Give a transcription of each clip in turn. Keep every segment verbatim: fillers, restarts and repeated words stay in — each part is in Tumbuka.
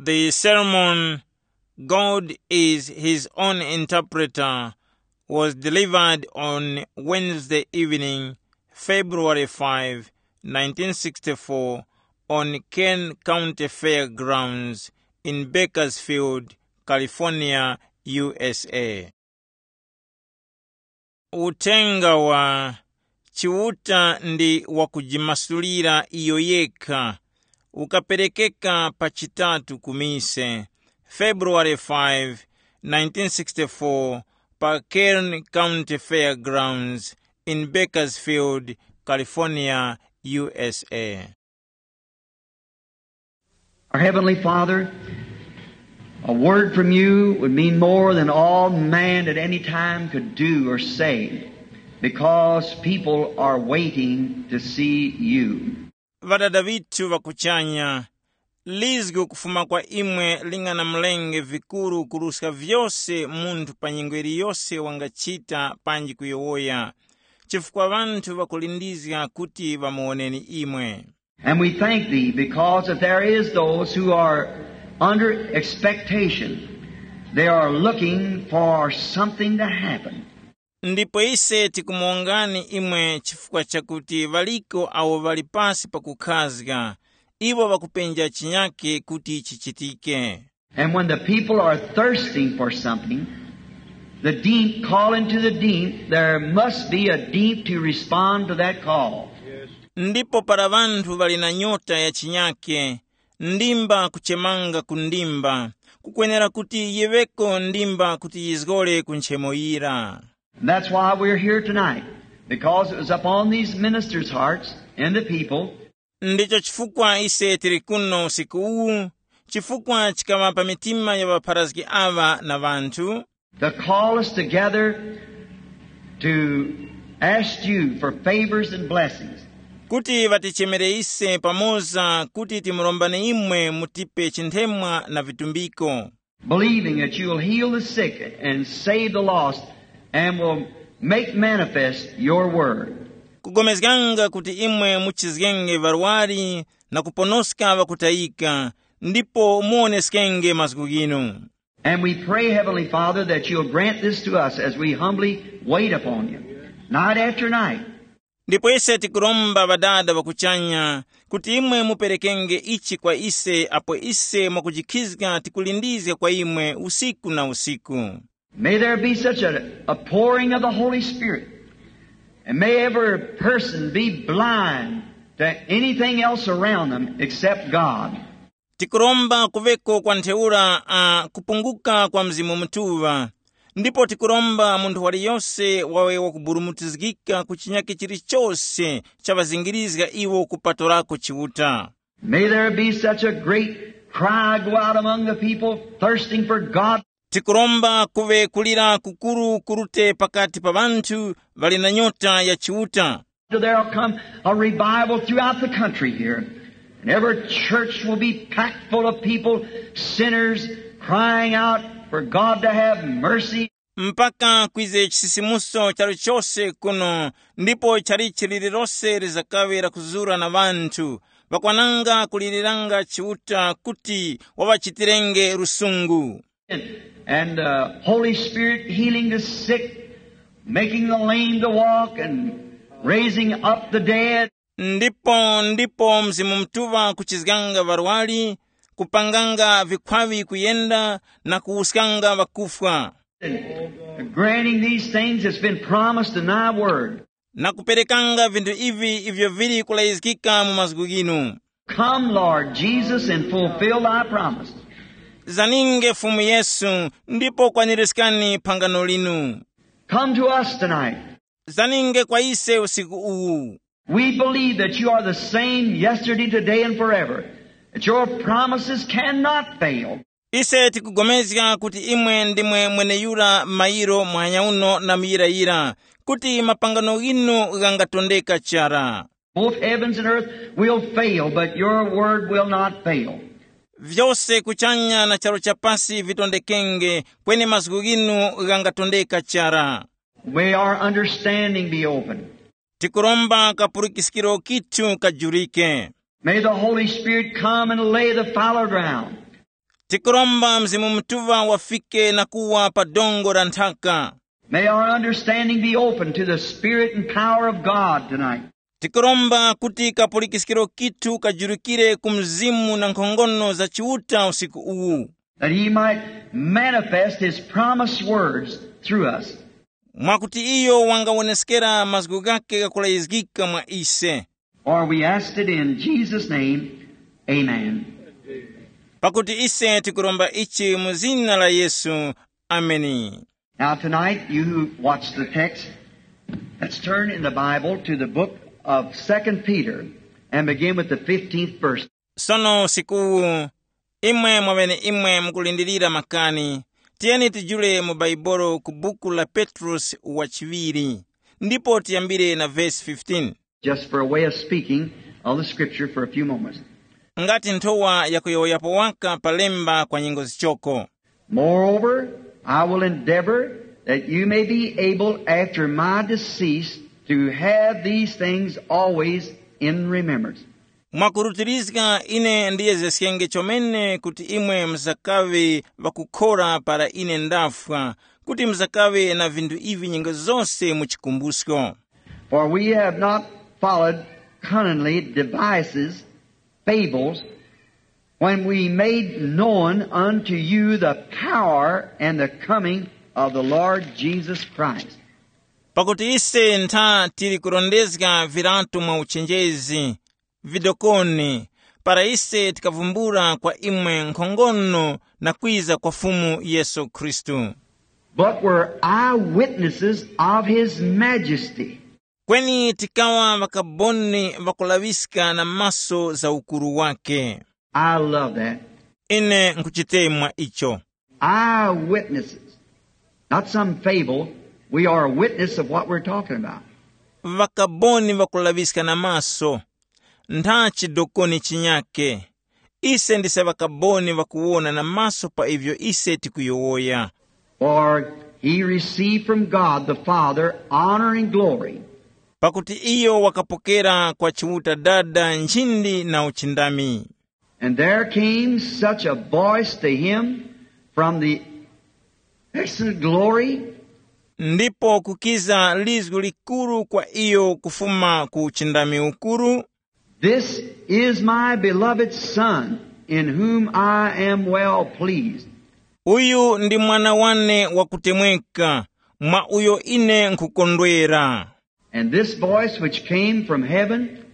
The sermon, God Is His Own Interpreter, was delivered on Wednesday evening, February five, nineteen sixty-four, on Kern County Fairgrounds in Bakersfield, California, U S A. Uthenga wa Chiuta ndi wakujimasulira iyo yekha ukaperekeka pa chitatu ku mise, February five, nineteen sixty-four, pa Kern County Fairgrounds in Bakersfield, California, U S A. Our Heavenly Father, a word from you would mean more than all man at any time could do or say, because people are waiting to see you. Ŵadada vithu ŵakuchanya, lizgu kufuma kwa imwe lingana mlenge vikuru kuruska vyose munthu pa nyengo yiliyose wangachita panji kuyowoya, chifukwa ŵanthu ŵakulindizga kuti ŵamuwoneni imwe. And we thank thee because that there is those who are under expectation. They are looking for something to happen. Ndipo ise tikumuwongani imwe chifukwa chakuti ŵaliko awo ŵali pasi pakukhazga, iwo ŵakupenja chinyake kuti chichitike. And when the people are thirsting for something, the deep calling to the deep, there must be a deep to respond to that call. Ndipo para ŵanthu ŵali na nyota ya chinyake, ndimba kuchemanga ku ndimba, kukwenera kuti yiŵeko ndimba kuti yizgore ku nchemo yira. And that's why we're here tonight, because it was upon these ministers' hearts and the people. Ndicho chifukwa ise tili kuno usiku uwu, chifukwa chikaŵa pa mitima ya ŵapharazgi aŵa na ŵanthu, to call us together to ask you for favors and blessings. Kuti ŵatichemere ise pamoza kuti timurombane imwe mutipe chinthemwa na vitumbiko. Believing that you will heal the sick and save the lost, and will make manifest your word. Kugomezganga kuti imwe muchizgenge ŵarwari na kuponoska ŵakutayika, ndipo muwoneskenge mazgu ghinu. And we pray, Heavenly Father, that you'll grant this to us as we humbly wait upon you, night after night. Ndipo ise tikuromba Ŵadada ŵa kuchanya, kuti imwe muperekenge ichi kwa ise apo ise mwakujikhizga tikulindizga kwa imwe usiku na usiku. May there be such a, a pouring of the Holy Spirit, and may every person be blind to anything else around them except God. Tikuromba kuveko kwa ntheura a kupunguka kwa Mzimu Mutuŵa, ndipo tikuromba munthu waliyose wawe wakuburumutizgika ku chinyake chilichose cha ŵazingirizga iwo kupatorako Chiuta. May there be such a great cry go out among the people thirsting for God. Tikuromba kuve kulira kukuru kurute pakati pa ŵanthu ŵali na nyota ya Chiuta. There'll come a revival throughout the country here. And every church will be packed full of people, sinners, crying out for God to have mercy. Mpaka kwize chisisimuso chalichose kuno, ndipo chalichi lililose lizakaŵe lakuzura na ŵanthu, ŵakwananga kuliliranga Chiuta kuti waŵachitirenge lusungu. And uh, Holy Spirit healing the sick, making the lame to walk, and raising up the dead. Ndipo ndipo Mzimu Mutuŵa kuchizganga ŵarwari, kupanganga vikhwaŵi kuyenda, na kuwuskanga ŵakufwa. And granting these things that's been promised in thy word. Na kuperekanga vinthu ivi ivyo vili kulayizgika mu mazgu ghinu. Come, Lord Jesus, and fulfill thy promise. Zaninge Fumu Yesu, ndipo kwaniriskani phangano linu. Come to us tonight. Zaninge kwa ise usiku uwu. We believe that you are the same yesterday, today, and forever, that your promises cannot fail. Ise tikugomezga kuti imwe ndimwe mweneyura mayiro muhanya uno na muyirayira, kuti mapangano ghinu ghangatondeka chara. Both heavens and earth will fail, but your word will not fail. Vyose kuchanya na charu cha pasi vitondekenge, kweni mazgu ghinu ghangatondeka chara. May our understanding be open. Tikuromba kapulikiskiro kithu kajurike. May the Holy Spirit come and lay the fallow ground. Tikuromba Mzimu Mutuŵa wafike na kuwa pa dongo la nthaka. May our understanding be open to the Spirit and power of God tonight. Tikuromba kuti kapulikiskiro kithu kajurukire ku Mzimu na nkhongono za Chiuta usiku uwu, That he might manifest his promised words through us. Mwakuti iyo wangawoneskera mazgu ghake ghakulayizgika mwa ise. For we asked it in Jesus' name. Amen. Pakuti ise tikuromba ichi mu zina la Yesu. Ameni. Now, tonight, you who watch the text, let's turn in the Bible to the book of Second Peter and begin with the fifteenth verse. Sono usikuwu, imwe mwaŵeneimwe mukulindirira makani, tiyeni tijule mu Baibolo ku buku la Petrosi wa chiŵiri, ndipo tiyambire na vesi fifteen. Just for a way of speaking of the scripture for a few moments. Ngati nthowa yakuyowoyapo waka pa lemba kwa nyengo zichoko. Moreover, I will endeavor that you may be able after my decease to have these things always in remembrance. Mwakurutirizga ine ndiyezesyenge chomene kuti imwe muzakaŵe ŵakukhora para ine ndafwa, kuti muzakaŵe na vinthu ivi nyengo zose mu chikumbusko. For we have not followed cunningly devices, fables, when we made known unto you the power and the coming of the Lord Jesus Christ. Pakuti ise ntha tili kurondezga viratu mwa uchenjezi, vidokoni, para ise tikavumbula kwa imwe nkhongono na kwiza kwa Fumu Yesu Khristu. But were eyewitnesses of his majesty. Kweni tikaŵa ŵakaboni ŵakulaŵiska na maso za ukuru wake. I love that. Ine nkuchitemwa icho. Eyewitnesses. Not some fable. We are a witness of what we're talking about. Ŵakaboni ŵakulaŵiska na maso, ntha chidokoni chinyake. Ise ndise ŵakaboni ŵakuwona na maso pa ivyo ise tikuyowoya. For he received from God the Father honor and glory. Pakuti iyo wakapokera kwa Chiuta Dada nchindi na uchindami. And there came such a voice to him from the excellent glory. Ndipo kukiza lizgu likuru kwa iyo kufuma ku uchindami ukuru. This is my beloved Son, in whom I am well pleased. Uyu ndi mwana wane wakutemweka, mwa uyo ine nkhukondwera. And this voice which came from heaven,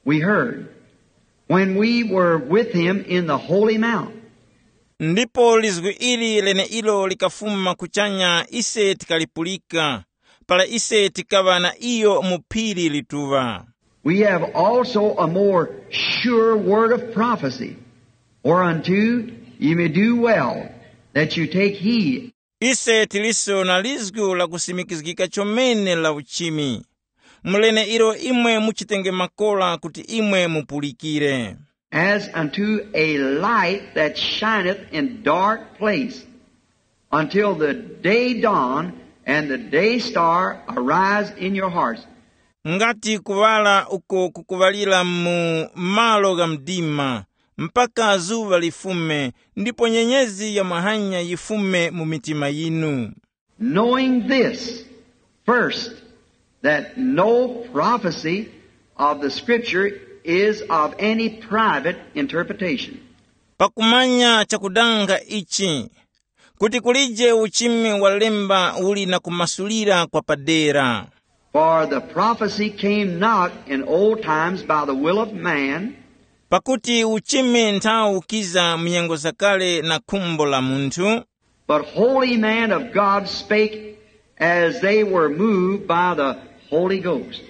we heard when we were with him in the holy mount. Ndipo lizgu ili leneilo likafuma kuchanya ise tikalipulika, para ise tikaŵa na iyo mu phiri lituŵa. We have also a more sure word of prophecy, whereunto ye may do well that you take heed. Ise tiliso na lizgu la kusimikizgika chomene la uchimi, mu leneilo imwe muchitenge makora kuti imwe mupulikire. As unto a light that shineth in dark place, until the day dawn and the day star arise in your hearts. Ngati kuŵala uko kukuŵalira mu malo gha mdima, mpaka zuŵa lifume, ndipo nyenyezi ya mahanya yifume mu mitima yinu. Knowing this, first, that no prophecy of the Scripture is of any private interpretation. Pakumanya chakudanga ichi, kuti kulije uchimi wa lemba uli na kumasulira kwa padera. For the prophecy came not in old times by the will of man, Pakuti uchimi nthawu ukiza mu nyengo zakale na khumbo la munthu, but holy man of God spake as they were moved by the Holy Ghost.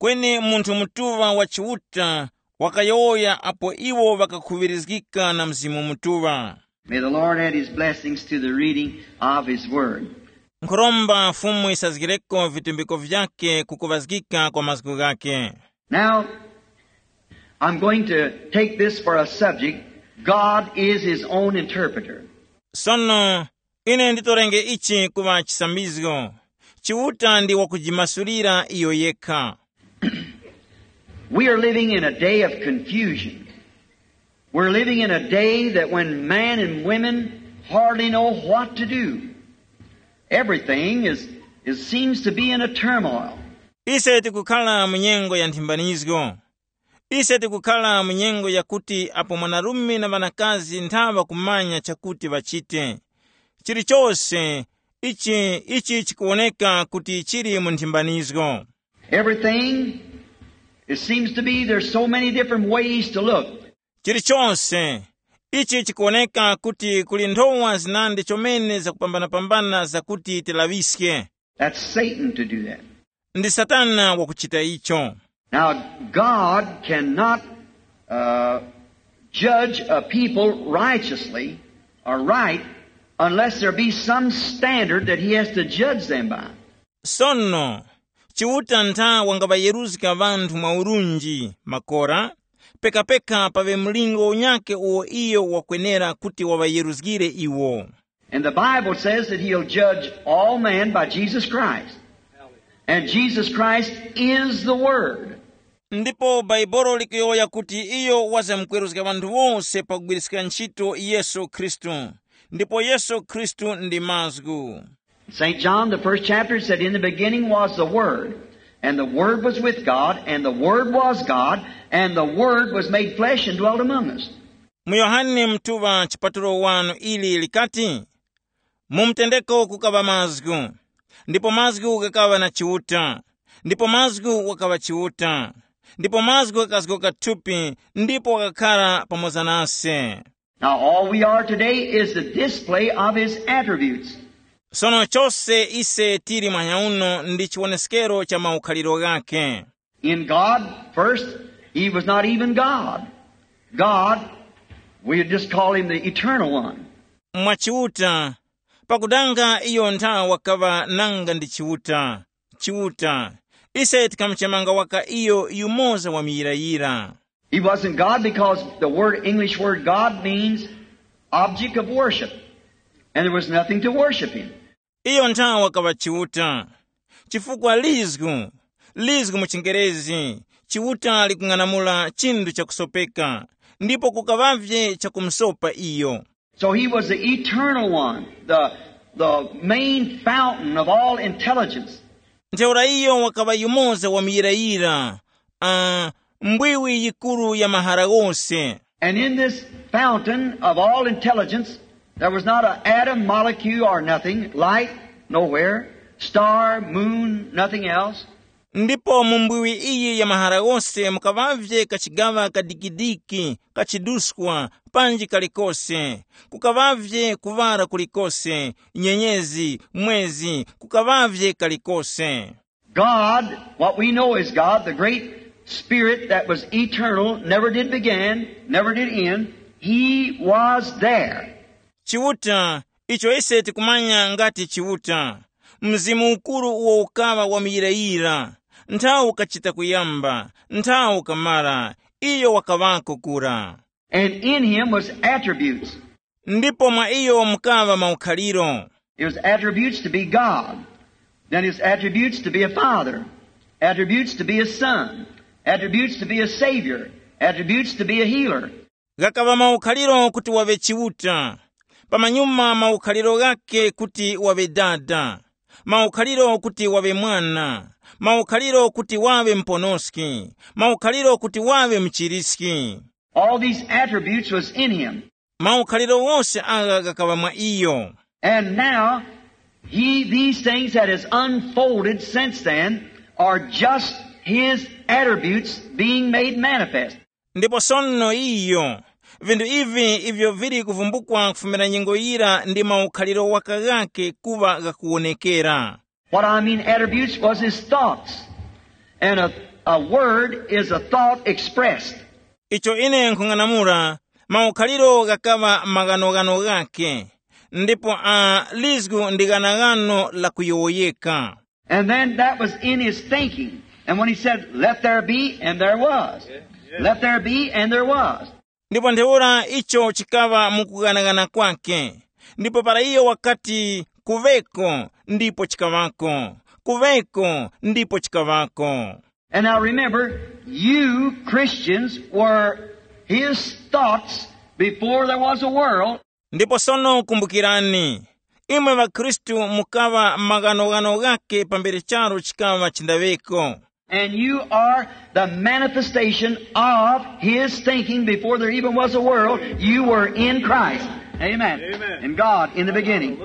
Kweni munthu mutuŵa wa Chiuta wakayowoya apo iwo ŵakakhuŵirizgika na Mzimu Mutuŵa. May the Lord add his blessings to the reading of his word. Nkhuromba Fumu yisazgireko vitumbiko vyakhe kukuŵazgika kwa mazgu ghakhe. Now, I'm going to take this for a subject. God is his own interpreter. Sono, ine nditorenge ichi kuŵa chisambizgo. Chiuta ndi wakujimasulira iyo yekha. We are living in a day of confusion. We're living in a day that when men and women hardly know what to do, everything is, is seems to be in a turmoil. Ise tikukhala mu nyengo ya nthimbanizgo. Ise tikukhala mu nyengo yakuti apo mwanarume na ŵanakazi nthaŵa kumanya chakuti ŵachite. Chilichose ichi, ichi chikuwoneka kuti chili mu nthimbanizgo. Everything, it seems to be, there's so many different ways to look. Chilichose ichi chikuwoneka kuti kuli nthowa zinandi chomene zakupambana-pambana zakuti tilaŵiske. That's Satan to do that. Ndi Satana wakuchita icho. Now, God cannot uh, judge a people righteously or right unless there be some standard that he has to judge them by. Sono, Chiuta ntha wangaŵayeruzga ŵanthu mwa urunji makora, pekapeka paŵe mlingo unyakhe uwo iyo wakwenera kuti waŵayeruzgire iwo. And the Bible says that he'll judge all men by Jesus Christ. And Jesus Christ is the Word. Ndipo Baibolo likuyowoya kuti iyo wazamkweruzga ŵanthu wose pakugwiriska ntchito Yesu Khristu. Ndipo Yesu Khristu ndi mazgu. Saint John, the first chapter, said, "In the beginning was the Word, and the Word was with God, and the Word was God, and the Word was made flesh and dwelt among us." Mu Yohane mtuŵa chipatulo wanu ili likati, mu mtendeko kukaŵa mazgu, ndipo mazgu ghakaŵa na Chiuta, ndipo mazgu wakaŵa Chiuta, ndipo mazgu ghakazgoka thupi ndipo wakakhara pamoza nase. Now, all we are today is the display of his attributes. Sono chose ise tili mwanyauno ndi chiwoneskero cha maukhaliro ghakhe. In God, first, he was not even God. God, we just call him the eternal one. Mwa Chiuta, pakudanga iyo ntha wakaŵa nanga ndi Chiuta. Chiuta, ise tikamuchemanga waka iyo yumoza wa muyirayira. He wasn't God because the word, English word God means object of worship. And there was nothing to worship him. Iyo ntha wakaŵa Chiuta. Chifukwa lizgu, lizgu mu chingerezi, Chiuta likung'anamula chinthu chakusopeka, ndipo kukaŵavye chakumusopa iyo. So he was the eternal one, the, the main fountain of all intelligence. Ntheura iyo wakaŵa yumoza wa muyirayira, uh, mbwiwi yikuru ya mahara ghose. And in this fountain of all intelligence, there was not an atom, molecule, or nothing, light, nowhere, star, moon, nothing else. Ndipo mu mbwiwi iyi ya mahara ghose mukaŵavye kachigaŵa kadikidiki, kachiduskwa, panji kalikose, kukaŵavye kuŵara kulikose, nyenyezi, mwezi, kukaŵavye kalikose. God, what we know is God, the great Spirit that was eternal, never did begin, never did end, he was there. Chiuta, icho ise tikumanya ngati Chiuta, Mzimu ukuru uwo ukaŵa wa muyirayira, nthawi ukachita kuyamba, nthawi ukamara, iyo wakaŵako kura. And in him was attributes. Ndipo mwa iyo mukaŵa maukhaliro. It was attributes to be God. Then his attributes to be a father. Attributes to be a son. Attributes to be a savior. Attributes to be a healer. Ghakaŵa maukhaliro kuti waŵe Chiuta. Pamanyuma maukhaliro ghakhe kuti waŵe Dada. Maukhaliro kuti waŵe Mwana. Maukhaliro kuti waŵe Muponoski. Maukhaliro kuti waŵe Muchiriski. All these attributes was in him. Maukhaliro wose agha ghakaŵa mwa iyo. And now, he, these things that has unfolded since then are just his attributes being made manifest. Ndipo sono iyo, vinthu ivi ivyo vili kuvumbukwa kufumira nyengo yira ndi maukhaliro waka ghakhe kuŵa ghakuwonekera. What I mean attributes was his thoughts. And a, a word is a thought expressed. Icho ine nkhung'anamula, maukhaliro ghakaŵa maghanoghano ghakhe, ndipo a lizgu ndi ghanaghano lakuyowoyeka. And then that was in his thinking. And when he said, "Let there be," and there was. "Let there be," and there was. Ndipo ntheura icho chikaŵa mu kughanaghana kwake. Ndipo para iyo wakati, "Kuŵeko," ndipo chikaŵako. "Kuŵeko," ndipo chikaŵako. And now remember, you Christians were His thoughts before there was a world. Ndipo sono kumbukirani, imwe ŵakhristu mukaŵa maghanoghano ghakhe pambere charu chikaŵa chindaŵeko. And you are the manifestation of his thinking before there even was a world. You were in Christ. Amen. Amen. In God in the beginning.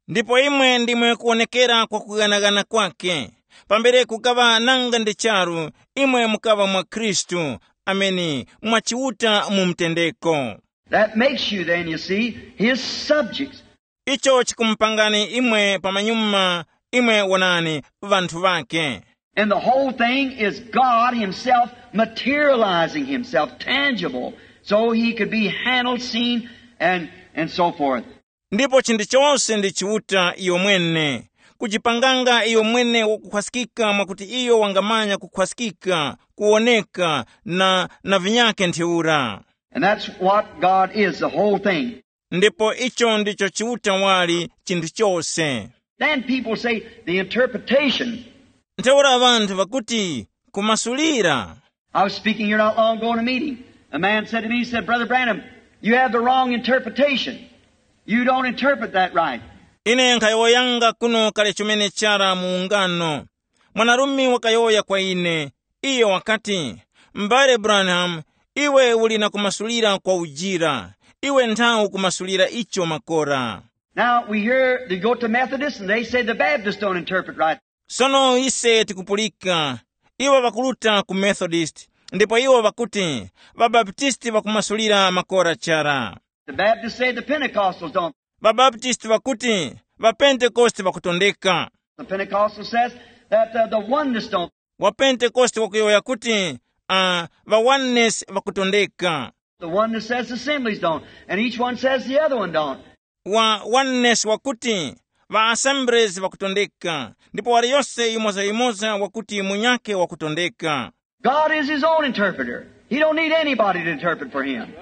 Ndipo imwe ndimwe kuwonekera kwa kughanaghana kwake. Pambere kukaŵa nanga ndi charu, imwe mukaŵa mwa Khristu. Ameni. Mwa Chiuta mu mtendeko. That makes you then, you see, his subjects. Icho chikumupangani imwe pamanyuma, imwe wonani, vanthu vake. And the whole thing is God himself materializing himself tangible, so he could be handled, seen, and, and so forth. Ndipo chinthu chose ndi Chiuta iyo mwene, kujipanganga iyo mwene wakukhwaskika mwakuti iyo wangamanya kukhwaskika, kuwoneka, na, na vinyake ntheura. And that's what God is, the whole thing. Ndipo icho ndicho Chiuta wali, chinthu chose. Then people say the interpretation. Ntheura ŵanthu ŵakuti, kumasulira. I was speaking here not long ago in a meeting. A man said to me, he said, "Brother Branham, you have the wrong interpretation. You don't interpret that right." Ine nkhayowoyanga kuno kale chomene chara mu ungano. Mwanarume wakayowoya kwa ine, iyo wakati, "M'bale Branham, iwe uli na kumasulira kwa ujira. Iwe nthawu kumasulira icho makora." Now we hear they go to Methodists and they say the Baptists don't interpret right. Sono ise tikupulika, iwo ŵakuruta ku Methodist, ndipo iwo ŵakuti, ŵabaptisti ŵakumasulira makora chara. The Baptists say the Pentecostals don't. Ŵabaptisti ŵakuti, ŵapentekoste ŵakutondeka. The Pentecostal says that uh, the oneness don't. Wapentekoste wakuyowoya kuti, uh, ŵaoneness ŵakutondeka. The oneness says the assemblies don't, and each one says the other one don't. Wa oneness wakuti, ŵa assemblies ŵakutondeka, ndipo waliyose yimoza-yimoza wakuti munyakhe wakutondeka. God is his own interpreter. He don't need anybody to interpret for him.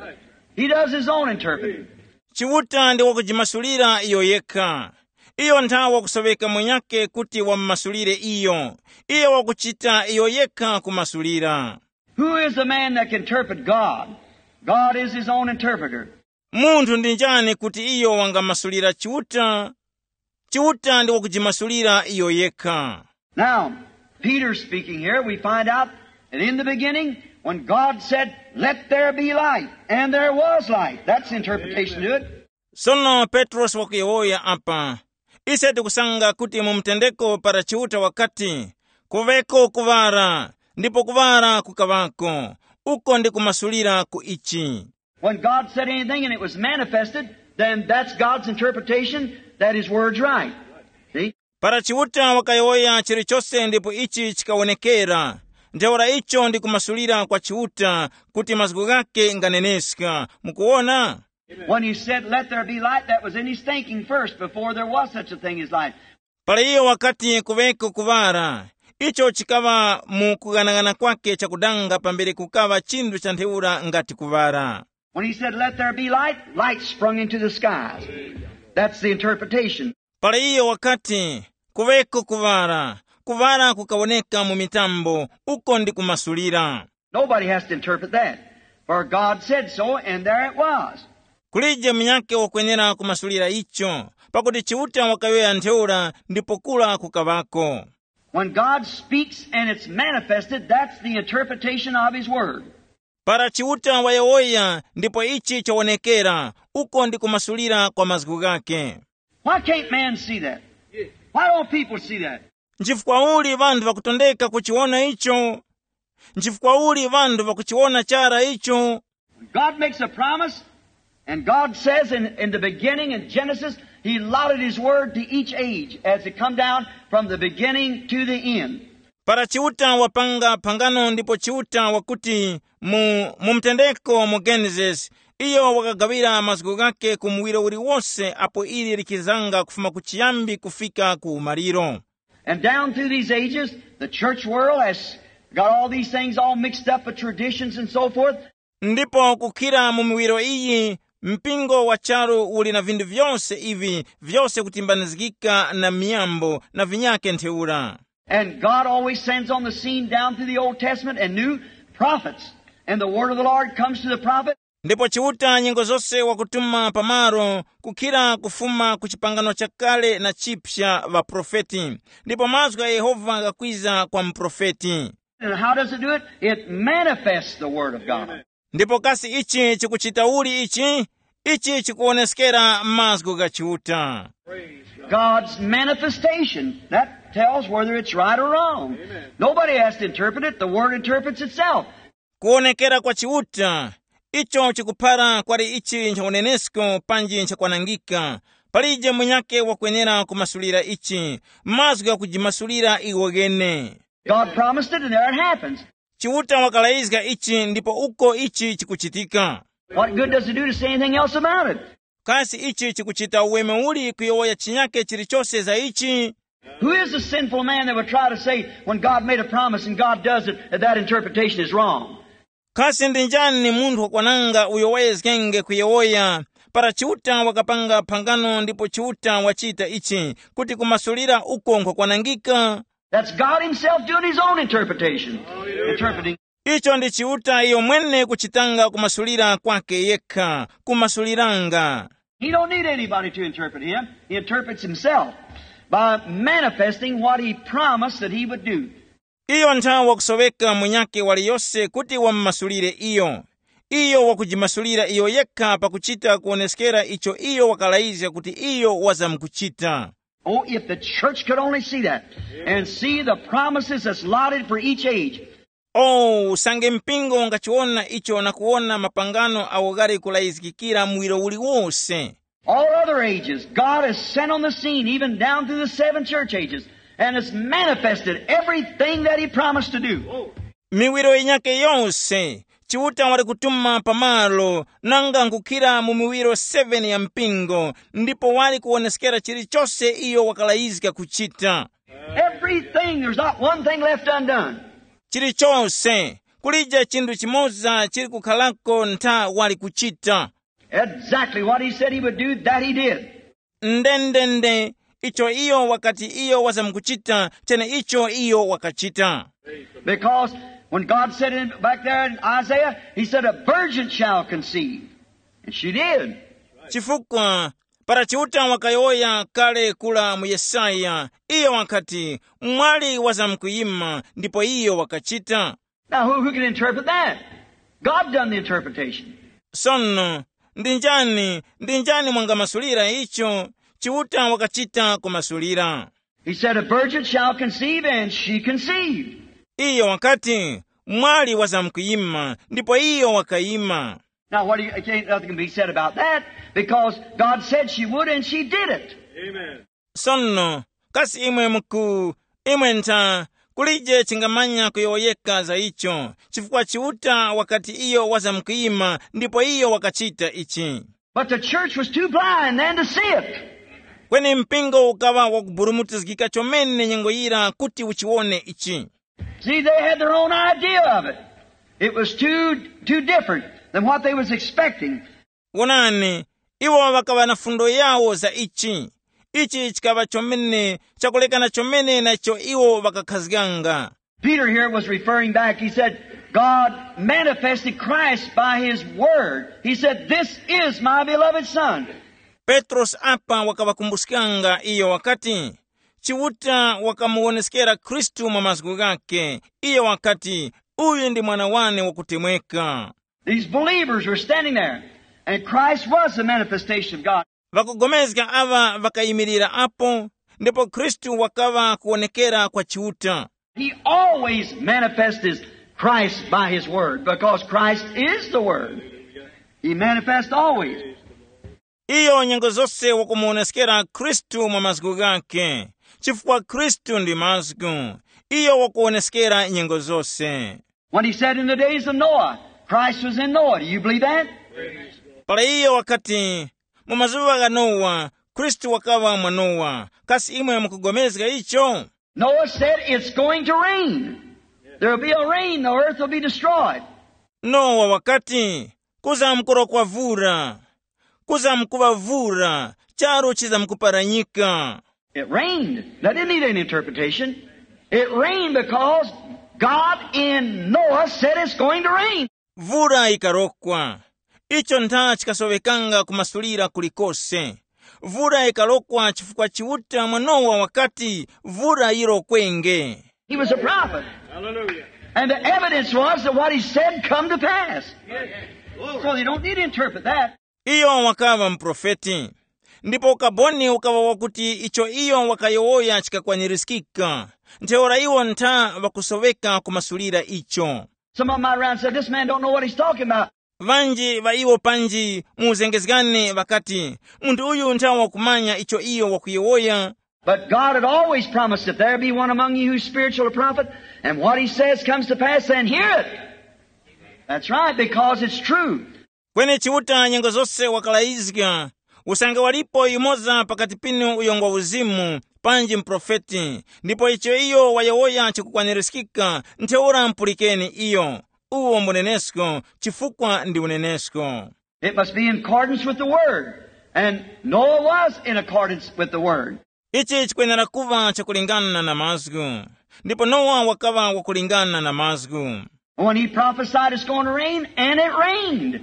He does his own interpreting. Chiuta ndi wakujimasulira iyo yekha. Iyo nthawe wakusoweka mwenyake kuti wamumasulire iyo. Iyo wakuchita iyo yekha kumasulira. Who is the man that can interpret God? God is his own interpreter. Munthu ndi njani kuti iyo wangamasulira Chiuta? Chiuta ndi wakujimasulira iyo yekha. Now, Peter speaking here, we find out that in the beginning, when God said, "Let there be light," and there was light. That's the interpretation to it. Sono Petrosi wakuyowoya apa. Ise tikusanga kuti mu mtendeko para Chiuta wakati, "Kuveko kuŵara," ndipo kuŵara kukaŵako. Uko ndi kumasulira ku ichi. When God said anything and it was manifested, then that's God's interpretation that his word's right. See? Para Chiuta wakayowoya chilichose ndipo ichi chikawonekera, ntheura icho ndi kumasulira kwa Chiuta kuti mazgu ghake nganeneska. Mukuwona? When he said, "Let there be light," that was in his thinking first before there was such a thing as light. Para iyo wakati, "Kuveko kuŵara," icho chikaŵa mu kughanagana kwake chakudanga pambere kukaŵa chinthu cha ntheura ngati kuŵara. When he said, "Let there be light," light sprung into the skies. That's the interpretation. Para iyo wakati, "Kuveko kuŵara," kuŵara kukawoneka mu mitambo, uko ndi kumasulira. Nobody has to interpret that. For God said so, and there it was. Kulije munyakhe wakwenera kumasulira icho, pakuti Chiuta wakayowoya ntheura ndipo kura kukaŵako. When God speaks and it's manifested, that's the interpretation of his word. Para Chiuta wayowoya ndipo ichi chawonekera, uko ndi kumasulira kwa mazgu ghake. Why can't man see that? Why don't people see that? Nchifukwa uli ŵanthu ŵakutondeka kuchiwona icho? Nchifukwa uli ŵanthu ŵakuchiwona chara icho? God makes a promise, and God says in, in the beginning in Genesis, he allotted his word to each age as it come down from the beginning to the end. Para Chiuta wapanga phangano ndipo Chiuta wakuti mu, mu mtendeko mu Genesis, iyo wakagawira mazgu ghake ku muwiro uliwose apo ili likizanga kufuma ku chiyambi kufika ku umaliro. And down through these ages, the church world has got all these things all mixed up with traditions and so forth. Ndipo kukhira mu miwiro iyi, mpingo wa charu uli na vinthu vyose ivi vyose kutimbanizgika na miyambo na vinyake ntheura. And God always sends on the scene down through the Old Testament and New prophets. And the word of the Lord comes to the prophet. Ndipo Chiuta nyengo zose wakutuma pamalo kukhira kufuma ku chipangano chakale na chipsa ŵaprofeti, ndipo mazgu gha Yehova ghakwiza kwa muprofeti. And how does it do it? It manifests the word of God. Ndipo kasi ichi chikuchita uli ichi? Ichi chikuwoneskera mazgu gha Chiuta. God's manifestation. That tells whether it's right or wrong. Nobody has to interpret it. The word interprets itself. Kuwonekera kwa Chiuta, icho chikuphara kwali ichi ncha unenesko panji ncha kwanangika. Palije munyakhe wakwenera kumasulira ichi, mazgu ghakujimasulira iwo ghene. God promised it, and there it happens. Chiuta wakalayizga ichi ndipo uko ichi chikuchitika. What good does it do to say anything else about it? Kasi ichi chikuchita uweme uli kuyowoya chinyakhe chilichose za ichi? Who is the sinful man that would try to say when God made a promise and God does it, that that interpretation is wrong? Kasi ndi njani munthu wakwananga uyo wayezgenge kuyowoya para Chiuta wakapanga phangano ndipo Chiuta wachita ichi kuti kumasulira uko nkhwakwanangika? That's God himself doing his own interpretation. Interpreting. Icho ndi Chiuta iyo mwene kuchitanga kumasulira kwake yekha, kumasuliranga. He don't need anybody to interpret him. He interprets himself by manifesting what he promised that he would do. Iyo nthawe wakusoweka munyakhe waliyose kuti wamumasulire iyo. Iyo wakujimasulira iyo yekha pakuchita kuwoneskera icho iyo wakalayizga kuti iyo wazamkuchita. Oh, if the church could only see that and see the promises that's allotted for each age. Oh, usange mpingo ungachiwona icho na kuwona mapangano awo ghali kulayizgikira muwiro uliwose. All other ages, God has sent on the scene, even down through the seven church ages, and has manifested everything that he promised to do. Miwiro yinyakhe yose, Chiuta wali kutuma pamalo nanga nkukhira mu miwiro seven ya mpingo, ndipo wali kuwoneskera chilichose iyo wakalayizga kuchita. Everything, there's not one thing left undone. Chilichose, kulije chinthu chimoza chili kukhalako ntha wali kuchita. Exactly what he said he would do, that he did. Ndendende, icho iyo wakati iyo wazamkuchita, chene icho iyo wakachita. Because when God said in, back there in Isaiah, he said, "A virgin shall conceive." And she did. Chifukwa para Chiuta wakayowoya kale kula mu Yesaya, iyo wakati, "Mwali wazamkuyima," ndipo iyo wakachita. Now, who, who can interpret that? God done the interpretation. Sono, ndi njani, ndi njani mwangamasulira icho? Chiuta wakachita kumasulira. He said, "A virgin shall conceive," and she conceived. Iyo wakati, "Mwali wazamkuyima," ndipo iyo wakayima. Now, what do you, can't, nothing can be said about that, because God said she would, and she did it. Sono, kasi imwe muku, imwe ntha, kulije chingamanya kuyowoyeka za icho, chifukwa Chiuta wakati iyo wazamkuyima, ndipo iyo wakachita ichi. But the church was too blind then to see it. Kweni mpingo ukaŵa wakuburumutizgika chomene nyengo yira kuti uchiwone ichi. See, they had their own idea of it. It was too, too different than what they was expecting. Wonani, iwo ŵakaŵa na fundo yawo za ichi. Ichi chikaŵa chomene chakulekana chomene na icho iwo ŵakakhazganga. Peter here was referring back. He said, "God manifested Christ by his word." He said, "This is my beloved Son." Petrosi apa wakaŵakumbuskanga iyo wakati, Chiuta wakamuwoneskera Khristu mwa mazgu ghakhe. Iyo wakati, "Uyu ndi mwana wane wakutemweka." These believers were standing there, and Christ was the manifestation of God. Ŵakugomezga aŵa ŵakayimirira apo, ndipo Khristu wakaŵa kuwonekera kwa Chiuta. He always manifests Christ by his word, because Christ is the word. He manifests always. Iyo nyengo zose wakumuwoneskera Khristu mwa mazgu ghakhe, chifukwa Khristu ndi mazgu. Iyo wakuwoneskera nyengo zose. When he said, "In the days of Noah, Christ was in Noah." Do you believe that? Para iyo wakati, "Mu mazuŵa gha Nowa, Khristu wakaŵa mwa Nowa." Kasi imwe mukugomezga icho? Noah said, "It's going to rain. There'll be a rain, the earth will be destroyed." Nowa wakati, "Kuzamkurokwa vura, kuzamkuvavura, charu chizamkuparanyika." It rained. That didn't need any interpretation. It rained because God in Noah said it's going to rain. Vura yikarokwa. Icho ntha chikasoŵekanga kumasulira kulikose. Vura yikarokwa chifukwa Chiuta mwa Nowa wakati, "Vura yirokwenge." He was a prophet. Hallelujah. And the evidence was that what he said come to pass. So you don't need to interpret that. Iyo wakaŵa muprofeti. Ndipo ukaboni ukaŵa wakuti icho iyo wakayowoya chikakwanirizgika. Ntheura iwo ntha ŵakusoŵeka kumasulira icho. Some of them might around said, "This man don't know what he's talking about." Ŵanji ŵa iwo panji mu uzengezgani ŵakati, "Munthu uyu ntha wakumanya icho iyo wakuyowoya." But God had always promised, "If there be one among you who's spiritual or prophet, and what he says comes to pass, then hear it." That's right, because it's true. Kweni Chiuta nyengo zose wakalayizga, usange walipo yumoza pakati pinu uyo ngwa uzimu, panji muprofeti, ndipo icho iyo wayowoya chikukwanirizgika, ntheura mupulikeni iyo. Uwo mbunenesko, chifukwa ndi unenesko. It must be in accordance with the word. And Noah was in accordance with the word. Ichi chikwenera kuva chakulingana na mazgu, ndipo Nowa wakaŵa wakulingana na mazgu. When he prophesied it's going to rain, and it rained.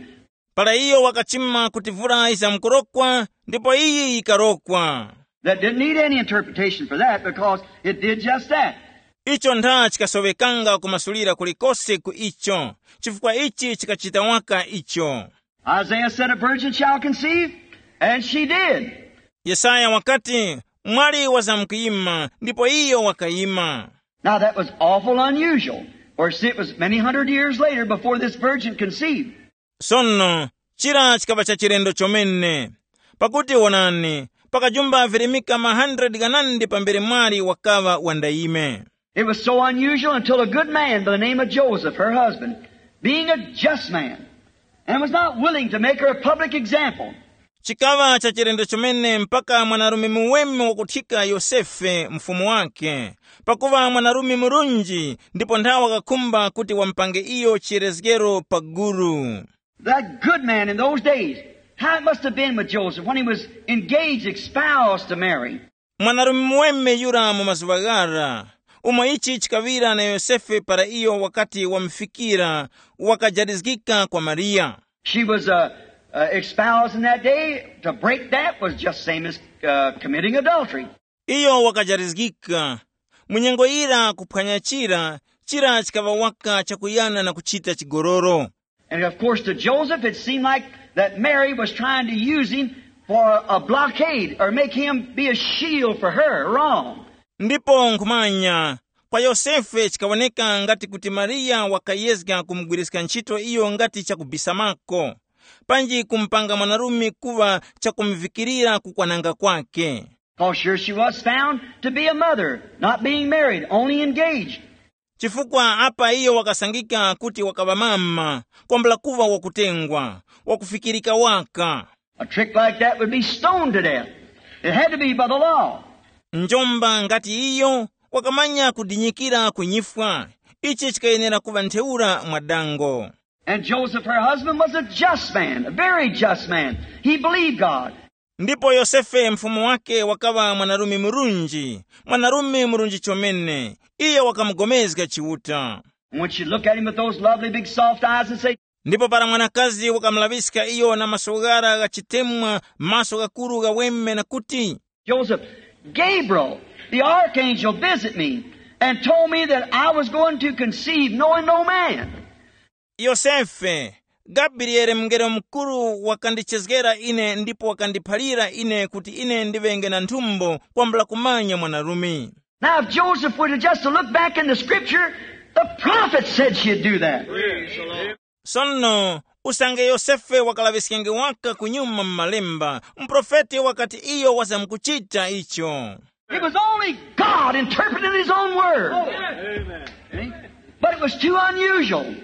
Para iyo wakachima kuti vura yizamkurokwa, ndipo iyi yikarokwa. That didn't need any interpretation for that because it did just that. Icho ntha chikasoŵekanga kumasulira kulikose ku icho, chifukwa ichi chikachita waka icho. Isaiah said, "A virgin shall conceive," and she did. Yesaya wakati, "Mwali wazamkuyima," ndipo iyo wakayima. Now that was awful unusual, for see, it was many hundred years later before this virgin conceived. Sono, chira chikaŵa cha chilendo chomene, pakuti wonani, pakajumba virimika ma hundred ghanandi pambere mwali wakaŵa wandayime. It was so unusual until a good man by the name of Joseph, her husband, being a just man, and was not willing to make her a public example. Chikaŵa cha chilendo chomene mpaka mwanarume muweme wakuthika Yosefe, mfumu wake, pakuŵa mwanarume murunji, ndipo nthawe wakakhumba kuti wamupange iyo chiyerezgero pa guru. That good man in those days, how it must have been with Joseph when he was engaged, espoused to Mary. Mwanarume muweme yura mu mazuŵa ghara, umo ichi chikaŵira na Yosefe para iyo wakati wamufikira, wakajarizgika kwa Mariya. She was uh, uh, espoused in that day. To break that was just same as uh, committing adultery. Iyo wakajarizgika. Mu nyengo yira kuphwanya chira, chira chikaŵa waka chakuyana na kuchita chigololo. And of course, to Joseph, it seemed like that Mary was trying to use him for a blockade or make him be a shield for her. Wrong. Ndipo nkhumanya, kwa Yosefe chikawoneka ngati kuti Mariya wakayezga kumugwiriska ntchito iyo ngati chakubisamako, panji kumupanga mwanarume kuŵa chakumuvikirira kukwananga kwake. Because here she was found to be a mother, not being married, only engaged. Chifukwa apa iyo wakasangika kuti wakaŵa mama, kwambula kuŵa wakutengwa, wakufikirika waka. A trick like that would be stoned to death. It had to be by the law. Njomba ngati iyo wakamanya kudinyikira kunyifwa. Ichi chikayenera kuŵa ntheura mwa dango. And Joseph, her husband, was a just man, a very just man. He believed God. Ndipo Yosefe mfumu wake wakaŵa mwanarume murunji, mwanarume murunji chomene. Iyo wakamugomezga Chiuta. And when she looked at him with those lovely big soft eyes and said, Ndipo para mwanakazi wakamulaŵiska iyo na maso ghara gha chitemwa, maso ghakuru ghaweme na kuti, Joseph, Gabriel, the archangel, visited me and told me that I was going to conceive, knowing no man. Yosefe, Gabriele mungelo mukuru wakandichezgera ine ndipo wakandiphalira ine kuti ine ndiŵenge na nthumbo kwambula kumanya mwanarume. Now, if Joseph would have just looked back in the scripture, the prophet said she'd do that. Sono, usange Yosefe wakalaŵiskenge waka kunyuma mu malemba, muprofeti wakati iyo wazamkuchita icho. It was only God interpreting his own word. See? But it was too unusual.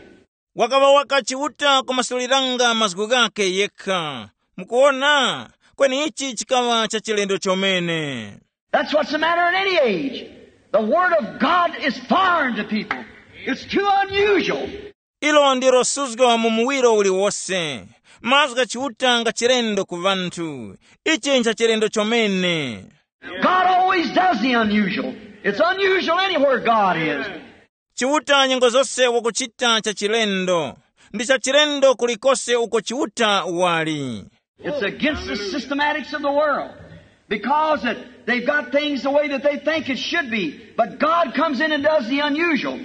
Wakaŵa waka Chiuta kumasuliranga mazgu ghakhe yekha. Mukuwona, kweni ichi chikaŵa cha chilendo chomene. That's what's the matter in any age. The word of God is foreign to people. It's too unusual. Ilo ndilo suzgo mu muwiro uliwose. Mazgu gha Chiuta nga chilendo ku ŵanthu. Ichi ncha chilendo chomene. God always does the unusual. It's unusual anywhere God is. Chiuta nyengo zose wakuchita cha chilendo. ndi chachilendo kulikose uko Chiuta wali. It's against the systematics of the world because that they've got things the way that they think it should be. But God comes in and does the unusual.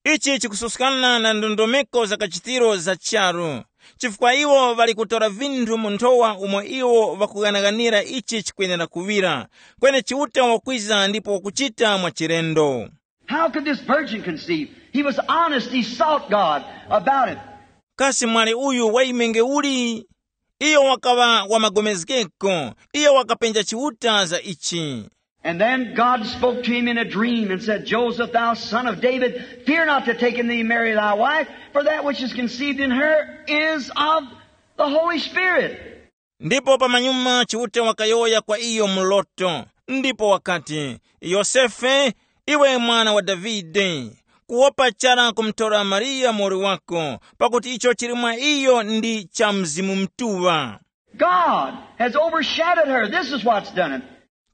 Ichi chikususkana na ndondomeko za kachitiro za charu, chifukwa iwo ŵali kutora vinthu mu nthowa umo iwo ŵakughanaghanira ichi chikwenera kuŵira. Kweni Chiuta wakwiza ndipo wakuchita mwa chilendo. How could this virgin conceive? He was honest. He sought God about it. Kasi mwali uyu waimenge uli? Iyo wakaŵa wa magomezgeko. Iyo wakapenja Chiuta za ichi. And then God spoke to him in a dream and said, "Joseph, thou son of David, fear not to take unto thee Mary thy wife, for that which is conceived in her is of the Holy Spirit." Ndipo pamanyuma Chiuta wakayowoya kwa iyo mu loto, ndipo wakati, "Yosefe, iwe mwana wa Davide, kuwopa chara kumtora Mariya muwoli wako, pakuti icho chili mwa iyo ndi cha Mzimu Mutuŵa. God has overshadowed her. This is what's done it.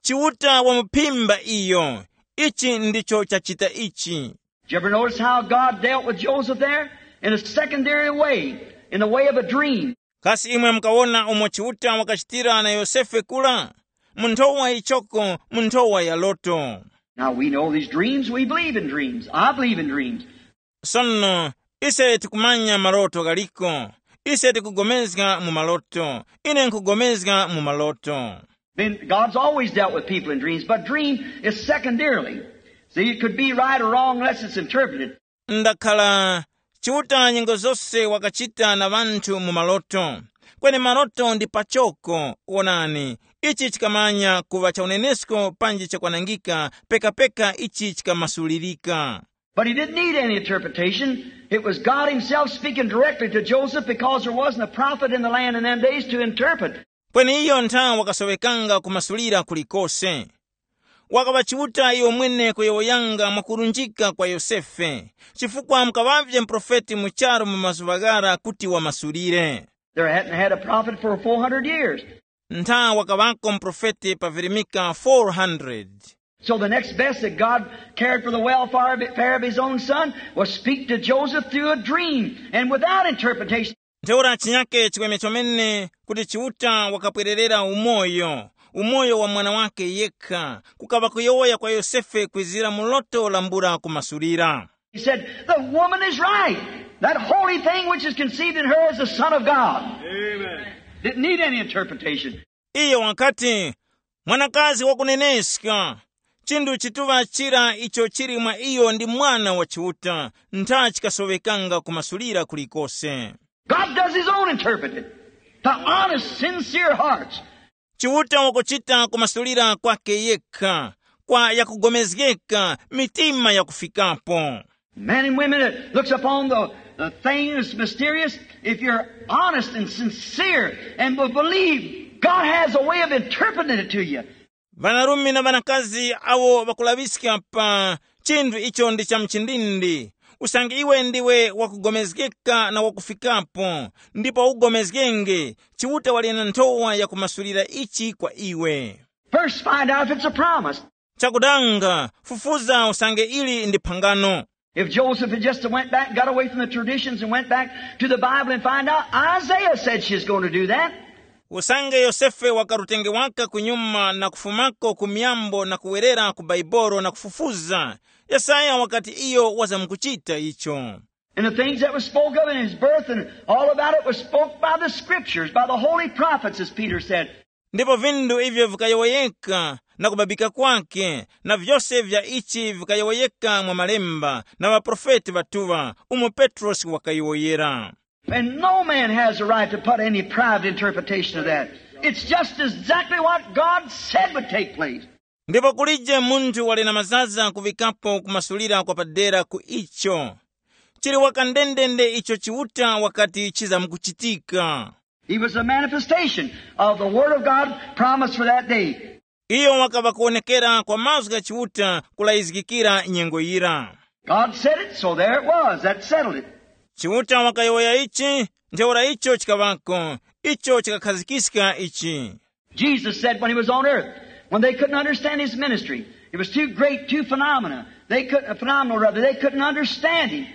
Chiuta wamuphimba iyo. Ichi ndicho chachita ichi." Did you ever notice how God dealt with Joseph there? In a secondary way, in the way of a dream. Kasi imwe mukawona umo Chiuta wakachitira na Yosefe kula? Mu nthowa ichoko, mu nthowa ya loto. Now we know these dreams, we believe in dreams. I believe in dreams. Sono, ise tikumanya maloto galiko. Ise tikugomezga mu maloto. Ine nkugomezga mu maloto. Then God's always dealt with people in dreams, but dream is secondarily. See, it could be right or wrong unless it's interpreted. Ndakhala Chiuta nyengo zose wakachita na ŵanthu mu maloto. Kweni maloto ndi pachoko, wonani, ichi chikamanya kuŵa cha unenesko panji chakwanangika pekapeka ichi chikamasulirika. But he didn't need any interpretation. It was God himself speaking directly to Joseph because there wasn't a prophet in the land in them days to interpret. Kweni iyo ntha wakasowekanga kumasulira kulikose. Wakaŵa Chiuta iyo mwene kuyowoyanga mwakurunjika kwa Yosefe, chifukwa mukaŵavye muprofeti mu charu mu mazuŵa ghara kuti wamasulire. There hadn't had a prophet for four hundred years. Ntha wakaŵako muprofeti pa virimika four hundred. So the next best that God cared for the welfare of his own son was speak to Joseph through a dream and without interpretation. Ntheura chinyake chikweme chomene kuti Chiuta wakapwererera umoyo, umoyo wa mwana wake yekha, kukaŵa kuyowoya kwa Yosefe kwizira mu loto lambula kumasulira. He said, "The woman is right. That holy thing which is conceived in her is the Son of God." Amen. Didn't need any interpretation. Iyo wakati, "Mwanakazi wakuneneska, chinthu chituŵa chira icho chili mwa iyo ndi Mwana wa Chiuta, ntha chikasowekanga kumasulira kulikose." God does his own interpreting to honest, sincere hearts. Chiuta wakuchita kumasulira kwake yekha, kwa yakugomezgeka, mitima yakufikapo. Men and women that looks upon the, the thing that's mysterious, if you're honest and sincere and will believe, God has a way of interpreting it to you. Ŵanarume na ŵanakazi awo ŵakulaŵiska pa chinthu icho ndi cha mchindindi, usange iwe ndiwe wakugomezgeka na wakufikapo, ndipo ugomezgenge, Chiuta wali na nthowa yakumasulira ichi kwa iwe. First, find out if it's a promise. Chakudanga, fufuza usange ili ndi phangano. If Joseph had just went back, got away from the traditions and went back to the Bible and find out, Isaiah said she's going to do that. Usange Yosefe wakarutenge waka kunyuma na kufumako ku myambo na kuwerera ku Baibolo na kufufuza, Yesaya wakati iyo wazamkuchita icho. And the things that was spoke of in his birth and all about it was spoke by the scriptures, by the holy prophets, as Peter said. Ndipo vinthu ivyo vikayowoyeka na kubabika kwake, na vyose vya ichi vikayowoyeka mwa malemba na ŵaprofeti ŵatuŵa, umo Petrosi wakayowoyera. And no man has a right to put any private interpretation of that. It's just exactly what God said would take place. Ndipo kulije munthu wali na mazaza kuŵikapo kumasulira kwa padera ku icho. Chili waka ndendende icho Chiuta wakati chizamkuchitika. He was a manifestation of the Word of God promised for that day. Iyo wakaŵa kuwonekera kwa mazgu gha Chiuta kulayizgikira nyengo yira. God said it, so there it was. That settled it. Chiuta wakayowoya ichi, ntheura icho chikaŵako, icho chikakhazikiska ichi. Jesus said when he was on earth, when they couldn't understand his ministry, it was too great, too phenomena. They couldn't, phenomenal rather, they couldn't understand him.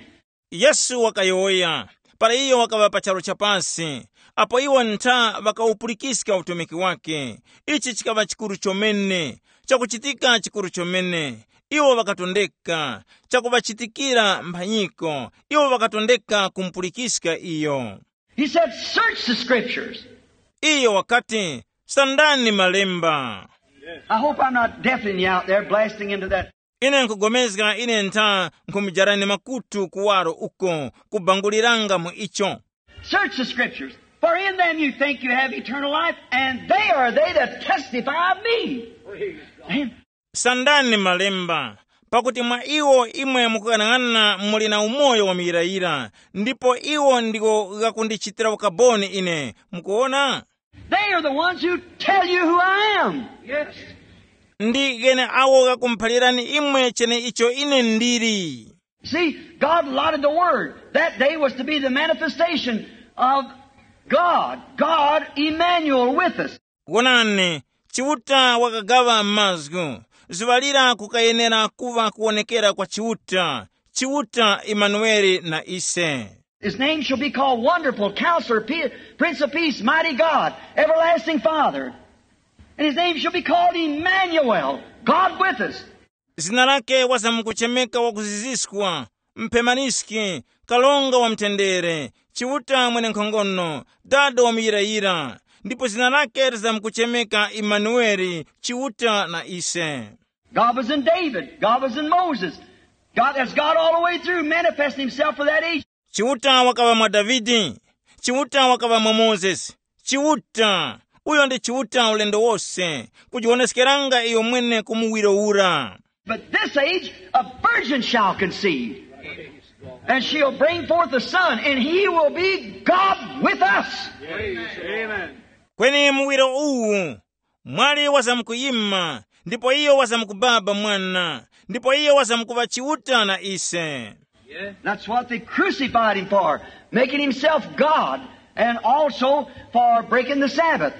Yesu wakayowoya, para iyo wakaŵa pa charu cha pasi, apo iwo ntha ŵakawupulikiska utumiki wake. Ichi chikaŵa chikuru chomene, chakuchitika chikuru chomene. Iwo ŵakatondeka chakuŵachitikira mphanyiko. Iwo ŵakatondeka kumupulikiska iyo. He said, "Search the scriptures." Iyo wakati, "Sandani malemba." I hope I'm not deafening you out there, blasting into that. Ine nkugomezga ine ntha nkhumujarani makutu kuwaro uko kubanguliranga mu icho. Search the scriptures, for in them you think you have eternal life, and they are they that testify of me. Amen. Sandani malemba, pakuti mwa iwo imwe mukuyang'ana muli na umoyo wa muyirayira, ndipo iwo ndiwo ghakundichitira ukaboni ine. Mukuona? They are the ones who tell you who I am. Yes. Ndi ghene awo ghakumuphalirani imwe cheneicho ine ndili. See, God allotted the word. That day was to be the manifestation of God, God Emmanuel with us. Wonani, Chiuta wakagaŵa mazgu, zuŵa lira kukayenera kuŵa kuwonekera kwa Chiuta, Chiuta Imanueli na ise. His name shall be called Wonderful Counselor, Pe-, Prince of Peace, Mighty God, Everlasting Father. And his name shall be called Emmanuel, God with us. Zina lake wazamkuchemeka wakuziziskwa, mphemaniski, kalonga wa mtendere, Chiuta mwenenkhongono, dada wa muyirayira. Ndipo zina lake lizamkuchemeka Imanueli, Chiuta na ise. God was in David. God was in Moses. God, that's God all the way through, manifesting himself for that age. Chiuta wakaŵa mwa Davide, Chiuta wakaŵa mwa Mozesi. Chiuta, uyo ndi Chiuta ulendo wose, kujiwoneskeranga iyo mwene ku muwiro ura. But this age, a virgin shall conceive, and she'll bring forth a son, and he will be God with us. Amen. Kweni muwiro uwu, mwali wazamkuyima, ndipo iyo wazamkubaba mwana, ndipo iyo wazamkuŵa Chiuta na ise. That's what they crucified him for, making himself God, and also for breaking the Sabbath.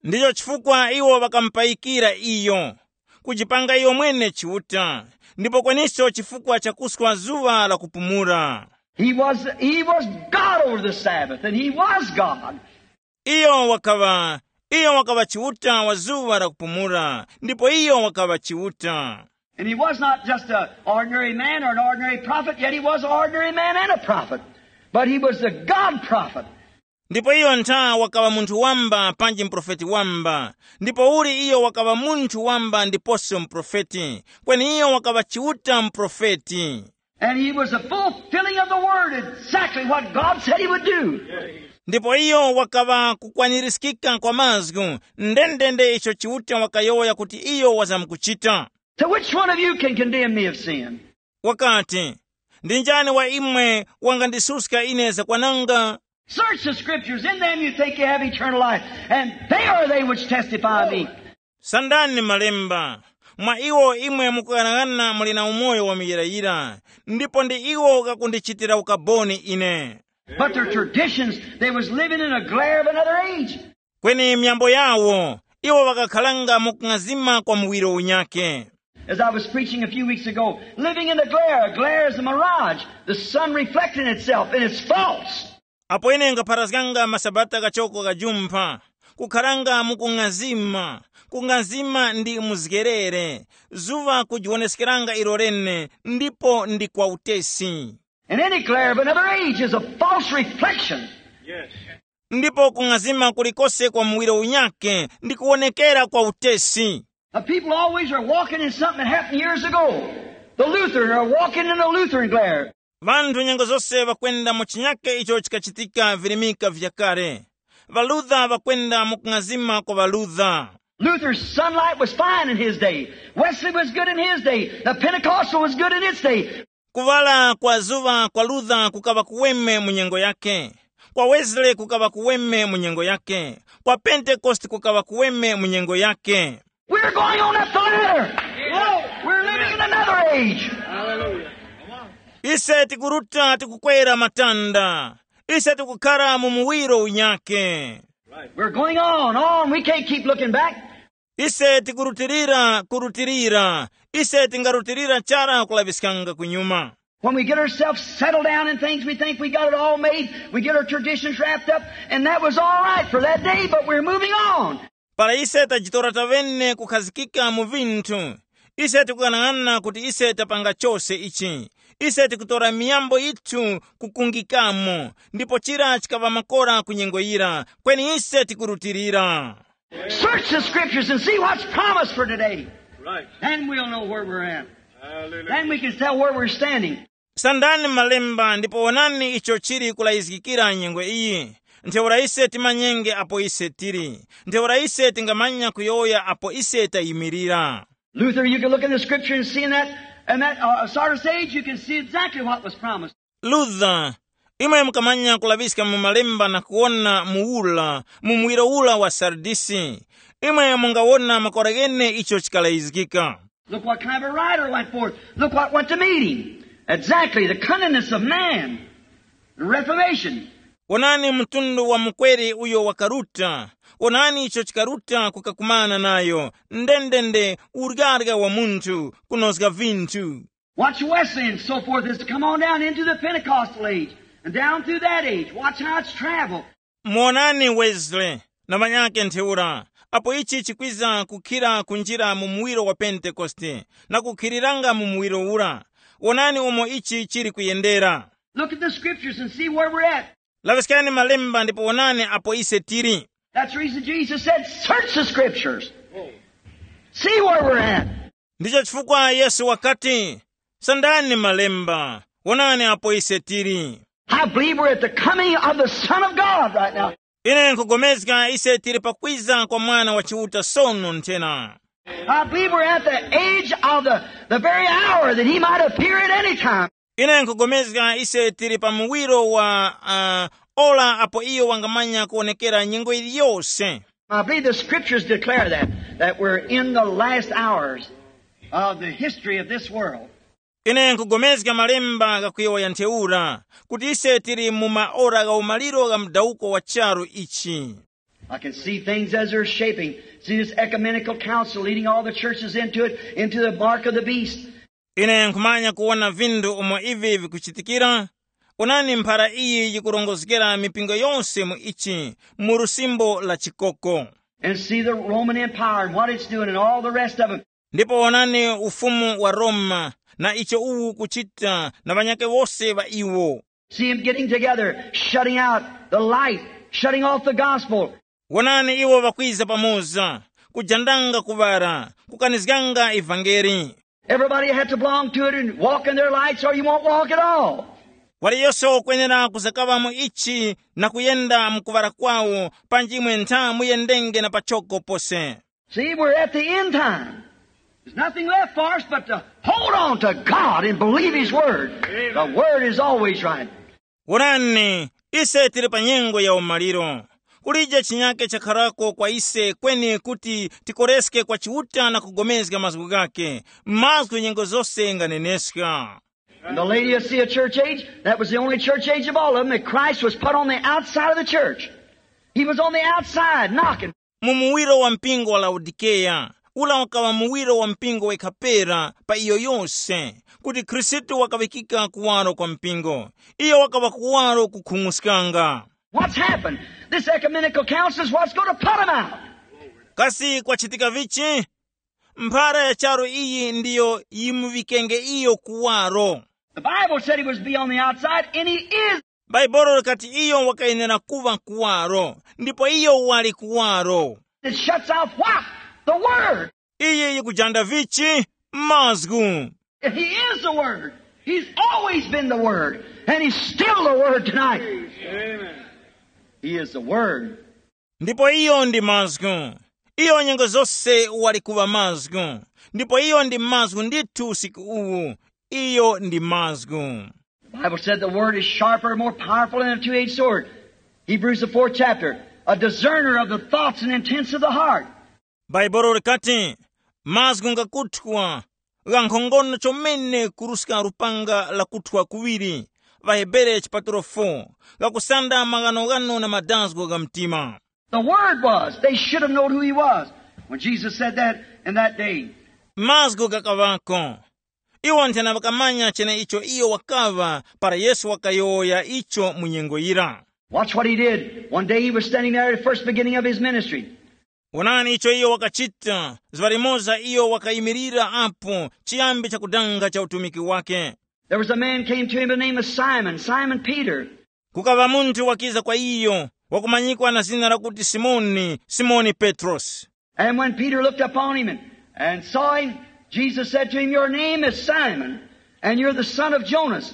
Ndicho chifukwa iwo ŵakamupayikira iyo, kujipanga iyo mwene Chiuta, ndipo kweniso chifukwa cha kuswa zuŵa la kupumula. He was, he was God over the Sabbath, and he was God. Iyo wakaŵa, iyo wakaŵa Chiuta wa zuŵa la kupumula, ndipo iyo wakaŵa Chiuta. And he was not just an ordinary man or an ordinary prophet, yet he was an ordinary man and a prophet. But he was the God prophet. Ndipo iyo ntha wakaŵa munthu wamba panji muprofeti wamba, ndipo uli iyo wakaŵa munthu wamba ndiposo muprofeti, kweni iyo wakaŵa Chiuta muprofeti. And he was the fulfilling of the word, exactly what God said he would do. Ndipo iyo wakaŵa kukwanirizgika kwa mazgu, ndendende icho Chiuta wakayowoya kuti iyo wazamkuchita. So which one of you can condemn me of sin? Wakati, ndi njani wa imwe wangandisuska ine zakwananga? Search the scriptures, in them you think you have eternal life, and they are they which testify of me. Sandani malemba, mwa iwo imwe mukuyang'ana muli na umoyo wa muyirayira, ndipo ndi iwo ghakundichitira ukaboni ine. But their traditions, they was living in a glare of another age. Kweni myambo yawo, iwo ŵakakhalanga mu kung'azima kwa muwiro unyake. As I was preaching a few weeks ago, living in the glare, a glare is a mirage, the sun reflecting itself, and it's false. Apo ine ngapharazganga masabata kachoko kajumpha, kukharanga mu kung'azima, kung'azima ndi muzgerere, zuŵa kujiwoneskeranga ilo lene, ndipo ndi kwa utesi. And any glare of another age is a false reflection. Ndipo kung'azima kulikose kwa muwiro unyake ndi kuwonekera kwa utesi. Now, people always are walking in something that happened years ago. The Lutheran are walking in a Lutheran glare. Vanthu nyengo zose ŵakwenda mu chinyake icho chikachitika virimika vyakale. Ŵalutha ŵakwenda mu kung'azima kwa ŵalutha. Luther's sunlight was fine in his day. Wesley was good in his day. The Pentecostal was good in its day. Kuŵala kwa zuŵa kwa Luther kukaŵa kuweme mu nyengo yake. Kwa Wesley kukaŵa kuweme mu nyengo yake. Kwa Pentecost kukaŵa kuweme mu nyengo yake. We're going on up the ladder. We're living in another age. Ise tikuruta tikukwera matanda. Ise tikukhara mu muwiro unyake. We're going on, on. We can't keep looking back. Ise tikurutilira, kurutilira. Ise tingarutilira chara kulaŵiskanga kunyuma. When we get ourselves settled down in things, we think we got it all made. We get our traditions wrapped up, and that was all right for that day, but we're moving on. Para ise tajitora tavene kukhazikika mu vinthu, ise tikuyang'ana kuti ise tapanga chose ichi. Ise tikutora miyambo yithu kukungikamo, ndipo chira chikaŵa makora ku nyengo yira, kweni ise tikurutilira. Search the scriptures and see what's promised for today. Right. Then we'll know where we're at. Hallelujah. Then we can tell where we're standing. Sandani malemba ndipo wonani icho chili kulayizgikira nyengo iyi. Ntheura ise timanyenge apo ise tili. Ntheura ise tingamanya kuyowoya apo ise tayimirira. Luther, you can look in the scripture and see in that, in that uh, sort of sage, you can see exactly what was promised. Luther, imwe mukamanya kulaŵiska mu malemba na kuwona mu ula, mu muwiro ula wa Sardisi, imwe mungawona makora ghene icho chikalayizgika. Look what kind of a rider went forth. Look what went to meet him. Exactly, the cunningest of man. The reformation. Wonani mtundu wa mukweri uyo wakaruta. Wonani icho chikaruta kukakumana nayo. Ndendende, uryarya wa munthu, kunozga vinthu. Watch Wesley and so forth has come on down into the Pentecostal age and down through that age. Watch how it's traveled. Muwonani Wesley na ŵanyakhe ntheura, apo ichi chikwiza kukhira kunjira mu muwiro wa Pentekoste na kukhiriranga mu muwiro ura. Wonani umo ichi chili kuyendera. Look at the scriptures and see where we're at. Laŵiskani malemba ndipo wonani apo ise tili. That's the reason Jesus said, search the scriptures. See where we're at. Ndicho chifukwa Yesu wakati, sandani malemba, wonani apo ise tili. I believe we're at the coming of the Son of God right now. Ine nkugomezga ise tili pakwiza kwa Mwana wa Chiuta sono nthena. I believe we're at the age of the, the very hour that he might appear at any time. Ine nkugomezga ise tili pa muwiro wa uh, ora apo iyo wangamanya kuwonekera nyengo iliyose. I believe the scriptures declare that, that we're in the last hours of the history of this world. Ine nkugomezga malemba ghakuyowoya ntheura kuti ise tili mu maora gha umaliro gha mudawuko wa charu ichi. I can see things as they're shaping. See this ecumenical council leading all the churches into it, into the mark of the beast. Ine nkhumanya kuwona vinthu umo ivi vikuchitikira. Onani mphara iyi yikurongozgera mipingo yonse mu ichi, mu lusimbo la chikoko. And see the Roman Empire and what it's doing and all the rest of it. Ndipo onani ufumu wa Roma na icho uwu kuchita na ŵanyakhe wose ŵa iwo. See him getting together, shutting out the light, shutting off the gospel. Wonani iwo ŵakwiza pamoza, kujandanga kuŵala, kukanizganga ivangeli. Everybody had to belong to it and walk in their lights or you won't walk at all. Waliyose wakwenera kuzakaŵamo ichi na kuyenda mu kuŵala kwawo, panji imwe ntha muyendenge na pachoko pose. See, we're at the end time. There's nothing left for us but to hold on to God and believe His Word. The Word is always right. Wonani, ise tili pa nyengo ya umaliro. Kulije chinyake chakharako kwa ise kweni kuti tikoreske kwa Chiuta na kugomezga mazgu ghake. Mazgu nyengo zose nganeneska. In the Laodicea church age, that was the only church age of all of them that Christ was put on the outside of the church. He was on the outside knocking. Mu muwiro wa mpingo wa Laodikeya, ula wakaŵa muwiro wa mpingo wekha pera pa iyo yose, kuti Khristu wakaŵikika kuwaro kwa mpingo. Iyo wakaŵa kuwaro kukhung'uskanga. What's happened? This ecumenical council is what's going to put him out. Kasi kwachitika vichi? Mphara ya charu iyi ndiyo yimuŵikenge iyo kuwaro. The Bible said he was to be on the outside, and he is. Bhaibuli likati iyo wakayenera kuŵa kuwaro, ndipo iyo wali kuwaro. It shuts off what? The word. Iyi yikujanda vichi? Mazgu. He is the word. He's always been the word, and he's still the word tonight. Amen. He is the word. Ndipo iyo ndi mazgu. Iyo nyengo zose wali kuŵa mazgu. Ndipo iyo ndi mazgu ndithu usiku uwu. Iyo ndi mazgu. The Bible said the word is sharper, more powerful than a two-edged sword. Hebrews, the fourth chapter, a discerner of the thoughts and intents of the heart. Bhaibuli likati, mazgu ngakuthwa, ghankhongono chomene kuruska lupanga lakuthwa kuŵiri. Ŵahebere chipatulo four, ghakusanda maghanoghano na madazgo gha mtima. The word was, they should have known who he was. When Jesus said that in that day. Mazgu ghakaŵako. Iwo nthena ŵakamanya cheneicho iyo wakaŵa para Yesu wakayowoya icho mu nyengo yira. Watch what he did. One day he was standing there at the first beginning of his ministry. Wonani icho iyo wakachita. Zuŵa limoza iyo wakayimirira apo chiyambi chakudanga cha utumiki wake. There was a man came to him by the name of Simon, Simon Peter. Kukaŵa munthu wakiza kwa iyo, wakumanyikwa na zina lakuti Simoni, Simoni Petrosi. And when Peter looked upon him and, and saw him, Jesus said to him, "Your name is Simon, and you're the son of Jonas."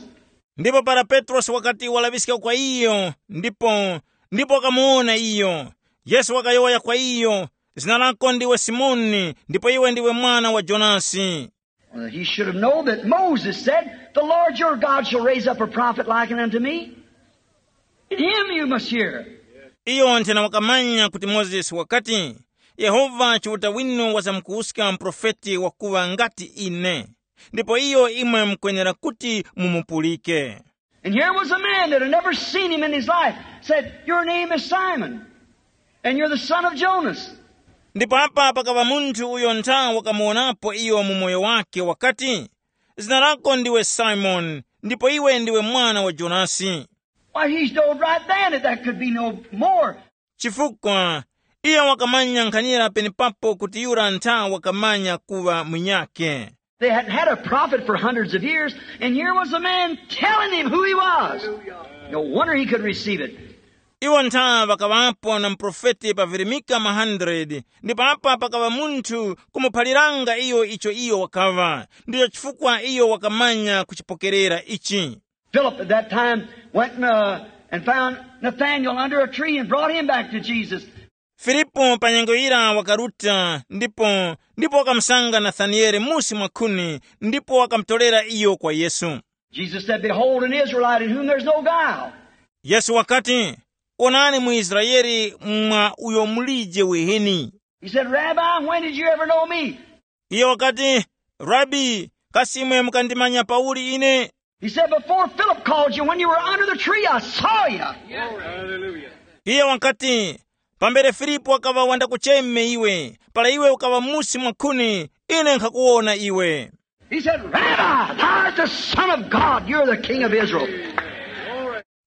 Ndipo para Petrosi wakati walaŵiska kwa iyo, ndipo ndipo wakamuwona iyo, Yesu wakayowoya kwa iyo, "Zina lako ndiwe Simoni, ndipo iwe ndiwe mwana wa Jonasi." Well, he should have known that Moses said, "The Lord your God shall raise up a prophet like unto me. In him you must hear." Iyo nthena wakamanya kuti Mozesi wakati, "Yehova Chiuta winu wazamkuwuska muprofeti wakuŵa ngati ine, ndipo iyo imwe mukwenera kuti mumupulike." And here was a man that had never seen him in his life, said, "Your name is Simon, and you're the son of Jonas." Ndipo apa pakaŵa munthu uyo ntha wakamuwonapo iyo mu moyo wake wakati, "Zina lako ndiwe Simoni, ndipo iwe ndiwe mwana wa Jonasi." Why, he showed right then that that could be no more. Chifukwa iyo wakamanya nkhanira penepapo kuti yura ntha wakamanya kuŵa munyakhe. They had had a prophet for hundreds of years, and here was a man telling him who he was. No wonder he could receive it. Iwo ntha ŵakaŵapo na muprofeti pa virimika ma hundred, ndipo apa pakaŵa munthu kumuphaliranga iyo icho iyo wakaŵa. Ndicho chifukwa iyo wakamanya kuchipokerera ichi. Philip at that time went and, uh, and found Nathanael under a tree and brought him back to Jesus. Filipo pa nyengo yira wakaruta ndipo ndipo wakamusanga Nathaniele musi mwa khuni, ndipo wakamutorera iyo kwa Yesu. Jesus said, "Behold an Israelite in whom there's no guile." Yesu wakati, "Onani muIsraele mwa uyo mulije weheni." He said, "Rabbi, when did you ever know me?" Iye wakati, "Rabi, kasi imwe mukandimanya pauli ine?" He said, "Before Philip called you, when you were under the tree, I saw you." Iye wakati, "Pambere Filipo wakaŵa wandakucheme iwe, para iwe ukaŵa musi mwa khuni, ine nkhakuwona iwe." He said, "Rabbi, thou art the Son of God. You're the King of Israel."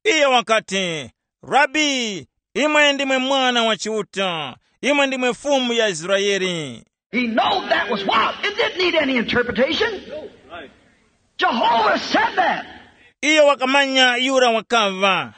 Iye wakati, "Rabi, imwe ndimwe Mwana wa Chiuta, imwe ndimwe Fumu ya Israele." He knew that was what? It didn't need any interpretation. Jehovah said that. Iyo wakamanya yura wakaŵa.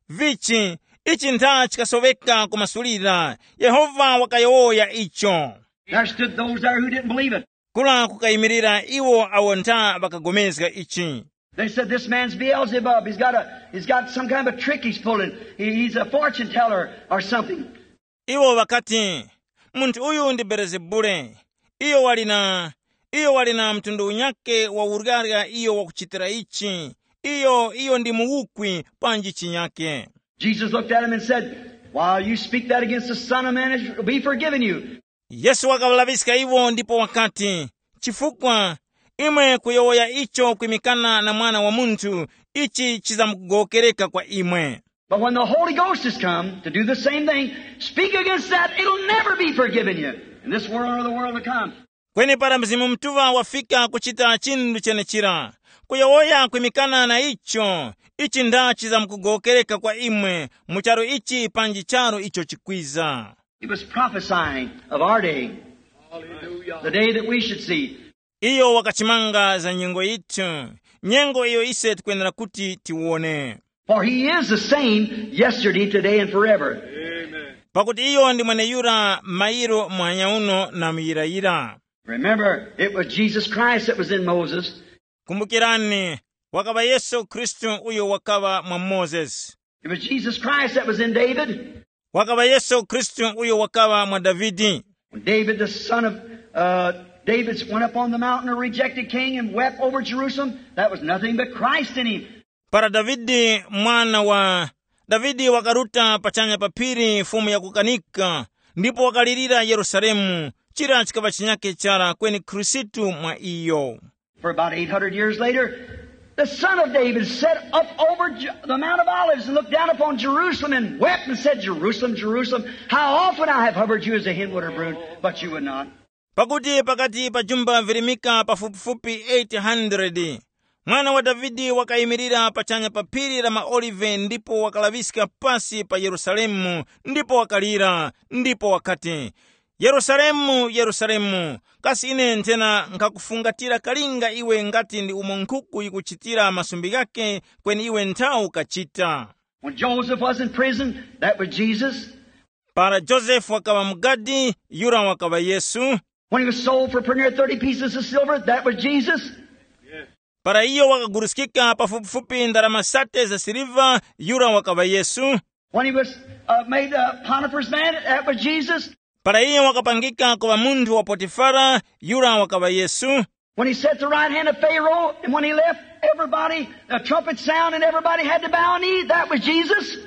Vichi, ichi ntha chikasoweka kumasulira. Yehova wakayowoya icho. There stood those there who didn't believe it. Kula kukayimirira iwo awo ntha ŵakagomezga ichi. They said, "This man's Beelzebub. He's got a, he's got some kind of a trick he's pulling. He, he's a fortune teller or something." Iwo ŵakati, "Munthu uyu ndi Belezebule. Iyo wali na iyo wali na mtundu unyakhe wa uryarya iyo wakuchitira ichi. Iyo iyo ndi muwukwi panji chinyakhe." Jesus looked at him and said, "While you speak that against the Son of Man, it will be forgiven you." Yesu wakaŵalaŵiska iwo ndipo wakati, "Chifukwa imwe kuyowoya icho kwimikana na Mwana wa Munthu, ichi chizamkugowokereka kwa imwe. But when the Holy Ghost has come to do the same thing, speak against that, it'll never be forgiven you in this world or the world to come." Kweni para Mzimu Mutuŵa wafika kuchita chinthu chenechira, kuyowoya kwimikana na icho, ichi nda chizamkugowokereka kwa imwe mu charu ichi panji charu icho chikwiza. He was prophesying of our day, the day that we should see. Iyo wakachimanga za nyengo yithu, nyengo iyo ise tikwenera kuti tiwone. For he is the same yesterday, today, and forever. Pakuti iyo ndi mweneyura mairo muhanya uno na muyirayira. Remember, it was Jesus Christ that was in Moses. Kumbukirani, wakaŵa Yesu Khristu uyo wakaŵa mwa Mozesi. It was Jesus Christ that was in David. Wakaŵa Yesu Khristu uyo wakaŵa mwa Davidi. When David, the son of uh, David, went up on the mountain, a rejected king, and wept over Jerusalem, that was nothing but Christ in him. Para Davidi mwana wa Davidi wakaruta pachanya pa phiri, mfumu yakukanika, ndipo wakalirira Yerusalemu, chira chikaŵa chinyakhe chara kweni Khristu mwa iyo. For about eight hundred years later, the son of David sat up over Ju- the Mount of Olives and looked down upon Jerusalem and wept and said, "Jerusalem, Jerusalem, how often I have hovered you as a hen would her brood, but you would not." Pakuti pakati pa jumba virimika pafupifupi eight hundred, Mwana wa Davide wakayimirira pachanya pa phiri la maOlive ndipo wakalaŵiska pasi pa Yerusalemu ndipo wakalira, ndipo wakati, “Yerusalemu, Yerusalemu, kasi ine nthena nkhakufungatira kalinga iwe ngati ndi umo nkhuku yikuchitira masumbi ghake, kweni iwe nthawu kachita.” When Joseph was in prison, that was Jesus. Para Josefu wakaŵa mu gadi, yura wakaŵa Yesu. When he was sold for pretty near thirty pieces of silver, that was Jesus. Para iyo wakaguruskika pafupifupi ndarama sate za siliva, yura wakaŵa Yesu. When he was uh, made a Potiphar's man, that was Jesus. Para iyo wakapangika kuŵa munthu wa Potifara, yura wakaŵa Yesu. When he sat at the right hand of Pharaoh, and when he left, everybody, the trumpet sound, and everybody had to bow a knee, that was Jesus.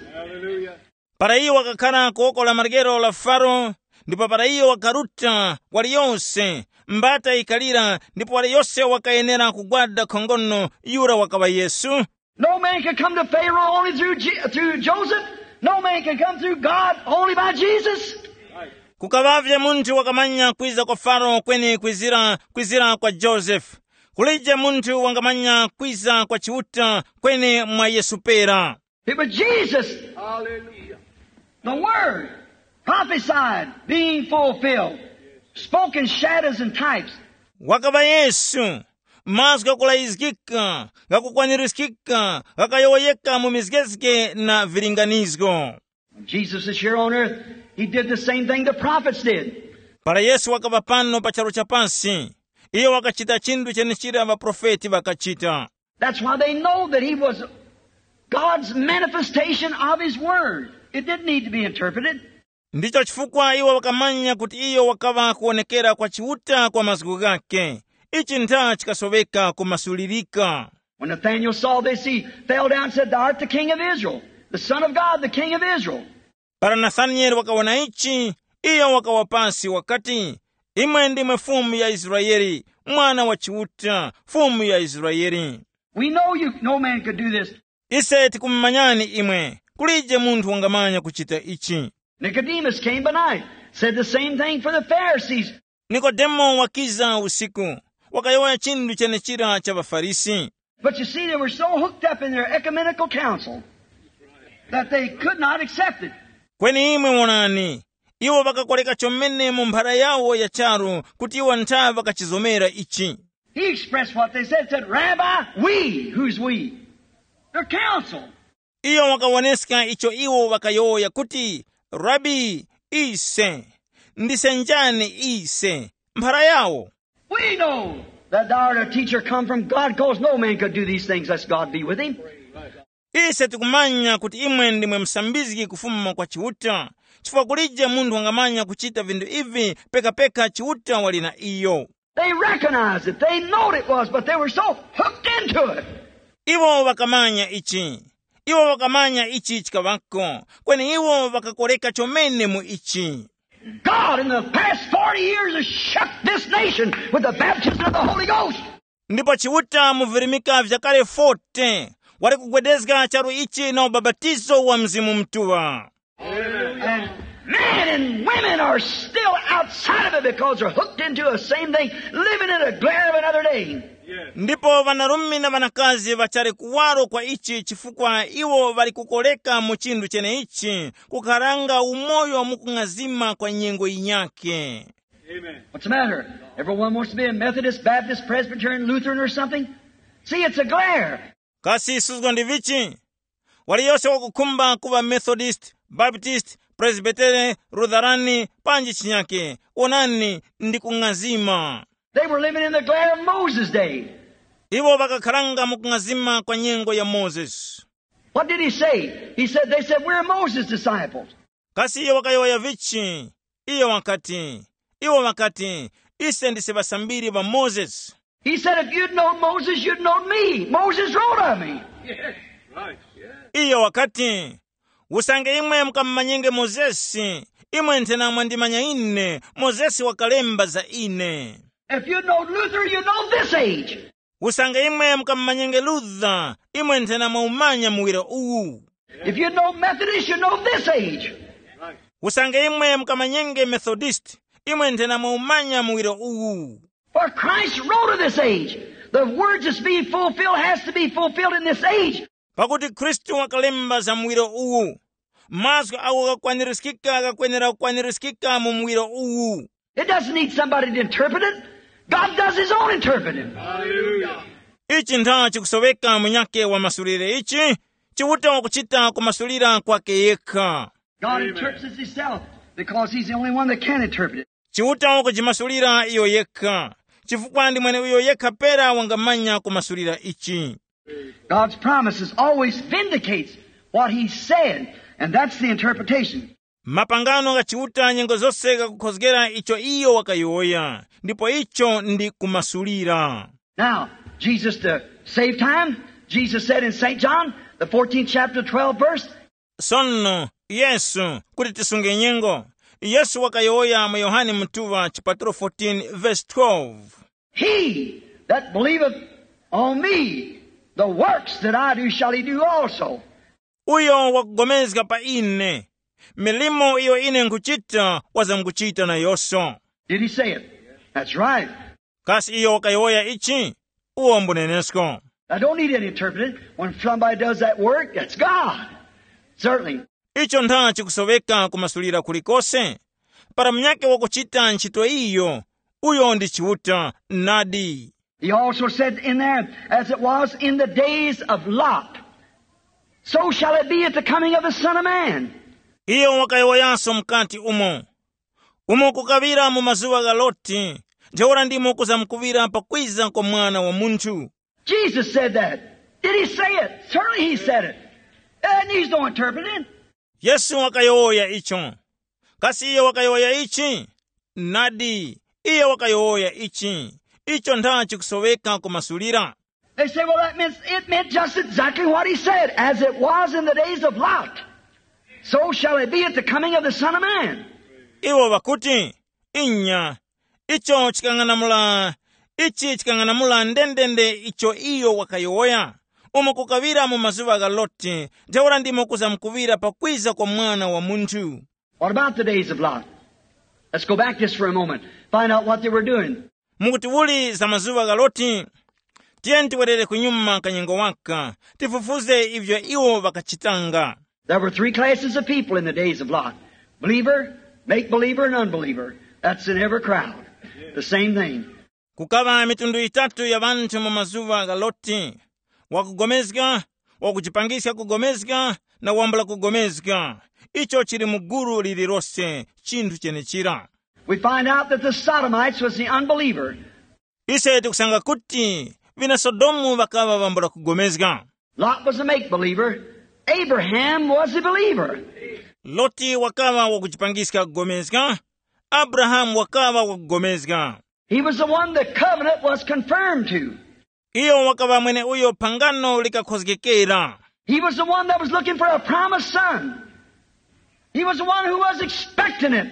Para iyo wakakhala ku woko la maryero la Faro, ndipo para iyo wakaruta, waliyose, mbata yikalira, ndipo waliyose wakayenera kugwada khongono, yura wakaŵa Yesu. No man could come to Pharaoh only through, Je- through Joseph. No man could come through God only by Jesus. Kukaŵavye munthu wakamanya kwiza kwa Faro kweni kwizira, kwizira kwa Josefu. Kulije munthu wangamanya kwiza kwa Chiuta kweni mwa Yesu pera. It was Jesus. Hallelujah. The Word prophesied being fulfilled, spoke in shadows and types. Wakaŵa Yesu, mazgu ghakulayizgika, ghakukwanirizgika, ghakayowoyeka mu mizgezge na vilinganizgo. When Jesus is here on earth, he did the same thing the prophets did. Para Yesu wakaŵa pano pa charu cha pasi, iyo wakachita chinthu chenechira ŵaprofeti ŵakachita. That's why they know that he was God's manifestation of his word. It didn't need to be interpreted. Ndicho chifukwa iwo wakamanya kuti iyo wakaŵa kuwonekera kwa Chiuta kwa mazgu ghake. Ichi ntha chikasoweka kumasulirika. When Nathanael saw this, he fell down and said, "Thou art the king of Israel, the Son of God, the king of Israel." Para Nathanieli wakawona ichi, iyo wakawa pasi wakati, "Imwe ndimwe Fumu ya Israeli, Mwana wa Chiuta, Fumu ya Israeli." We know you, no man could do this. Ise tikumumanyani imwe, kulije munthu wangamanya kuchita ichi. Nicodemus came by night, said the same thing for the Pharisees. Nikodemo wakiza usiku, wakayowoya chinthu chenechira cha ŵaFarisi. But you see, they were so hooked up in their ecumenical council that they could not accept it. Kweni imwe wonani, iwo ŵakakoleka chomene mu mphara yawo ya charu kuti iwo ntha ŵakachizomera ichi. He expressed what they said, said, "Rabbi, we," who's we? Their council. Iyo wakawoneska icho iwo ŵakayowoya kuti, "Rabi, ise, ndise njani ise?" Mphara yawo. We know that thou art a teacher come from God, cause no man could do these things lest God be with him. Ise tikumanya kuti imwe ndimwe musambizgi kufuma kwa Chiuta, chifukwa kulije munthu wangamanya kuchita vinthu ivi pekapeka Chiuta wali na iyo. They recognized it. They knowed it was, but they were so hooked into it. Iwo ŵakamanya ichi. Iwo ŵakamanya ichi chikaŵako, kweni iwo ŵakakoreka chomene mu ichi. God in the past forty years has shook this nation with the baptism of the Holy Ghost. Ndipo Chiuta mu virimika vyakale forty wali kugwedezga charu ichi na ubapatizo wa Mzimu Mutuŵa. And men and women are still outside of it because they're hooked into the same thing, living in the glare of another day. Ndipo ŵanarume na ŵanakazi ŵachali kuwaro kwa ichi chifukwa iwo ŵali kukoleka mu chinthu cheneichi, kukharanga umoyo mu kung'azima kwa nyengo yinyakhe. What's the matter? Everyone wants to be a Methodist, Baptist, Presbyterian, Lutheran, or something? See, it's a glare. Kasi suzgo ndi vichi? Waliyose wakukhumba kuŵa Methodist, Baptist, Presbyterian, Lutheran, panji chinyake. Wonani, ndi kung'azima. They were living in the glare of Moses' day. Iwo ŵakakharanga mu kung'azima kwa nyengo ya Mozesi. What did he say? He said, they said, "We're Moses' disciples." Kasi iyo wakayowoya vichi? Iyo wakati, iwo ŵakati, ise ndise ŵasambiri ŵa Mozesi. He said, "If you'd known Moses, you'd known me. Moses wrote of me." Iyo wakati, usange imwe mukamumanyenge Mozesi, imwe nthena mwandimanya ine, Mozesi wakalemba za ine. If you'd known Luther, you'd known this age. Usange imwe mukamumanyenge Luther, imwe nthena mwaumanya muwiro uwu. If you'd known Methodist, you'd known this age. Usange imwe mukamanyenge Methodist, Imwe nthena mwaumanya muwiro uwu. For Christ wrote of this age. The word that's being fulfilled has to be fulfilled in this age. Pakuti Khristu wakalemba za muwiro uwu. Mazgu agho ghakwanirizgika ghakwenera kukwanirizgika mu muwiro uwu. It doesn't need somebody to interpret it. God does his own interpreting. Ichi ntha chikusoweka munyake wa masulire ichi? Chiuta wakuchita kumasulira kwake yekha. God interprets himself because he's the only one that can interpret it. Chiuta wakujimasulira iyo yekha, chifukwa ndi mwene uyo yekha pera wangamanya kumasulira ichi. God's promises always vindicates what he said, and that's the interpretation. Mapangano gha Chiuta nyengo zose ghakukhozgera icho iyo wakayowoya, ndipo icho ndi kumasulira. Now, Jesus, to save time, Jesus said in Saint John, the fourteenth chapter, twelfth verse, Sono Yesu, kuti tisunge nyengo, Yesu wakayowoya mu Yohane Mutuŵa chipatulo fourteen verse twelve, He that believeth on me, the works that I do shall he do also. Uyo wakugomezga pa ine, milimo iyo ine nkhuchita wazamkuchita nayonso. Did he say it? That's right. Kasi iyo wakayowoya ichi? Uwo mbunenesko. I don't need any interpreting. When somebody does that work, that's God. Certainly. Icho ntha chikusoweka kumasulira kulikose. Para munyake wakuchita ntchito iyo, uyo ndi Chiuta nadi. He also said in there, as it was in the days of Lot, so shall it be at the coming of the Son of Man. Iyo wakayowoyanso mukati umo, umo kukaŵira mu mazuŵa gha Loti, ntheura ndimo kuzamkuŵira pakwiza kwa Mwana wa Munthu. Jesus said that. Did he say it? Certainly he said it. It needs no interpreting. Yesu wakayowoya icho. Kasi iyo wakayowoya ichi? Nadi, iyo wakayowoya ichi. Icho ntha chikusoweka kumasulira. They say, well, that means it meant just exactly what he said, as it was in the days of Lot, so shall it be at the coming of the Son of Man. Iwo ŵakuti, inya, icho chikang'anamula, ichi chikang'anamula ndendende icho iyo wakayowoya, umo kukaŵira mu mazuŵa gha Loti, ntheura ndimo kuzamkuŵira pakwiza kwa Mwana wa Munthu. What about the days of Lot? Let's go back just for a moment, find out what they were doing. Mukuti uli za mazuŵa gha Loti? Tiyeni tiwerere kunyuma kanyengo waka, tifufuze ivyo iwo ŵakachitanga. There were three classes of people in the days of Lot: believer, make believer, and unbeliever. That's in every crowd. The same thing. Kukaŵa mitundu yitatu ya ŵanthu mu mazuŵa gha Loti: wakugomezga, wakujipangiska kugomezga, na wambula kugomezga. Icho chili mu gulu lililose, chinthu chenechira. We find out that the Sodomites was the unbeliever. Ise tikusanga kuti vina Sodomu ŵakaŵa ŵambula kugomezga. Lot was a make believer. Abraham was a believer. Loti wakaŵa wakujipangiska kugomezga. Abrahamu wakaŵa wakugomezga. He was the one the covenant was confirmed to. Iyo wakaŵa mwene uyo phangano likakhozgekera. He was the one that was looking for a promised son. He was the one who was expecting it.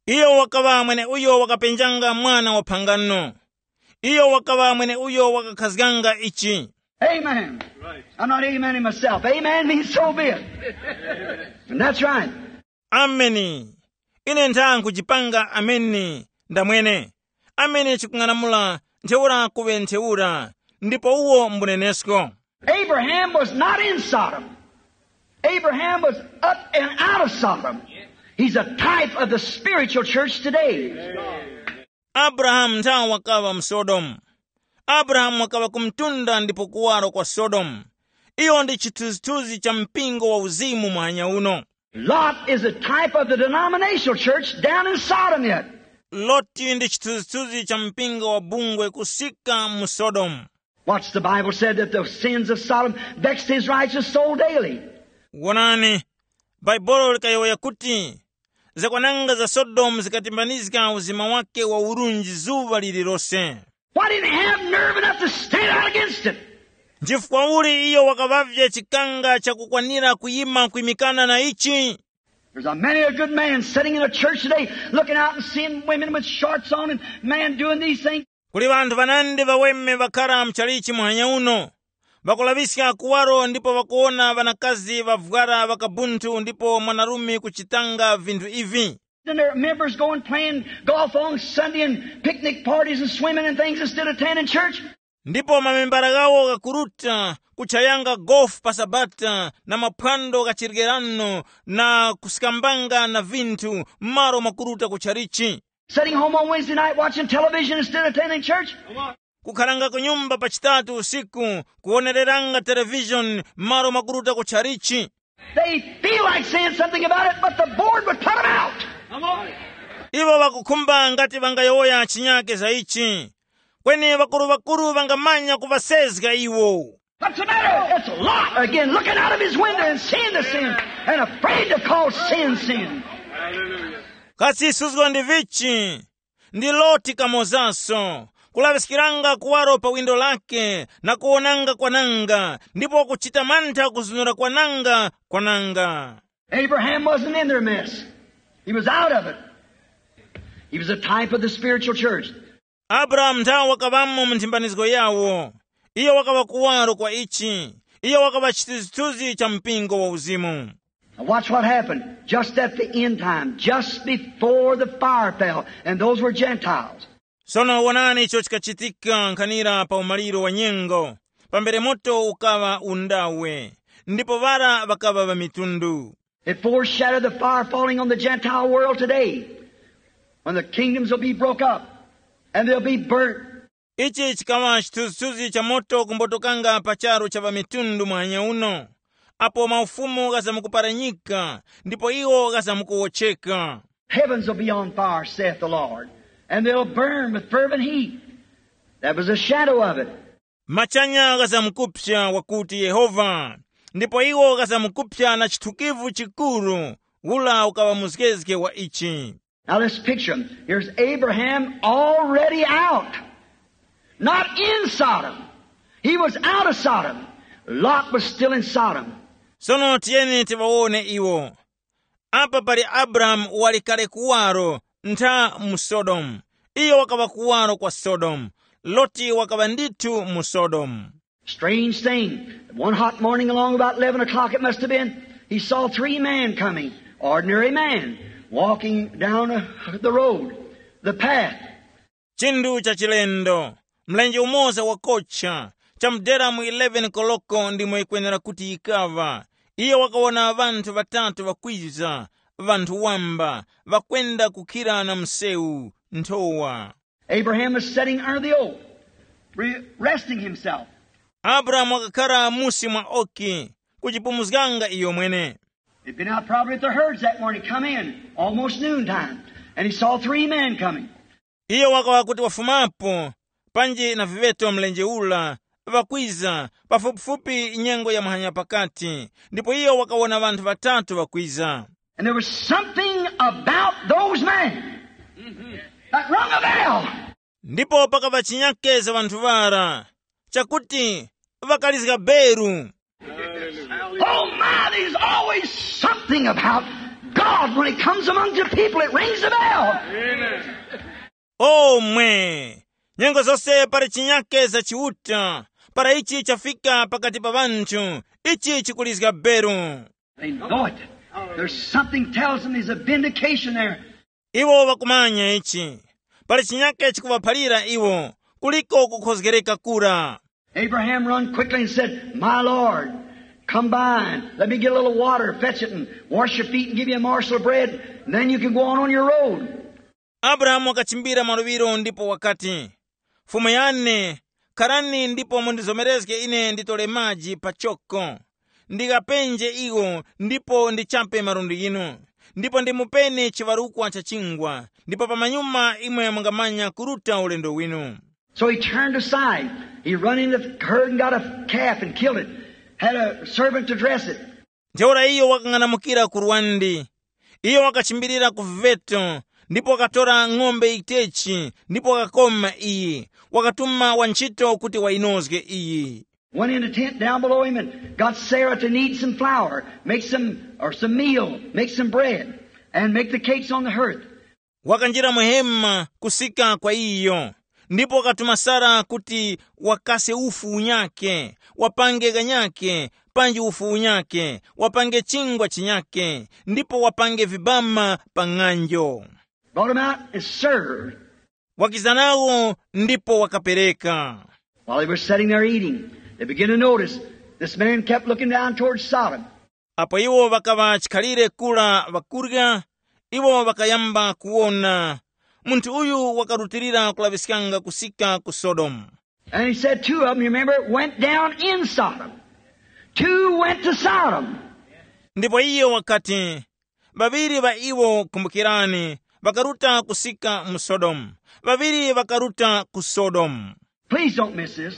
Iyo wakaŵa mwene uyo wakapenjanga mwana wa phangano. Iyo wakaŵa mwene uyo wakakhazganga ichi. Amen. I'm not amening myself. Amen means so be it. And that's right. Ameni. Ine ntha nkujipanga ameni ndamwene. Ameni chikung'anamula ntheura kuŵe ntheura, ndipo uwo mbunenesko. Abraham was not in Sodom. Abraham was up and out of Sodom. He's a type of the spiritual church today. Abrahamu ntha wakaŵa mu Sodomu. Abrahamu wakaŵa ku mtunda ndipo kuwaro kwa Sodomu. Iyo ndi chithunzithunzi cha mpingo wa uzimu muhanya uno. Lot is a type of the denominational church down in Sodom yet. Loti ndi chithunzithunzi cha mpingo wa bungwe kusika mu Sodomu. Watch, the Bible said that the sins of Sodom vexed his righteous soul daily. Wonani, Bhaibuli likayowoya kuti zakwananga za Sodomu zikatimbanizga uzima wake wa urunji zuŵa lililose. Why didn't he have nerve enough to stand out against it? Nchifukwa uli iyo wakaŵavye chikanga chakukwanira kuyima kwimikana na ichi? There's a many a good man sitting in a church today looking out and seeing women with shorts on and men doing these things. Kuli ŵanthu ŵanandi ŵaweme ŵakhara mchalichi muhanya uno, ŵakulaŵiska kuwaro ndipo ŵakuwona ŵanakazi ŵavwara ŵakabunthu ndipo mwanarume kuchitanga vinthu ivi. And their members going playing golf on Sunday and picnic parties and swimming and things instead of attending church. Ndipo mamembala ghawo ghakuruta kuchayanga gofu pa Sabata na maphwando gha chirgerano na kusikambanga na vinthu m'malo mwakuruta ku chalichi. Sitting home on Wednesday night watching television instead of attending church. Kukhalanga ku nyumba pa Chitatu usiku kuwonereranga televishoni m'malo mwakuruta ku chalichi. They feel like saying something about it, but the board would put them out. Iwo ŵakukhumba ngati ŵangayowoya chinyake za ichi. Kweni ŵakuru-ŵakuru ŵangamanya kuŵasezga iwo. What's the matter? It's Lot again, looking out of his window and seeing the sin and afraid to call sin sin. Kasi suzgo ndi vichi? Ndi Loti kamozaso, kulaŵiskiranga kuwaro pa windo lake na kuwonanga kwananga, ndipo kuchita mantha kuzunura kwananga kwananga. Abraham wasn't in their mess. He was out of it. He was a type of the spiritual church. Abrahamu nthawe wakaŵamo mu nthimbanizgo yawo. Iyo wakaŵa kuwaro kwa ichi. Iyo wakaŵa chithunzithunzi cha mpingo wa uzimu. Now watch what happened just at the end time, just before the fire fell, and those were Gentiles. Sono wonani icho chikachitika nkhanira pa umaliro wa nyengo, pambere moto ukaŵa undawe, ndipo ŵara ŵakaŵa ŵamitundu. It foreshadowed the fire falling on the Gentile world today, when the kingdoms will be broke up and they'll be burnt. Ichi chikaŵa chithunzithunzi cha moto kumbotokanga pa charu cha ŵamitundu muhanya uno, apo maufumu ghazamkuparanyika ndipo iwo ghazamkuwotcheka. Heavens will be on fire, saith the Lord, and they'll burn with fervent heat. That was a shadow of it. Machanya ghazamkupsa wakuti Yehova, ndipo iwo ghazamkupsa na chithukivu chikuru, ula ukaŵa muzgezge wa ichi. Now let's picture him. Here's Abraham already out. Not in Sodom. He was out of Sodom. Lot was still in Sodom. Sono tiyeni tiŵawone iwo. Apa pali Abrahamu wali kale kuwaro ntha mu Sodomu. Iyo wakaŵa kuwaro kwa Sodomu. Loti wakaŵa ndithu mu Sodomu. Strange thing. One hot morning along about eleven o'clock it must have been, he saw three men coming, ordinary men, walking down uh, the road, the path. Chinthu cha chilendo, mlenje umoza wakocha, chamudera mu eleven koloko ndimo yikwenera kuti yikaŵa, iyo wakawona ŵanthu ŵatatu ŵakwiza, ŵanthu wamba, ŵakwenda kukhira na msewu, nthowa. Abraham was sitting under the oak, re- resting himself. Abrahamu wakakhara musi mwa oki, kuchipumuzganga iyo mwene. He'd been out probably at the herds that morning, come in, almost noontime, and he saw three men coming. Iyo wakawa kuti wafumapo, panji na viŵeto mlenje ula, ŵakwiza, pafupifupi nyengo ya muhanya pakati, ndipo iyo wakawona ŵanthu ŵatatu ŵakwiza. And there was something about those men that rung a bell. Ndipo pakaŵa chinyake za ŵanthu ŵara, chakuti ŵakalizga beru. Oh my, there's always something about God when it comes among the people. It rings a bell. Omwe, nyengo zose pali chinyake za Chiuta, para ichi chafika pakati pa ŵanthu, ichi chikulizga beru. They know it. There's something tells them there's a vindication there. Iwo ŵakumanya ichi. Pali chinyake chikuŵaphalira iwo, kuliko kukhozgereka kura. Abraham run quickly and said, "My Lord, come by and let me get a little water, fetch it and wash your feet and give you a morsel of bread, and then you can go on, on your road." Abrahamu wakachimbira mwaluŵiro ndipo wakati, "Fumu yane, kharani ndipo mundizomerezge ine nditore maji pachoko, ndikapenje iwo ndipo ndichape malundi ghinu, ndipo ndimupeni chiŵarukwa cha chingwa, ndipo pamanyuma imwe mungamanya kuruta ulendo winu." So he turned aside. He run into the herd and got a calf and killed it. Had a servant to dress it. Ntheura iyo wakang'anamukira ku lwandi. Iyo wakachimbirira ku viveto, ndipo wakatora ng'ombe yitechi, ndipo wakakoma iyi. Wakatuma wantchito kuti wayinozge iyi. Went in a tent down below him and got Sarah to knead some flour, make some, or some meal, make some bread, and make the cakes on the hearth. Wakanjira mu hema kusika kwa iyo, Ndipo wakatuma Sara kuti wakase ufu unyakhe, wapange kanyakhe, panji ufu unyakhe, wapange chingwa chinyakhe, ndipo wapange vibama pa ng'anjo. Brought him out and served. Wakiza nawo ndipo wakapereka. While they were sitting there eating, they began to notice this man kept looking down towards Sodom. Apo iwo ŵakaŵa chikhalire kura ŵakurya, iwo ŵakayamba kuwona munthu uyu wakarutilira kulaŵiskanga kusika ku Sodomu. And he said two of them, you remember, went down in Sodom. Two went to Sodom. Ndipo iye wakati, ŵaŵiri ŵa iwo, kumbukirani, ŵakaruta kusika mu Sodomu. Ŵaŵiri ŵakaruta ku Sodomu. Please don't miss this.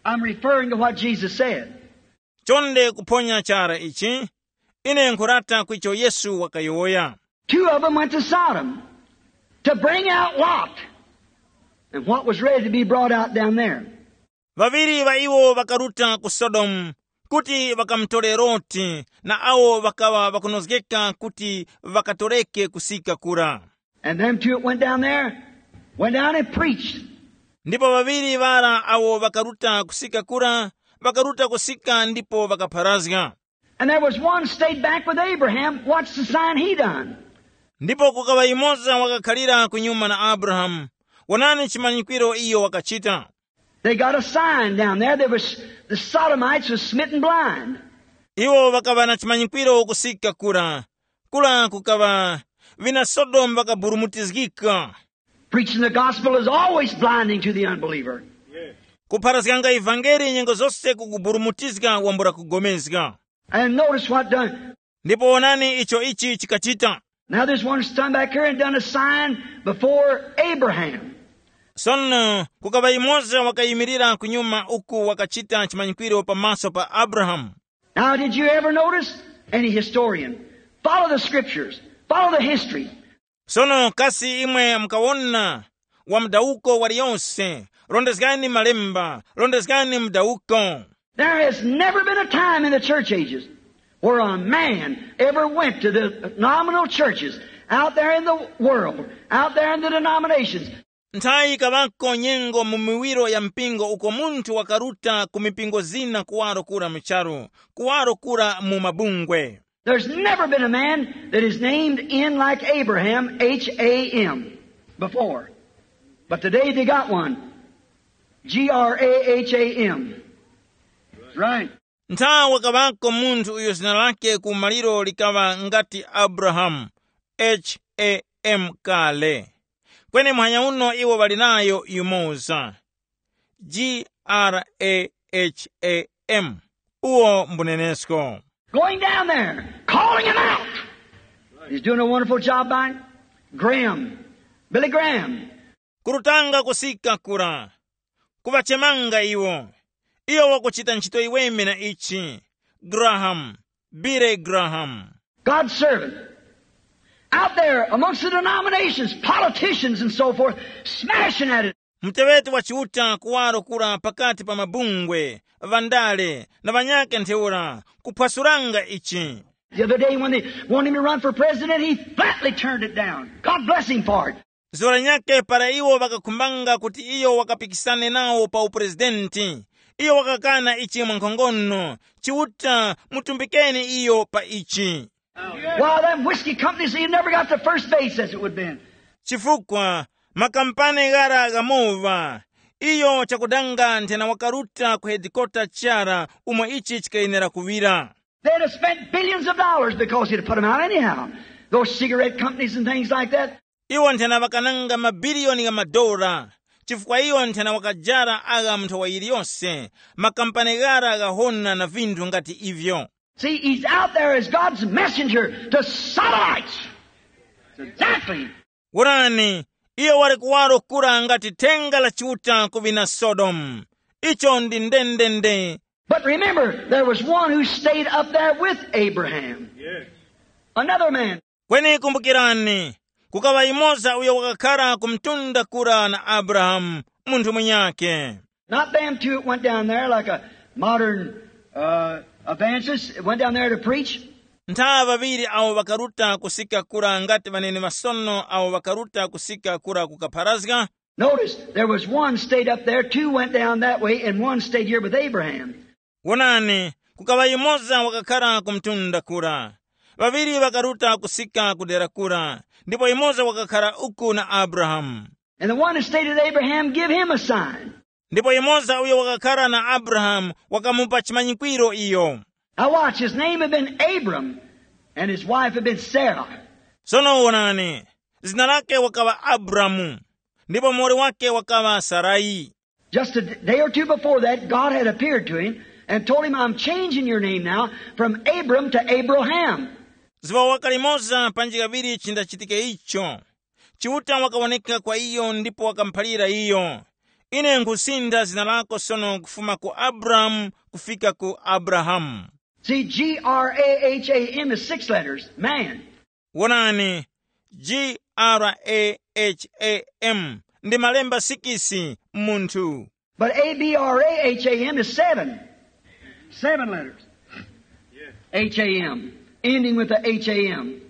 I'm referring to what Jesus said. Chonde kuphonya chara ichi, ine nkhurata kwicho Yesu wakayowoya. Two of them went to Sodom to bring out Lot and what was ready to be brought out down there. Ŵaŵiri ŵa iwo ŵakaruta ku Sodomu kuti ŵakamutore Loti na awo ŵakaŵa ŵakunozgeka kuti ŵakatoreke kusika kura. And them two that went down there went down and preached. Ndipo ŵaŵiri ŵara awo ŵakaruta kusika kura, ŵakaruta kusika ndipo ŵakapharazga. And there was one stayed back with Abraham, watched the sign he done. Ndipo kukaŵa yumoza wakakhalira kunyuma na Abrahamu. Wonani chimanyikwiro iyo wakachita. They got a sign down there. There was, the Sodomites was smitten blind. Iwo ŵakaŵa na chimanyikwiro kusika kura. Kura kukaŵa vina Sodomu ŵakaburumutizgika. Preaching the gospel is always blinding to the unbeliever. Kupharazganga ivangeli nyengo zose kukuburumutizga wambula kugomezga. And notice what done. Ndipo wonani icho ichi chikachita. Now there's one stand back here and done a sign before Abraham. Sono kukaŵa yumoza wakayimirira kunyuma uku wakachita chimanyikwiro pamaso pa Abrahamu. Now, did you ever notice? Any historian, follow the scriptures, follow the history. Sono kasi imwe mukawona wa mudawuko waliyonse, rondezgani malemba, rondezgani mudawuko. There has never been a time in the church ages where a man ever went to the nominal churches out there in the world, out there in the denominations. Nthayi kaŵako nyengo mu miwiro ya mpingo uko munthu wakaruta ku mipingo zina kuwaro kura mu charu, kuwaro kura mu mabungwe. There's never been a man that is named in like Abraham, H A M, before. But today they got one. G R A H A M. That's right. Nthawe kaŵako munthu uyo zina lake ku maliro likaŵa ngati Abrahamu, H A M kale. Kweni muhanya uno iwo ŵali nayo yumoza, G R A H A M, uwo mbunenesko. Going down there, calling him out. He's doing a wonderful job by Graham, Billy Graham. Kurutanga kusika kura, kuŵachemanga iwo. Iyo wakuchita ntchito yiweme na ichi, Graham, Billy Graham. God's servant. Out there amongst the denominations, politicians and so forth, smashing at it. Muteŵeti wa Chiuta kuwaro kura pakati pa mabungwe, ŵandale na ŵanyakhe ntheura, kuphwasuranga ichi. The other day when they wanted him to run for president, he flatly turned it down. God bless him for it. Zuŵa linyakhe para iwo ŵakakhumbanga kuti iyo wakapikisane nawo pa uprezidenti, iyo wakakana ichi mwankhongono. Chiuta, mutumbikeni iyo pa ichi. Why, them whiskey companies, he never got to first base as it would have been. Chifukwa makampani ghara ghamowa, iyo chakudanga nthena wakaruta ku hedikota chara umo ichi chikayenera kuŵira. They'd have spent billions of dollars because he'd have put them out anyhow. Those cigarette companies and things like that. Iwo nthena ŵakananga mabiliyoni gha madora, chifukwa iyo nthena wakajara agha mu nthawa yiliyose, makampani ghara ghahona na vinthu ngati ivyo. See, he's out there as God's messenger to Sodomites. Exactly. Wonani, iyo wali kuwaro kura ngati thenga la Chiuta ku ŵina Sodomu. Icho ndi ndendende. But remember, there was one who stayed up there with Abraham. Another man. Kweni kumbukirani, kukaŵa yumoza uyo wakakhara ku mtunda kura na Abrahamu, munthu munyakhe. Not them two that went down there like a modern uh, evangelist, went down there to preach. Ntha ŵaŵiri awo ŵakaruta kusika kura ngati ŵanene ŵasono awo ŵakaruta kusika kura kukapharazga. Notice, there was one stayed up there, two went down that way, and one stayed here with Abraham. Wonani, kukaŵa yumoza wakakhara ku mtunda kura, ŵaŵiri ŵakaruta kusika ku dera kura, ndipo yumoza wakakhara uku na Abrahamu. And the one that stayed with Abraham give him a sign. Ndipo yumoza uyo wakakhara na Abrahamu wakamupa chimanyikwiro iyo. Now watch, his name had been Abram, and his wife had been Sarah. Sono wonani, zina lake wakaŵa Abramu, ndipo muwoli wake wakaŵa Sarai. Just a d- day or two before that, God had appeared to him and told him, "I'm changing your name now from Abram to Abraham." Zuŵa waka limoza panji kaŵiri chindachitike icho, Chiuta wakawoneka kwa iyo ndipo wakamuphalira iyo, "Ine nkhusintha zina lako sono kufuma ku Abramu kufika ku Abrahamu." See, G R A H A M is six letters, man. Wonani, G R A H A M ndi malemba sikisi, munthu. But A B R A H A M is seven. Seven letters. H A M, ending with the H A M.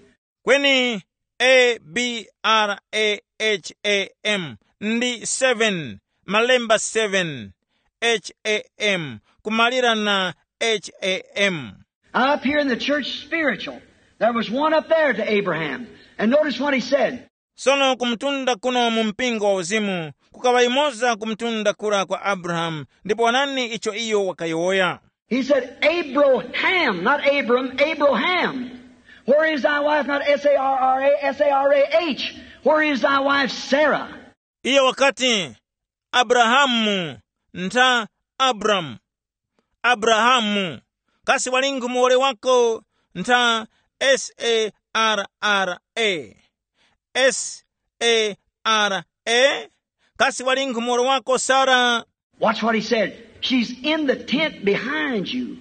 Kweni A B R A H A M ndi seven, malemba seven, H A M, kumalira na H A M. Now, up here in the church spiritual, there was one up there to Abraham. And notice what he said. Sono kumtunda kuno mu mpingo wa uzimu, kukaŵa yumoza kumtunda kura kwa Abrahamu, ndipo wonani icho iyo wakayowoya. He said, "Abraham," not Abram, "Abraham. Where is thy wife?" Not S A R R A, S A R A H. "Where is thy wife Sarah?" Iyo wakati, "Abrahamu," ntha Abramu. "Abrahamu, kasi wali nkhu muwoli wako?" Ntha S A R R A. S A R A. "Kasi wali nkhu muwoli wako Sara?" Watch what he said. "She's in the tent behind you."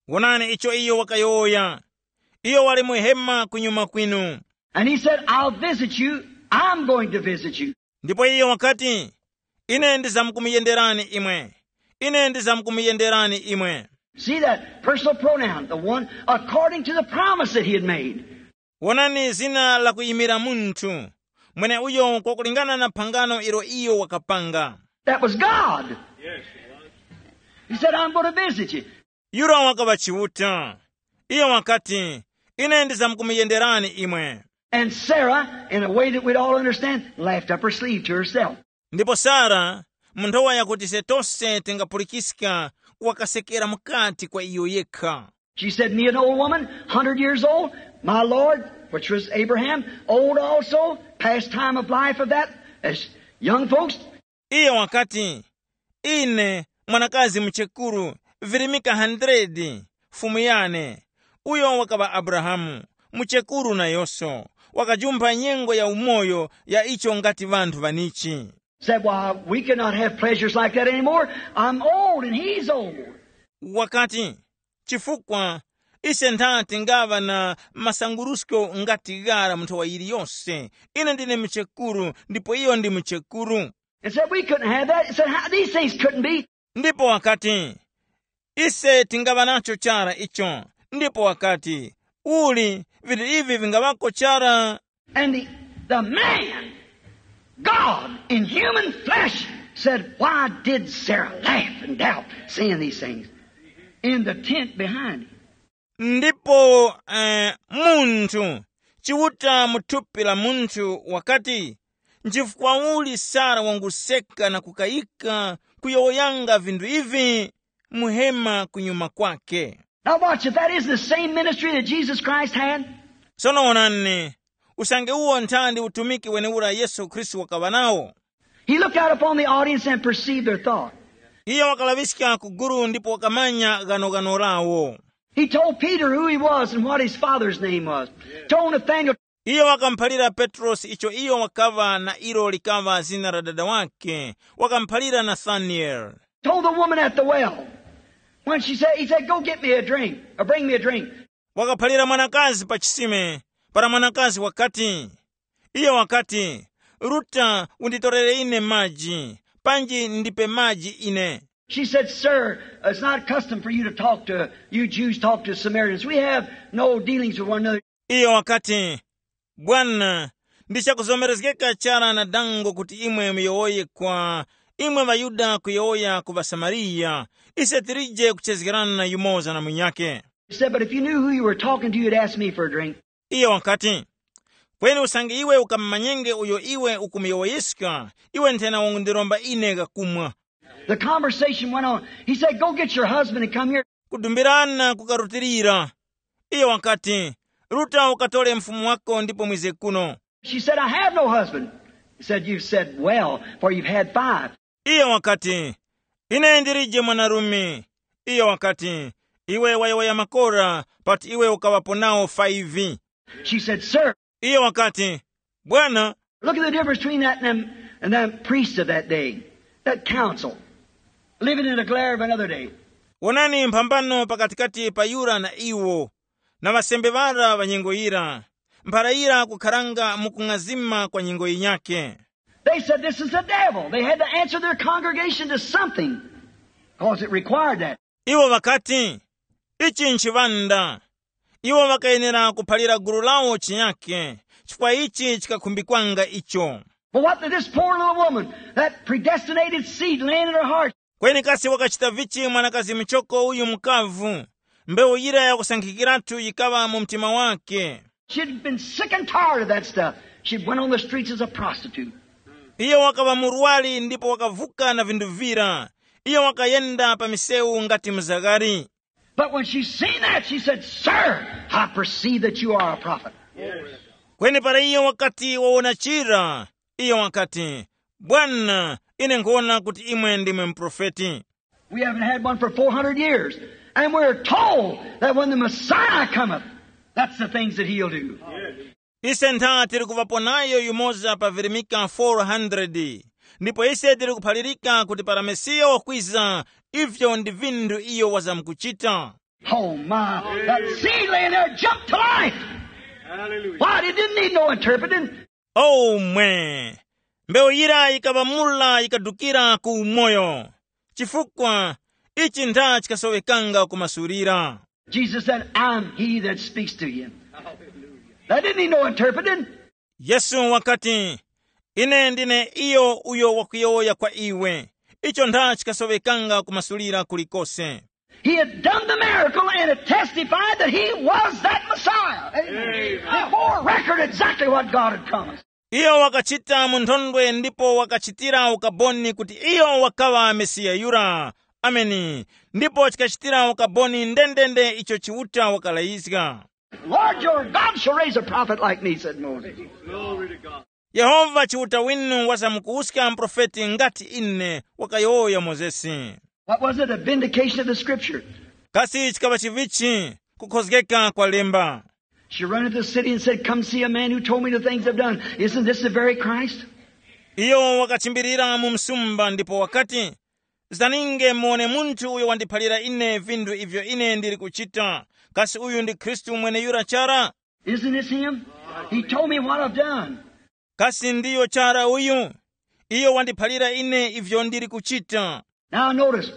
Wonani icho iyo wakayowoya. "Iyo wali mu hema kunyuma kwinu." And he said, "I'll visit you. I'm going to visit you." Ndipo iyo wakati, "Ine ndizamkumuyenderani imwe. Ine ndizamkumuyenderani imwe." See that personal pronoun, the one according to the promise that he had made. Wonani zina la kuyimira munthu, mweneuyo kwakulingana na phangano ilo iyo wakapanga. That was God. He said, "I'm going to visit you." Yura wakaŵa Chiuta. Iyo wakati, "Ine ndizamkumuyenderani imwe." And Sarah, in a way that we'd all understand, laughed up her sleeve to herself. Ndipo Sara, mu nthowa yakuti ise tose tingapulikiska, wakasekera mukati kwa iyo yekha. She said, "Me, an old woman, hundred years old, my Lord," which was Abraham, old also, past time of life of that, as young folks. Iyo wakati, "Ine, mwanakazi muchekuru, virimika hundred, fumu yane, uyo wakaŵa Abrahamu, muchekuru nayonso, wakajumpha nyengo ya umoyo ya icho ngati ŵanthu ŵanichi." Said, "Why, we cannot have pleasures like that anymore. I'm old and he's old." Wakati, "Chifukwa ise ntha tingaŵa na masangurusko ngati ghara mu nthowa yiliyose. Ine ndine muchekuru, ndipo iyo ndi muchekuru." And said, "We couldn't have that." He said, "How, these things couldn't be." Ndipo wakati, "Ise tingaŵa nacho chara icho." Ndipo wakati, "Uli, vinthu ivi vingaŵako chara?" And the, the man, God in human flesh, said, "Why did Sarah laugh and doubt, saying these things?" In the tent behind him. Ndipo eh, munthu, Chiuta mu thupi la munthu wakati, "Nchifukwa uli Sara wanguseka na kukayika kuyowoyanga vinthu ivi mu hema kunyuma kwake?" Now watch, if that isn't the same ministry that Jesus Christ had. Sono wonani, usange uwo nthandi utumiki wenewura Yesu Khristu wakaŵa nawo. He looked out upon the audience and perceived their thought. Iye wakalaŵiska ku gulu ndipo wakamanya ghanoghano lawo. He told Peter who he was and what his father's name was. Told Nathaniel. Iye wakamuphalira Petrosi icho iyo wakaŵa na ilo likaŵa zina la dada wake. Wakamuphalira Nathanieli. Told the woman at the well. When she said, he said, "Go get me a drink, or bring me a drink." Wakaphalira mwanakazi pa chisime, para mwanakazi wakati, iye wakati, "Ruta, unditorere ine maji, panji ndipe maji ine." She said, "Sir, it's not custom for you to talk to, you Jews talk to Samaritans. We have no dealings with one another." Iyo wakati, "Bwana, Ndi chakuzomerezgeka chara na dango kuti imwe muyowoye kwa imwe ŵaYuda kuyowoya ku ŵaSamariya, ise tilije kuchezgerana yumoza na munyakhe. He said, "But if you knew who you were talking to, you'd ask me for a drink." Iyo wakati, kweni usange iwe ukamumanyenge uyo iwe ukumuyowoyeska, iwe nthena wangundiromba ine kakumwa. The conversation went on. He said, "Go get your husband and come here." Kudumbirana kukarutilira. Iyo wakati, ruta ukatole mfumu wako ndipo mwize kuno. She said, "I have no husband." He said, "You've said well, for you've had five." Iyo wakati, ine ndilije mwanarume. Iyo wakati, iwe wayowoya makora, pati iwe ukaŵapo nawo five. She said, "Sir." Iyo wakati, bwana, look at the difference between that and them, and them priests of that day, that council, living in the glare of another day. Wonani mphambano pakatikati pa yura na iwo, na ŵasembe ŵara ŵa nyengo yira, mphara yira kukharanga mu kung'azima kwa nyengo yinyakhe. They said, "This is the devil." They had to answer their congregation to something, because it required that. Iwo ŵakati, ichi nchiŵanda. Iwo ŵakayenera kuphalira gulu lawo chinyakhe, chifukwa ichi chikakhumbikanga icho. But what did this poor little woman, that predestinated seed laying in her heart, kweni kasi wakachita vichi mwanakazi muchoko uyu mukavu? Mbewu yira yakusankhikiratu yikaŵa mu mtima wake. She'd been sick and tired of that stuff. She went on the streets as a prostitute. Iyo wakaŵa murwari ndipo wakavuka na vinthu vira. Iyo wakayenda pa misewu ngati mzagari. But when she seen that, she said, "Sir, I perceive that you are a prophet." Kweni para iyo wakati wawona chira, iyo wakati, bwana, ine nkhuwona kuti imwe ndimwe muprofeti. We haven't had one for four hundred years, and we're told that when the Messiah cometh, that's the things that he'll do. Ise ntha tili kuŵapo nayo yumoza pa virimika four hundred, ndipo ise tili kuphalirika kuti para Mesiya wakwiza, ivyo ndi vinthu iyo wazamkuchita. Oh my, that seed laying there jumped to life. Hallelujah. Why? It didn't need no interpreting. Oh mwe! Mbewu yira yikaŵamula yikadukira ku umoyo, chifukwa ichi ntha chikasowekanga kumasulira. Jesus said, "I'm he that speaks to you." That didn't need no interpreting. Yesu wakati, ine ndine iyo uyo wakuyowoya kwa iwe. Icho ntha chikasowekanga kumasulira kulikose. He had done the miracle and it testified that he was that Messiah. Amen. It bore record exactly what God had promised. Iyo wakachita mu nthondwe ndipo wakachitira ukaboni kuti iyo wakaŵa Mesiya yura. Ameni. Ndipo chikachitira ukaboni ndendende icho Chiuta wakalayizga. "Lord your God shall raise a prophet like me," said Moses. Glory to God. Yehova Chiuta winu wazamkuwuska muprofeti ngati ine, wakayowoya Mozesi. What was it? A vindication of the scripture. Kasi chikaŵa chivichi? Kukhozgeka kwa lemba. She run into the city and said, "Come see a man who told me the things I've done. Isn't this the very Christ?" Iyo wakachimbirira mu msumba ndipo wakati, zaninge muwone munthu uyo wandiphalira ine vinthu ivyo ine ndili kuchita. Kasi uyu ndi Khristu mweneyura chara? Isn't this him? He told me what I've done. Kasi ndiyo chara uyu? Iyo wandiphalira ine ivyo ndili kuchita. Now notice,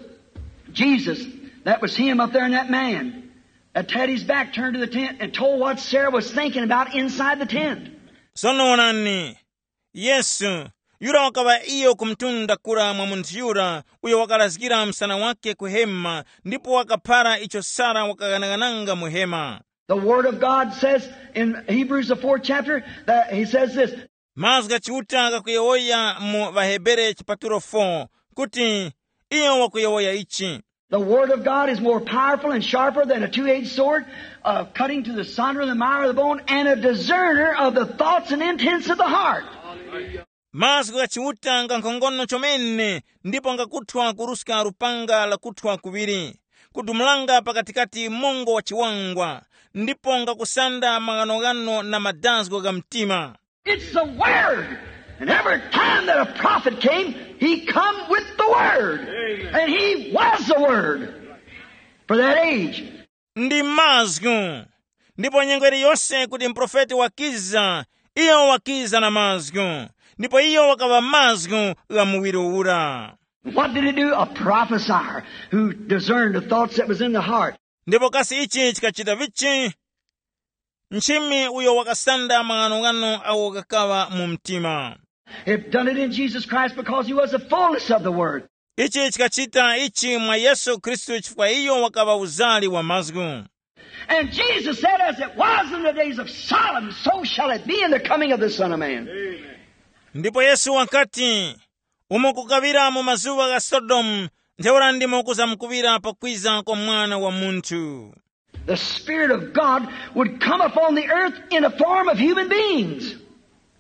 Jesus, that was him up there in that man, that had his back turned to the tent and told what Sarah was thinking about inside the tent. Sono onani, Yesu, yura wakaŵa iyo kumtunda kura mwa munthu yura uyo wakalazgira msana wake ku hema ndipo wakaphara icho Sara wakaghanaghananga mu hema. The Word of God says in Hebrews, the fourth chapter, that he says this. Mazgu gha Chiuta ghakuyowoya mu ŵaHebere chipatulo four kuti iyo wakuyowoya ichi. The Word of God is more powerful and sharper than a two-edged sword, uh, cutting to the sunder of the marrow of the bone, and a discerner of the thoughts and intents of the heart. Mazgu gha Chiuta nga nkhongono chomene ndipo ngakuthwa kuruska lupanga lakuthwa kuŵiri, kudumulanga pakatikati mungo wa chiwangwa, ndipo ngakusanda maghanoghano na madazgo gha mtima. It's the Word. And every time that a prophet came, he come with the Word. Amen. And he was the Word for that age. Ndi mazgu. Ndipo nyengo iliyonse kuti muprofeti wakiza, iyo wakiza na mazgu. Ndipo iyo wakaŵa mazgu gha muwiri ura. What did he do? A prophesier who discerned the thoughts that was in the heart. Ndipo kasi ichi chikachita vichi? nchimi uyo wakasanda maghanoghano agho ghakaŵa mu mtima. It done it in Jesus Christ because he was the fullness of the Word. Ichi chikachita ichi mwa Yesu Khristu chifukwa iyo wakaŵa uzali wa mazgu. And Jesus said, "As it was in the days of Sodom, so shall it be in the coming of the Son of Man." Ndipo Yesu wakati, umo kukaŵira mu mazuŵa gha Sodomu, ntheura ndimo kuzamkuŵira pakwiza kwa Mwana wa Munthu. The Spirit of God would come upon the earth in a form of human beings.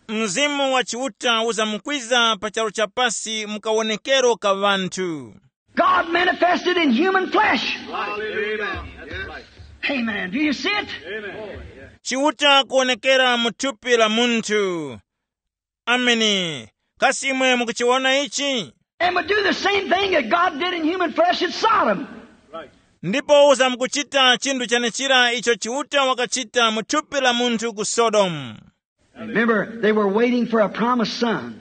Mzimu wa Chiuta uzamkwiza pa charu cha pasi mu kawonekero ka ŵanthu. God manifested in human flesh. Hallelujah. That's right. Amen. Do you see it? Chiuta kuwonekera mu thupi la munthu. Ameni. Kasi imwe mukuchiwona ichi? And would do the same thing that God did in human flesh at Sodom. Ndipo uzamkuchita chinthu chenechira icho Chiuta wakachita mu thupi la munthu ku Sodomu. Remember, they were waiting for a promised son.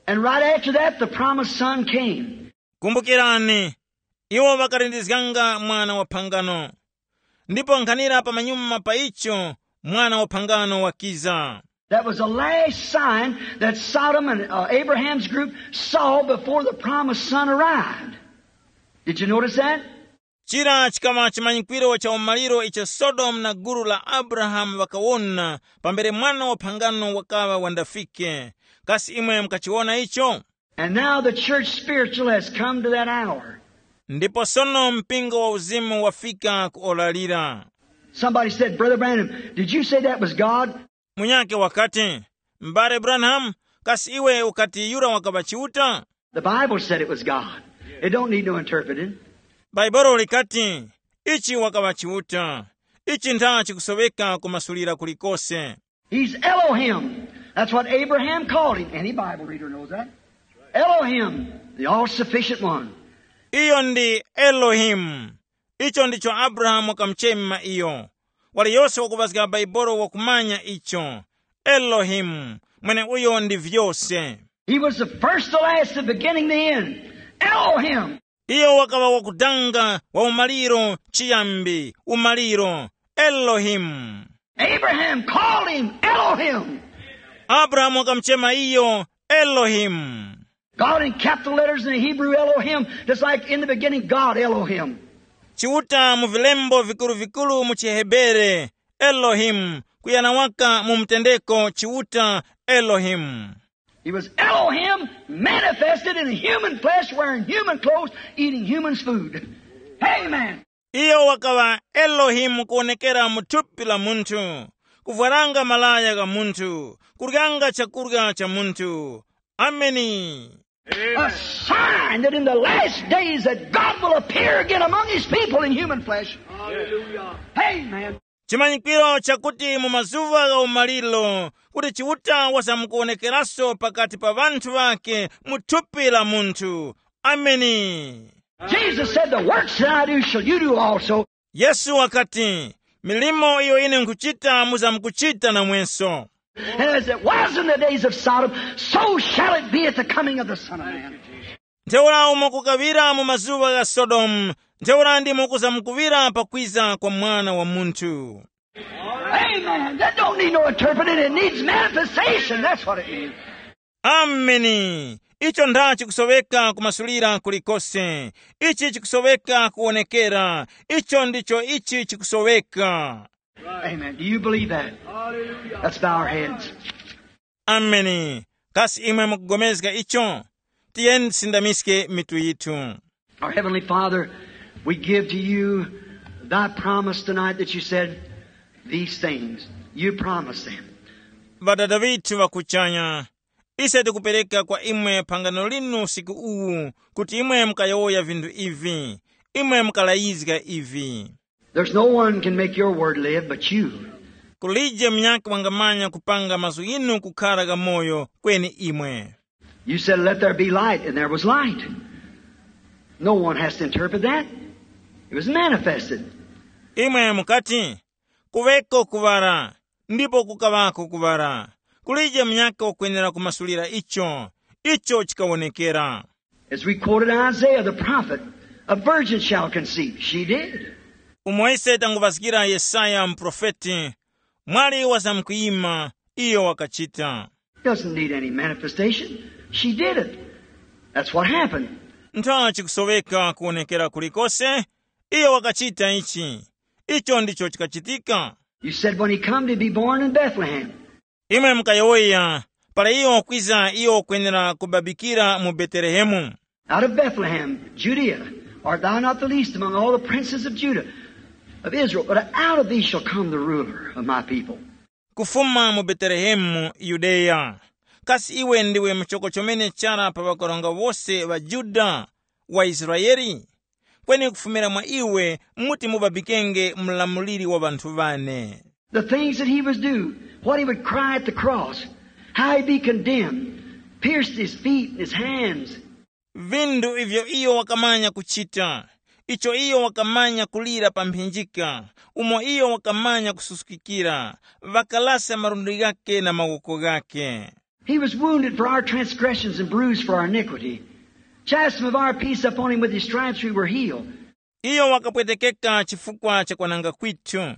And right after that, the promised son came. Kumbukirani, iwo ŵakalindizganga mwana wa phangano. Ndipo nkhanira pamanyuma pa icho, mwana wa phangano wakiza. That was the last sign that Sodom and uh, Abraham's group saw before the promised son arrived. Did you notice that? Chira chikaŵa chimanyikwiro cha umaliro icho Sodomu na gulu la Abrahamu ŵakawona pambere mwana wa phangano wakaŵa wandafike. Kasi imwe mukachiwona icho? And now the church spiritual has come to that hour. Ndipo sono mpingo wa uzimu wafika ku ora lira. Somebody said, "Brother Branham, did you say that was God?" Munyake wakati, m'bale Branham, kasi iwe ukati yura wakaŵa Chiuta? The Bible said it was God. It don't need no interpreting. Bhaibolo likati, ichi wakaŵa Chiuta. Ichi ntha chikusoweka kumasulira kulikose. He's Elohim. That's what Abraham called him. Any Bible reader knows that. Elohim, the all sufficient one. Iyo ndi Elohimu. Icho ndicho Abrahamu wakamuchema iyo. Waliyose wakuŵazga Baibolo wakumanya icho. Elohimu, mweneuyo ndi vyose. He was the first to last, the beginning, the end. Elohim. Iyo wakaŵa wakudanga wa umaliro, chiyambi, umaliro. Elohimu. Abraham called him Elohim. Abrahamu wakamuchema iyo Elohimu. God in capital letters in the Hebrew, Elohim, just like in the beginning, God Elohim. Chiuta mu vilembo vikuru-vikuru mu chiHebere, Elohimu, kuyana waka mu mutendeko Chiuta Elohimu. He was Elohim manifested in human flesh, wearing human clothes, eating humans' food. Amen. Iyo wakaŵa Elohimu kuwonekera mu thupi la munthu, kuvwaranga malaya gha munthu, kuryanga chakurya cha munthu. Ameni. A sign that in the last days that God will appear again among his people in human flesh. Hallelujah. Amen. Chimanyikiro chakuti mu mazuva gha umaliro kuti Chiuta wasamkuwonekeranso pakati pa ŵanthu ŵake mu thupi la munthu. Ameni. Jesus said, "The works that I do shall you do also." Yesu wakati, milimo iyo ine nkhuchita muzamkuchita namwenso. And as it was in the days of Sodom, so shall it be at the coming of the Son of Man. Ntheura umo kukaŵira mu mazuŵa gha Sodomu, ntheura ndimo kuzamkuŵira pakwiza kwa Mwana wa Munthu. Amen. That don't need no interpreting. It needs manifestation. That's what it needs. Ameni. Icho nda chikusoweka kumasulira kulikose. Ichi chikusoweka kuwonekera. Icho ndicho ichi chikusoweka. Amen. Do you believe that? Let's bow our heads. Ameni. Kasi imwe mukugomezga icho? Tiyeni tisindamiske mitu yithu. Our Heavenly Father, we give to you thy promise tonight that you said these things. You promised them. Ŵadada ŵithu ŵakuchanya, ise tikupereka kwa imwe phangano linu usiku uwu kuti imwe mukayowoya vinthu ivi, imwe mukalayizga ivi. There's no one can make your word live but you. Kulije munyakhe wangamanya kupanga mazgu ghinu kukhara ghamoyo kweni imwe. You said, "Let there be light," and there was light. No one has to interpret that. It was manifested. Imwe mukati, kuŵeko kuŵala, ndipo kukaŵako kuŵala. Kulije munyakhe wakwenera kumasulira icho. Icho chikawonekera. As we quoted Isaiah the prophet, a virgin shall conceive. She did. Umo ise tanguŵazgira Yesaya muprofeti, Mwali wazamkuyima, iyo wakachita. Doesn't need any manifestation. She did it. That's what happened. Ntha chikusoweka kuwonekera kulikose, iyo wakachita ichi. Icho ndicho chikachitika. You said when he come to be born in Bethlehem. Imwe mukayowoya, para iyo wakwiza, iyo wakwenera kubabikira mu Betelehemu. Out of Bethlehem, Judea, art thou not the least among all the princes of Judah, of Israel? But out of thee shall come the ruler of my people. Kufuma mu Betelehemu mu Yudeya, kasi iwe ndiwe muchoko chomene chara pa ŵakaronga wose ŵa Yuda, wa Israeli? Kweni kufumira mwa iwe muti mubabikenge mlamuliri wa ŵanthu ŵane. The things that he was do, what he would cry at the cross, how he'd be condemned, pierced his feet and his hands. Vindu ivyo iyo wakamanya kuchita, icho iyo wakamanya kulira pa mphinjika, umo iyo wakamanya kususukikira, ŵakalasa malundi ghake na mawoko ghake. He was wounded for our transgressions and bruised for our iniquity. Chastisement of our peace upon him, with his stripes we were healed. Iyo wakapwetekeka chifukwa cha kwananga kwithu,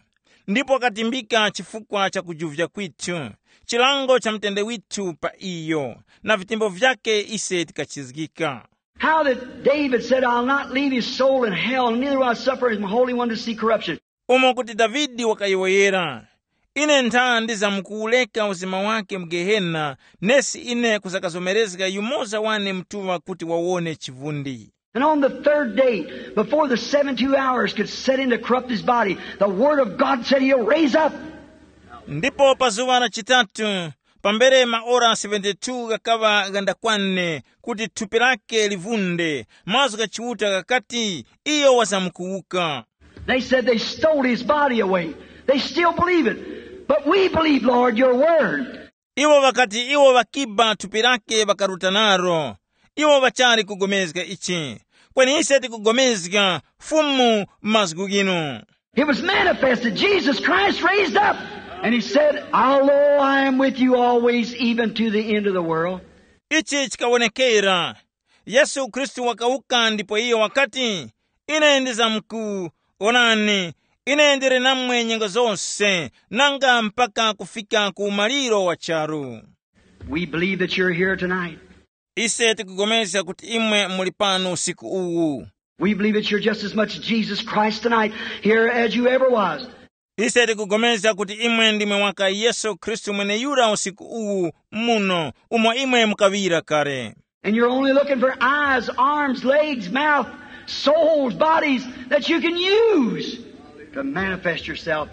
ndipo wakatimbika chifukwa cha kujuvya kwithu, chilango cha mtende withu pa iyo, na vitembo vyake ise tikachizgika. How that David said, I'll not leave his soul in hell, neither will I suffer his Holy One to see corruption. Umo kuti Davide wakayowoyera, ine ntha ndizamkuwureka uzima wake mu Gehena, nesi ine kuzakazomerezga yumoza wane mtuŵa kuti wawone chivundi. And on the third day, before the seventy-two hours could set in to corrupt his body, the word of God said he'll raise up. Ndipo pa zuŵa la chitatu, pambere maora seventy-two ghakaŵa ghandakwane kuti thupi lake livunde, mazgu gha Chiuta ghakati, iyo wazamkuwuka. They said they stole his body away. They still believe it. But we believe, Lord, your word. Iwo ŵakati iwo ŵakiba thupi lake ŵakaruta naro. Iwo ŵachali kugomezga ichi. Kweni ise tikugomezga Fumu mazgu ghinu. It was manifested. Jesus Christ raised up. And he said, Although I am with you always, even to the end of the world. Ichi chikawonekera. Yesu Khristu wakawuka ndipo iyo wakati, ine ndizamku, onani, ine ndili namwe nyengo zose, nanga mpaka kufika ku umaliro wa charu. We believe that you're here tonight. Ise tikugomezga kuti imwe muli pano usiku uwu. We believe that you're just as much Jesus Christ tonight here as you ever was. Ise tikugomezga kuti imwe ndimwe waka Yesu Khristu mweneyura usiku uwu muno, umo imwe mukaŵira kale. And you're only looking for eyes, arms, legs, mouth, souls, bodies that you can use to manifest yourself.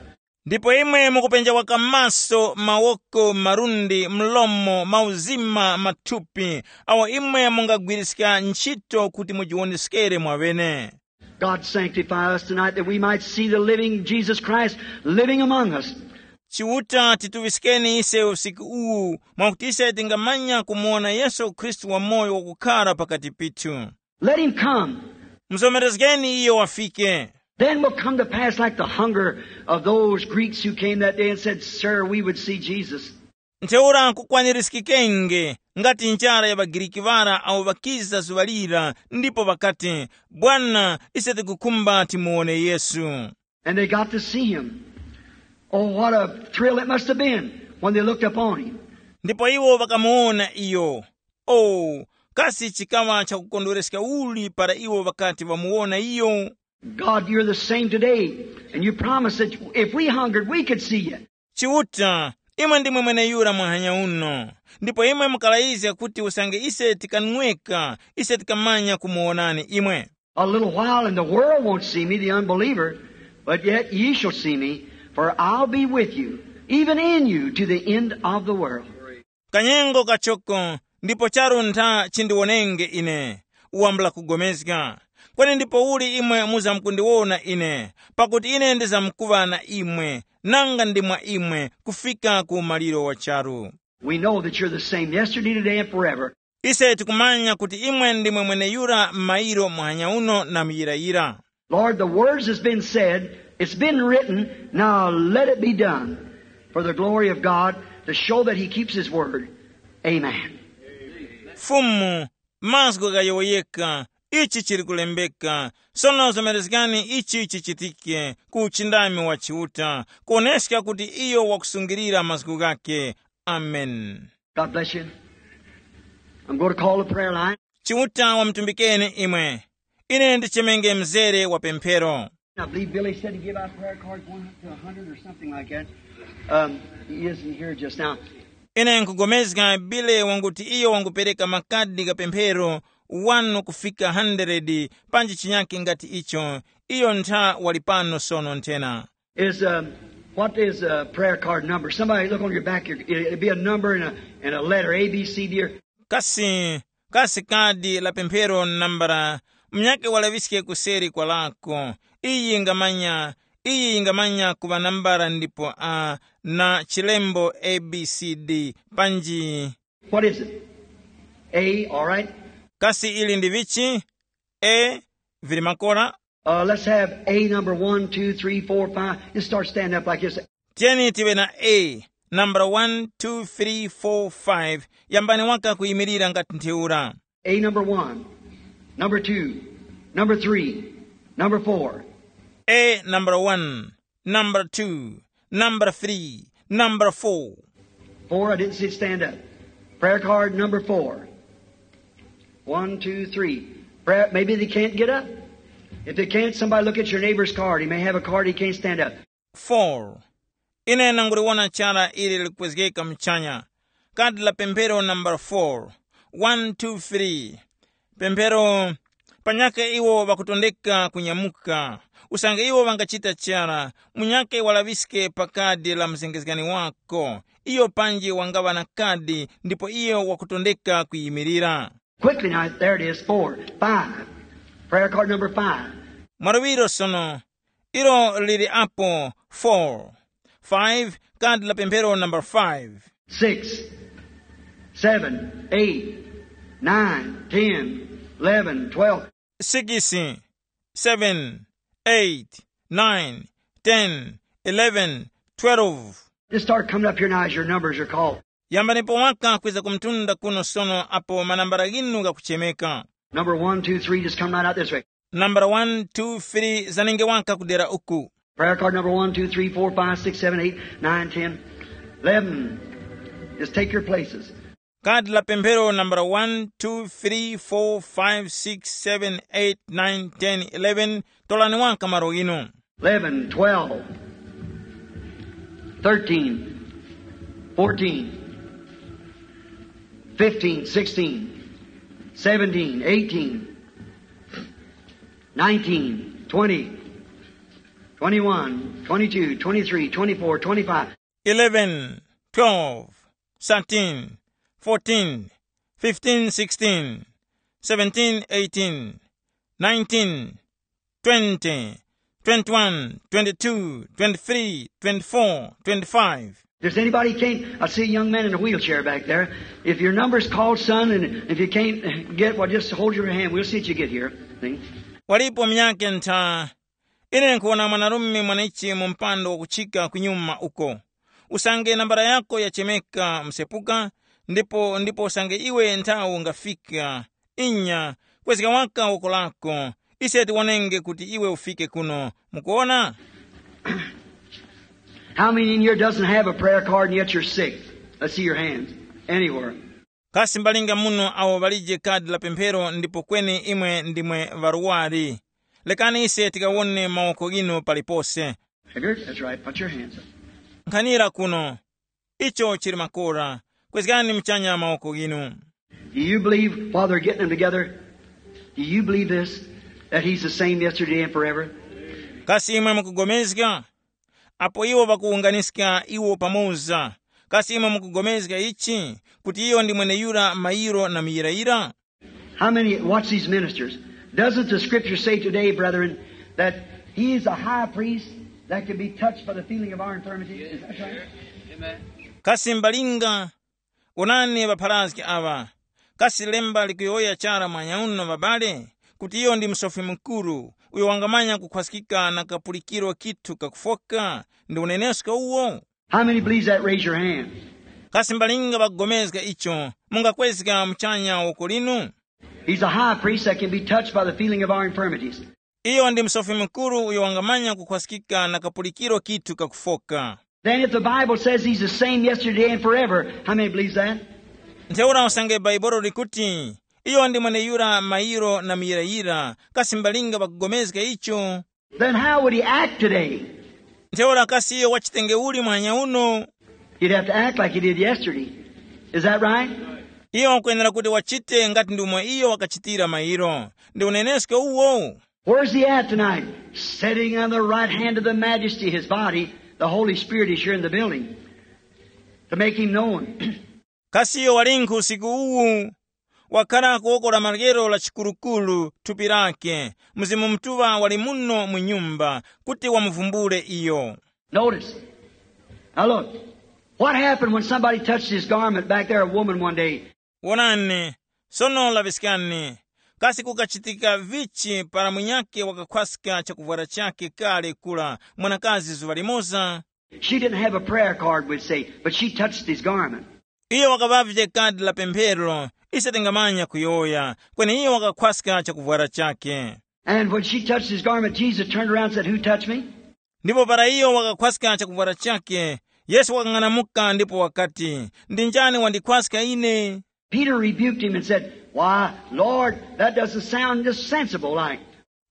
Ndipo imwe mukupenja waka maso, mawoko, malundi, mlomo, mauzima, mathupi, awo imwe mungagwiriska ntchito kuti mujiwoneskere mwaŵene. God sanctify us tonight that we might see the living Jesus Christ living among us. Chiuta tituŵiskeni ise usiku uwu, mwakuti ise tingamanya kumuwona Yesu Khristu wamoyo wakukhara pakati pithu. Let him come. Muzomerezgeni iyo wafike. Then will come to pass like the hunger of those Greeks who came that day and said, Sir, we would see Jesus. Ntheura kukwanirizgikenge ngati njara ya ŵaGiriki ŵara awo ŵakiza zuŵa lira ndipo ŵakati, Bwana, ise tikukhumba timuwone Yesu. And they got to see him. Oh, what a thrill it must have been when they looked upon him. Ndipo iwo ŵakamuwona iyo. Oh, kasi chikaŵa chakukondwereska uli para iwo ŵakati ŵamuwona iyo? God, you're the same today, and you promised that if we hungered, we could see you. Chiuta, imwe ndimwe mweneyura muhanya uno, ndipo imwe mukalayizga kuti usange ise tikanweka, ise tikamanya kumuwonani imwe. A little while and the world won't see me, the unbeliever, but yet ye shall see me, for I'll be with you, even in you, to the end of the world. Kanyengo kachoko, ndipo charu ntha chindiwonenge ine, wambula kugomezga. Kweni ndipouli imwe muzamkundiwona ine, pakuti ine ndizamkuŵa na imwe, nanga ndi mwa imwe, kufika ku umaliro wa charu. We know that you're the same yesterday, today, and forever. Ise tikumanya kuti imwe ndimwe mweneyura m'mayiro muhanya uno na muyirayira. Lord, the words has been said, it's been written, now let it be done for the glory of God, to show that he keeps his word. Amen. Fumu, mazgu ghayowoyeka, Ichi chili kulembeka. Sono zomerezgani ichi chichitike ku uchindami wa Chiuta, kuoneska kuti iyo wakusungilira mazgu ghakhe. Amen. God bless you. I'm going to call the prayer line. Chiuta wamutumbikeni imwe. Ine ndichemenge mzere wa pemphero. I believe Billy said to give out prayer cards one to a hundred or something like that. Um, he isn't here just now. Ine nkugomezga Bile wanguti iyo wangupereka makadi gha pemphero wanu kufika hundred panji chinyake ngati icho. Iyo ntha wali pano sono nthena. Is, um, what is a prayer card number? Somebody look on your back here. It- It'd be a number and a, and a letter, A, B, C, D, or Kasi kasi kadi la pemphero nambala, munyake walaŵiske kuseri kwa lako. Iyi yingamanya, iyi yingamanya kuŵa nambala ndipo a na chilembo A B C D. Panji What is it? A, all right. Kasi ili ndi vichi? E, vili makora. Uh, let's have A number one, two, three, four, five. Just start standing up like this. Tiyeni tiwe na A, nambala one, two, three, four, five. Yambani waka kuyimirira ngati ntheura. A number one, number two, number three, number four. A number one, number two, number three, number four. Four, I didn't see it stand up. Prayer card number four. One, two, three. Prayer, maybe they can't get up. If they can't, somebody look at your neighbor's card. He may have a card, he can't stand up. Four. Ine nanguliwona chara ili likwezgeka mchanya. Kadi la pemphero nambala four. One, two, three. Pemphero. Panyaka iwo ŵakutondeka kunyamuka. Usange iwo ŵangachita chara, munyake walaŵiske pa kadi la muzengezgani wako. Iyo panji wangaŵa na kadi ndipo iyo wakutondeka kuyimirira. Quickly now, there it is, four, five. Prayer card number five. Mwaluŵiro sono, ilo lili apo four. Five, kadi la pemphero number five. Six, seven, eight, nine, ten, eleven, twelve. Six, seven, eight, nine, ten, eleven, twelve. Just start coming up here now as your numbers are called. Yambanipo waka kwiza kumtunda kuno sono apo manambala ghinu ghakuchemeka. Number one, two, three, just come right out this way. Nambala one, two, three, zanenge waka kudera uku. Prayer card number one, two, three, four, five, six, seven, eight, nine, ten, eleven. Just take your places. Kadi la pemphero nambala one, two, three, four, five, six, seven, eight, nine, ten, eleven. Tolani waka malo ghinu. Eleven, twelve, thirteen, fourteen, fifteen, sixteen, seventeen, eighteen, nineteen, twenty, twenty-one, twenty-two, twenty-three, twenty-four, twenty-five. Eleven, twelve, thirteen, fourteen, fifteen, sixteen, seventeen, eighteen, nineteen, twenty, twenty-one, twenty-two, twenty-three, twenty-four, twenty-five. If there's anybody can't, I see a young man in a wheelchair back there. If your number's called, son, and if you can't get, well, just hold your hand. We'll see that you get here. See? Walipo myake ntha. Ine nkhuwona mwanarume mwanechi mu mpando wakuchika kunyuma uko. Usange nambala yako yachemeka msepuka, ndipo ndipo usange iwe nthawi ungafika. Inya, kwezga waka woko lako. Ise tiwonenge kuti iwe ufike kuno. Mukuona? How many in here doesn't have a prayer card and yet you're sick? Let's see your hands. Anywhere. Kasi mbalinga muno awo ŵalije kadi la pemphero ndipo kweni imwe ndimwe ŵarwari? Lekani ise tikawone mawoko ghinu palipose. Edgar, that's right. Put your hands up. Nkhanira kuno. Icho chili makora. Kwezgani mchanya mawoko ghinu. Do you believe while they're getting them together? Do you believe this? That he's the same yesterday and forever? Kasi imwe mukugomezga? Apo iwo ŵakuwunganiska iwo pamoza, kasi imwe mukugomezga ichi, kuti iyo ndi mweneyura mayiro na muyirayira? How many, watch these ministers. Doesn't the scripture say today, brethren, that he is a high priest that can be touched by the feeling of our infirmities? Is that right? Kasi mbalinga, onani ŵapharazgi aŵa. Kasi lemba likuyowoya chara mwanyauno ŵabale, kuti iyo ndi Musofi Mukuru, uyo wangamanya kukhwaskika na kapulikiro kithu kakufoka, ndi unenesko uwo? How many believes that? Raise your hand. Kasi mbalinga ŵakugomezga icho, mungakwezga muchanya woko linu? He's a high priest that can be touched by the feeling of our infirmities. Iyo ndi Musofi Mukuru uyo wangamanya kukhwaskika na kapulikiro kithu kakufoka. Then if the Bible says he's the same yesterday and forever, how many believes that? Ntheura usange Bhaibuli likuti, iyo ndi mweneyura mayiro na muyirayira, kasi mbalinga ŵakugomezga icho? Then how would he act today? Ntheura kasi iyo wachitenge uli muhanya uno? He'd have to act like he did yesterday. Is that right? Iyo wakwenera kuti wachite ngati ndi umo iyo wakachitira mayiro. Ndi unenesko uwo? Where's he at tonight? Sitting on the right hand of the majesty, his body, the Holy Spirit is here in the building to make him known. Kasi iyo walinkhu usiku uwu? Wakhala ku woko la maryero la chikurukuru thupi lake. Mzimu Mutuŵa wali muno mu nyumba kuti wamuvumbule iyo. Notice. Now look. What happened when somebody touched his garment back there, a woman one day? Wonani, sono laŵiskani. Kasi kukachitika vichi para munyakhe wakakhwaska chakuvwara chakhe kale kura mwanakazi zuŵa limoza? She didn't have a prayer card, we'd say, but she touched his garment. Iyo wakaŵavye kadi la pemphero, ise tingamanya kuyowoya, kweni iyo wakakhwaska chakuvwara chakhe. And when she touched his garment, Jesus turned around and said, "Who touched me?" Ndipo para iyo wakakhwaska chakuvwara chakhe, Yesu wakang'anamuka ndipo wakati, "Ndi njani wandikhwaska ine?" Peter rebuked him and said, "Why, Lord, that doesn't sound just sensible like."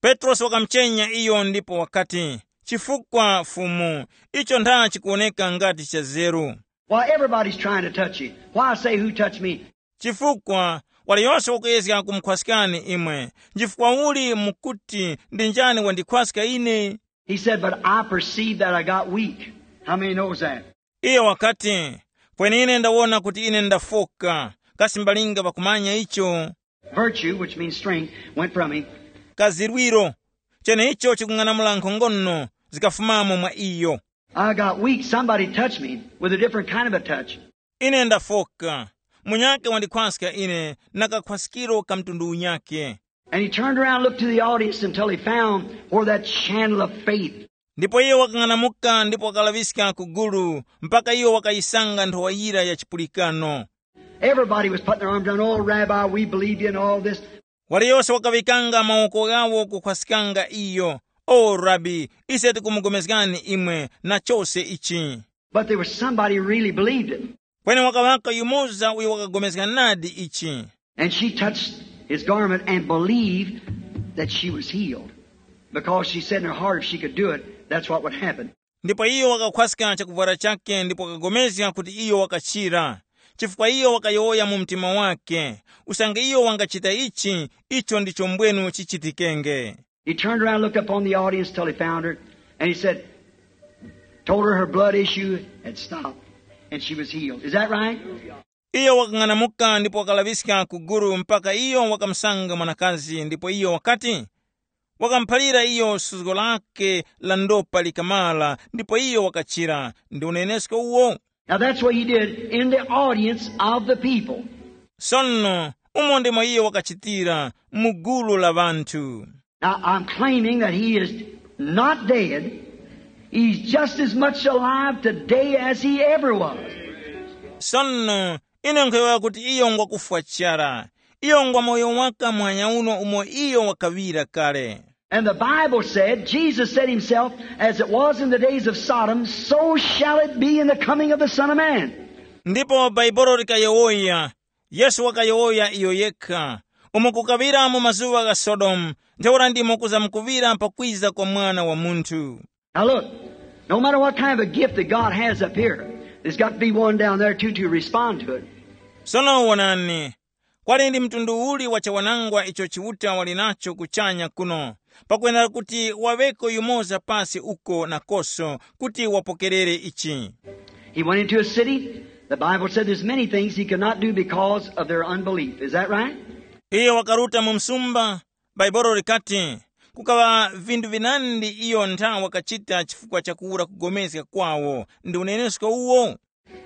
Petrosi wakamuchenya iyo ndipo wakati, "Chifukwa, Fumu, icho ntha chikuwoneka ngati cha zeru." Why, everybody's trying to touch you. Why say, "Who touched me?" Chifukwa, waliyose wakuyezga kumukhwaskani imwe. Nchifukwa uli mukuti, "Ndi njani wandikhwaska ine?" He said, "But I perceive that I got weak." How many knows that? Iyo wakati, "Kweni ine ndawona kuti ine ndafoka." Kasi mbalinga pakumanya icho? Virtue, which means strength, went from him. Kazirwiro, cheneicho chikung'anamula nkhongono, zikafumamo mwa iyo. I got weak. Somebody touched me with a different kind of a touch. Ine ndafoka. Munyakhe wandikhwaska ine na kakhwaskiro ka mtundu unyakhe. And he turned around and looked to the audience until he found where that channel of faith. Ndipo iyo wakang'anamuka ndipo wakalaŵiska ku gulu, mpaka iyo wakayisanga nthowa yira ya chipulikano. Everybody was putting their arms around, "Oh, Rabbi, we believe you," and all this. Waliyose wakaŵikanga mawoko ghawo kukhwaskanga iyo, "O Rabi, ise tikumugomezgani imwe na chose ichi." But there was somebody really believed it. Kweni wakaŵako yumoza uyo wakagomezga nadi ichi. And she touched his garment and believed that she was healed. Because she said in her heart, if she could do it, that's what would happen. Ndipo iyo wakakhwaska chakuvwara chakhe ndipo wakagomezga kuti iyo wakachira. Chifukwa iyo wakayowoya mu mtima wake, usange iyo wangachita ichi, icho ndicho mbwenu chichitikenge. He turned around, looked upon the audience till he found her, and he said, told her her blood issue had stopped, and she was healed. Is that right? Iyo wakang'anamuka ndipo wakalaŵiska ku gulu mpaka iyo wakamusanga mwanakazi, ndipo iyo wakati, wakamuphalira iyo suzgo lake la ndopa likamala, ndipo iyo wakachira. Ndi unenesko uwo? Now that's what he did in the audience of the people. Sono, umo ndimo iyo wakachitira mu gulu la ŵanthu. Now, I'm claiming that he is not dead. He's just as much alive today as he ever was. Sono, ine nkhuyowoya kuti iyo ngwakufwa chara. Iyo ngwa moyo waka muhanya uno umo iyo wakaŵira kale. And the Bible said, Jesus said himself, as it was in the days of Sodom, so shall it be in the coming of the Son of Man. Ndipo Bhaibuli likayowoya, Yesu wakayowoya iyo yekha, umo kukaŵira mu mazuŵa gha Sodomu, ntheura ndimo kuzamkuŵira pakwiza kwa Mwana wa Munthu. Now look, no matter what kind of a gift that God has up here, there's got to be one down there too to respond to it. Sono wonani, kwali ndi mtundu uli wa chawanangwa icho Chiuta wali nacho kuchanya kuno, pakwenera kuti waŵeko yumoza pasi uko nakoso kuti wapokerere ichi. He went into a city. The Bible said there's many things he could not do because of their unbelief. Is that right? Iyo wakaruta mu msumba. Bhaibuli likati, kukaŵa vinthu vinandi iyo ntha wakachita chifukwa cha kuwura kugomezga kwawo. Ndi unenesko uwo?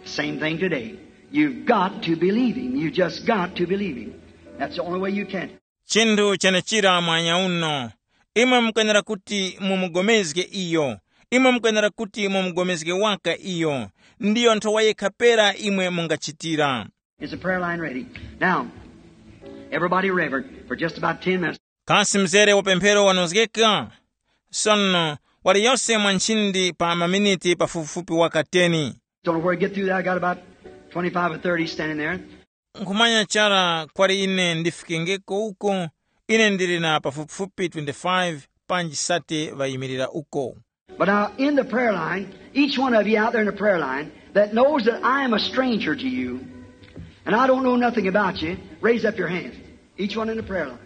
Same thing today. You've got to believe him. You just got to believe him. That's the only way you can. Chinthu chenechira mwanya uno. Imwe mukwenera kuti mumugomezge iyo. Imwe mukwenera kuti mumugomezge waka iyo. Ndiyo nthowa yekha pera imwe mungachitira. Is the prayer line ready? Now, Everybody reverent for just about ten minutes. Kasi mzere wa pemphero wanozgeka? Sono, wali yose mwa nchindi pa maminiti pafupifupi waka ten. Don't know where to get through that. I got about twenty-five or thirty standing there. Nkhumanya chara kwali ine ndifikengeko uko, ine ndili na pafupifupi twenty-five panji thirty ŵayimirira uko. But now, in the prayer line, each one of you out there in the prayer line that knows that I am a stranger to you, and I don't know nothing about you, raise up your hand. Each one in the prayer line.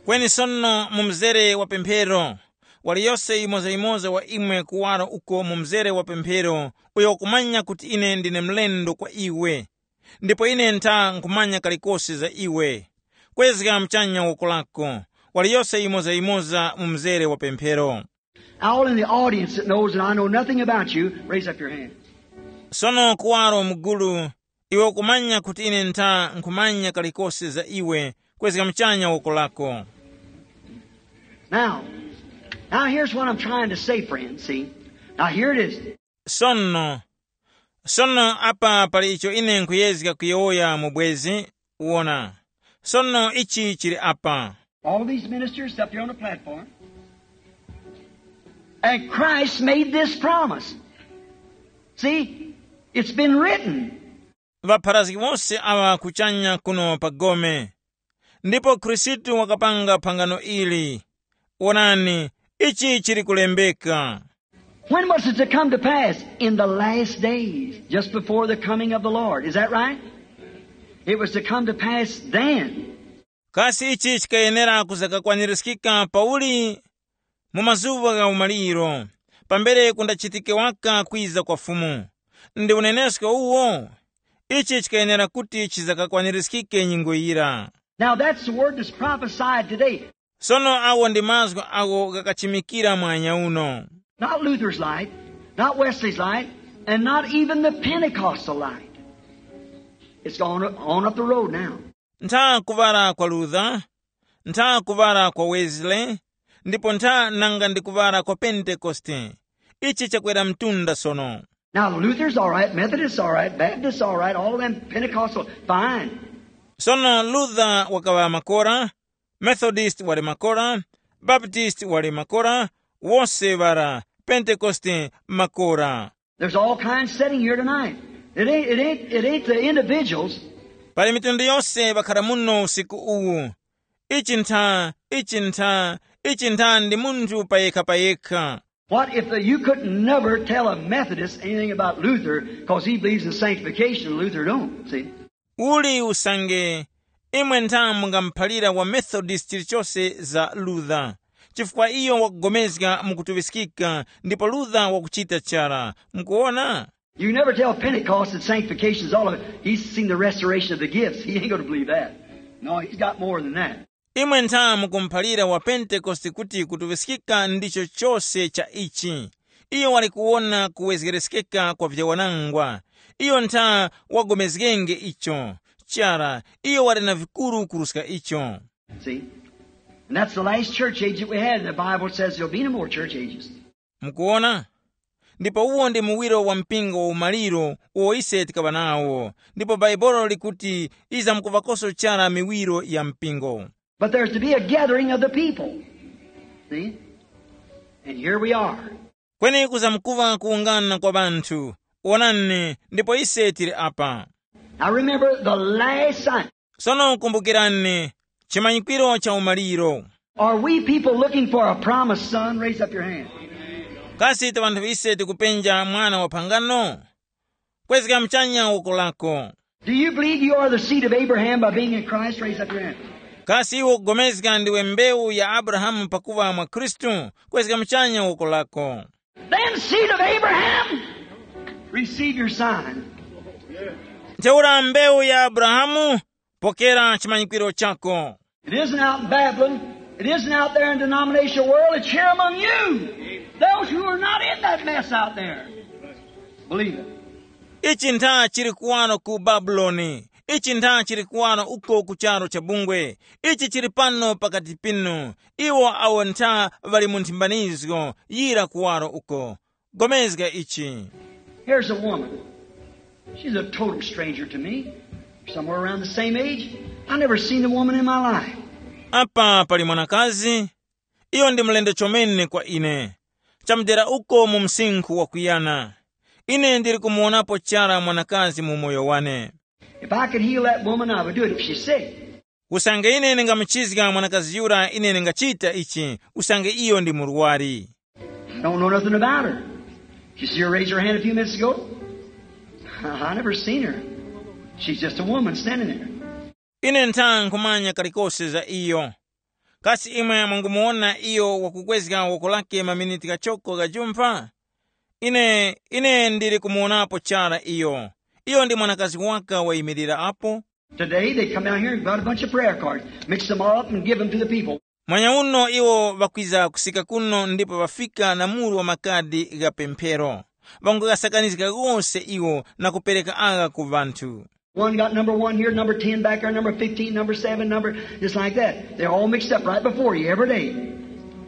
Kweni sono mu mzere wa pemphero, waliyose yimozayimoza wa imwe kuwaro uko mu mzere wa pemphero, uyo wakumanya kuti ine ndine mlendo kwa iwe, ndipo ine ntha nkhumanya kalikose za iwe, kwezga muchanya woko lako, waliyose yimozayimoza mu mzere wa pemphero. All in the audience that knows that I know nothing about you, raise up your hand. Sono kuwaro mugulu, iwe ukumanya kuti ine ntha nkhumanya kalikose za iwe, kwezga muchanya woko lako. Now, now here's what I'm trying to say, friends. See? Now here it is. Sono, sono apa pali icho ine nkhuyezga kuyowoya mu bwezi. Wona, sono ichi chili apa. All these ministers up here on the platform. And Christ made this promise. See, it's been written. Ŵapharazgi wose aŵa kuchanya kuno pa gome, ndipo Khristu wakapanga phangano ili. Wonani, ichi chili kulembeka. When was it to come to pass? In the last days, just before the coming of the Lord. Is that right? It was to come to pass then. Kasi ichi chikayenera kuzakakwanirizgika pauli? Mu mazuŵa gha umaliro, pambere kundachitike waka kwiza kwa Fumu. Ndi unenesko uwo? Ichi chikayenera kuti chizakakwanirizgike nyengo yira. Now that's the word that's prophesied today. Sono awo ndi mazgu agho ghakachimikira mwanya uno. Not Luther's light, not Wesley's light, and not even the Pentecostal light. It's gone on up the road now. Ntha kuŵala kwa Luther, ntha kuŵala kwa Wesley, ndipo ntha nanga ndi kuŵala kwa Pentekoste. Ichi chakwera mtunda sono. Now, Luther's all right, Methodist's all right, Baptist's all right, all of them Pentecostal, fine. Sono Luther wakaŵa makora, Methodist wali makora, Baptist wali makora, wose ŵara, Pentekoste makora. There's all kinds sitting here tonight. It ain't, it ain't, it ain't the individuals. Pali mitundu yose ŵakhara muno usiku uwu. Ichi ntha, ichi ntha, ichi ntha ndi munthu payekha-payekha. What if the, you couldn't never tell a Methodist anything about Luther because he believes in sanctification and Luther don't, see? Uli usange, imwe ntha mungamuphalira wa Methodist chilichose za Luther, chifukwa iyo wakugomezga mukutuŵiskika ndipo Luther wakuchita chara. Mukuwona? You never tell Pentecost that sanctification is all of it. He's seen the restoration of the gifts. He ain't going to believe that. No, he's got more than that. Imwe ntha mukumuphalira wa Pentekoste kuti kutuŵiskika ndicho chose cha ichi. Iyo wali kuwona kuwezgereskeka kwa vyawanangwa. Iyo ntha wagomezgenge icho. Chara, iyo wali na vikuru kuruska icho. See? And that's the last church age that we had. The Bible says there'll be no more church ages. Mukuwona? Ndipo uwo ndi muwiro wa mpingo wa umaliro uwo ise tikaŵa nawo, ndipo Bhaibuli likuti izamkuŵakoso chara miwiro ya mpingo. But there's to be a gathering of the people. See? And here we are. Kweni kuzamkuŵa kuwungana kwa ŵanthu. Wonani, ndipo ise tili apa. Now remember the last sign. Sono kumbukirani, chimanyikwiro cha umaliro. Are we people looking for a promised son? Raise up your hand. Kasi ta vanthu ise tikupenja mwana wa phangano? Kwezga mchanya woko lako. Do you believe you are the seed of Abraham by being in Christ? Raise up your hand. Kasi iwe ukugomezga ndiwe mbewu ya Abrahamu pakuŵa mwa Khristu? Kwezga mchanya woko lako. Then, seed of Abraham, receive your sign. Ntheura mbewu ya Abrahamu, pokera chimanyikwiro chako. It isn't out in Babylon. It isn't out there in denominational world. It's here among you. Those who are not in that mess out there. Believe it. Ichi ntha chili kuwano ku Babuloni. Ichi ntha chili kuwano uko ku charu cha bungwe. Ichi chili pano pakati pinu. Iwo awo ntha ŵali mu nthimbanizgo yira kuwaro uko. Gomezga ichi. Here's a woman. She's a total stranger to me. Somewhere around the same age. I never seen a woman in my life. Apa pali mwanakazi, iyo ndi mlendo chomene kwa ine. Chamudera uko mu msinkhu wakuyana, ine ndili kumuwonapo chara mwanakazi mu moyo wane. If I could heal that woman, I would do it if she's sick. Usange ine ndingamuchizga mwanakazi yura, ine ndingachita ichi, usange iyo ndi murwari. I don't know nothing about her. Did you see her raise her hand a few minutes ago? I never seen her. She's just a woman standing there. Ine ntha nkhumanya kalikose za iyo. Kasi imwe mwangumuwona iyo wakukwezga woko lake maminiti kachoko gajumpa? Ine, ine ndili kumuwonapo chara iyo. Iyo ndi mwanakazi waka wayimirira apo. Today they come down here and brought a bunch of prayer cards, mix them all up and give them to the people. Mwanya uno iwo ŵakwiza kusika kuno ndipo ŵafika na muru wa makadi gha pemphero. Ŵangogasakanizga ghose iwo na kupereka agha ku ŵanthu. One got number one here, number ten back there, number fifteen, number seven, number, just like that. They're all mixed up right before you every day.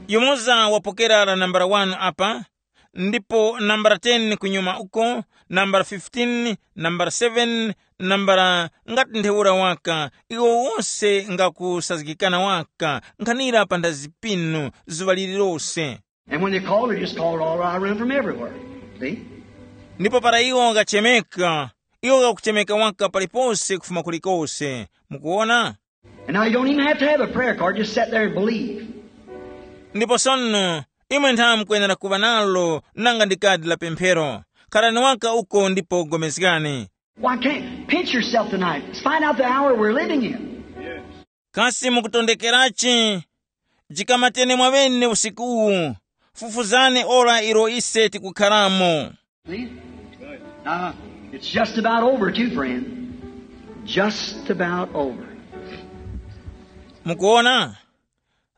Yumoza wapokera la nambala wanu apa, ndipo nambala ten kunyuma uko, nambala fifteen, nambala seven, nambala ngati ntheura waka, iwo wose ngakusazgikana waka, nkhanira pa nthazi pinu, zuŵa lililose. And when they called, they just called all around from everywhere. See? Ndipo para iwo ghachemeka, iwo ghakuchemeka waka palipose kufuma kulikose. Mukuwona? And now you don't even have to have a prayer card. Just sit there and believe. Ndipo sono, imwe ntha mukwenera kuŵa nalo nanga ndi kadi la pemphero. Kharani waka uko ndipo gomezgani. Why can't pinch yourself tonight? Let's find out the hour we're living in. Kasi mukutondekerachi? Jikamateni mwaŵene usiku uwu. Fufuzani ora ilo ise tikukharamo. See? Now, it's just about over, too, friend. Just about over. Mukuona?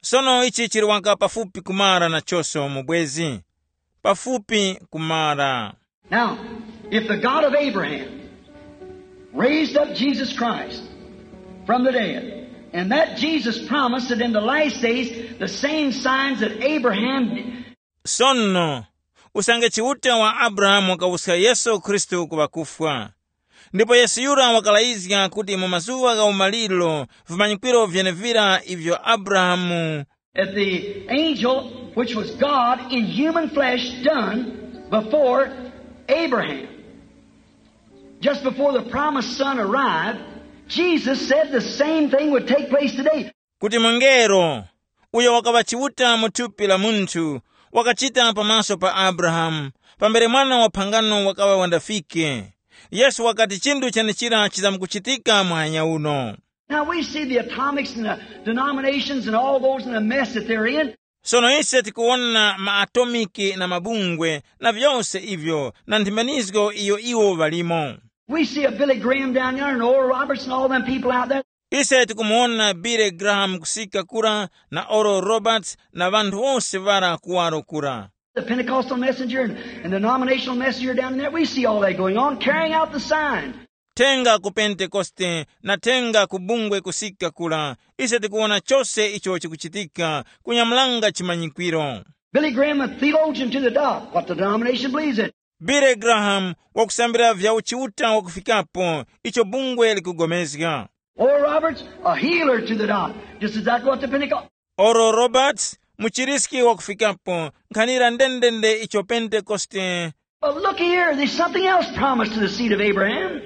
Sono ichi chili waka pafupi kumara nachonso mubwezi. Pafupi kumara. Now, if the God of Abraham raised up Jesus Christ from the dead, and that Jesus promised that in the last days the same signs that Abraham Sono, usange Chiuta wa Abrahamu wakawuska Yesu Khristu ku ŵakufwa, ndipo Yesu yura wakalayizga kuti mu mazuŵa gha umaliro vimanyikwiro vyenevira ivyo Abrahamu, that the angel, which was God in human flesh, done before Abraham. Just before the promised son arrived, Jesus said the same thing would take place today. Kuti mungelo, uyo wakaŵa Chiuta mu thupi la munthu, wakachita pamaso pa Abrahamu, pambere mwana wa phangano wakaŵa wandafike. Yesu wakati chinthu chenechira chizamkuchitika muhanya uno. Now we see the atomics and the denominations and all those in the mess that they're in. Sono ise tikuwona maatomiki na mabungwe na vyose ivyo na nthimbanizgo iyo iwo ŵalimo. We see a Billy Graham down there and Oral Roberts and all them people out there. Ise tikumuwona Billy Graham kusika kura na Oral Roberts na ŵanthu wose ŵara kuwaro kura. The Pentecostal messenger and, and denominational messenger down in there, we see all that going on, carrying out the sign. Thenga ku Pentekoste na thenga ku bungwe kusika kura, ise tikuwona chose icho chikuchitika, kunyamulanga chimanyikwiro. Billy Graham, a theologian to the dot, what the denomination believes in. Billy Graham wakusambira vya uchiuta wakufikapo, icho bungwe likugomezga. Oral Roberts, a healer to the dot, just exactly what the Pentecost. Oral Roberts, muchiriski wakufikapo, nkhanira ndendende icho Pentekoste. But look here, there's something else promised to the seed of Abraham.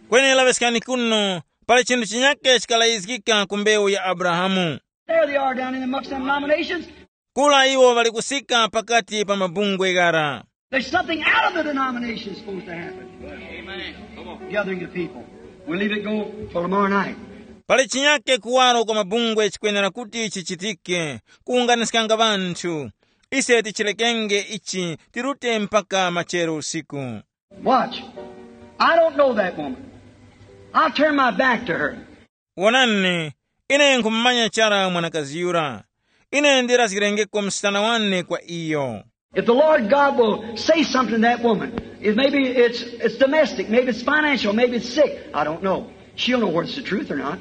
Kweni laŵeskani kuno, pali chinthu chinyake chikalayizgika ku mbewu ya Abrahamu. There they are down in amongst them denominations. Kula iwo ŵali kusika pakati pa mabungwe ghara. There's something out of the denomination supposed to happen. Gathering the people. We'll leave it go till tomorrow night. Pali chinyake kuwaro kwa mabungwe chikwenera kuti chichitike, kuwunganiskanga ŵanthu. Ise tichirekenge ichi tirute mpaka machero usiku. Watch. I don't know that woman. I'll turn my back to her. Wonani, ine nkhumumanya chara mwanakazi yura. Ine ndirazgirengeko msana wane kwa iyo. If the Lord God will say something to that woman, if maybe it's, it's domestic, maybe it's financial, maybe it's sick, I don't know. She'll know whether it's the truth or not.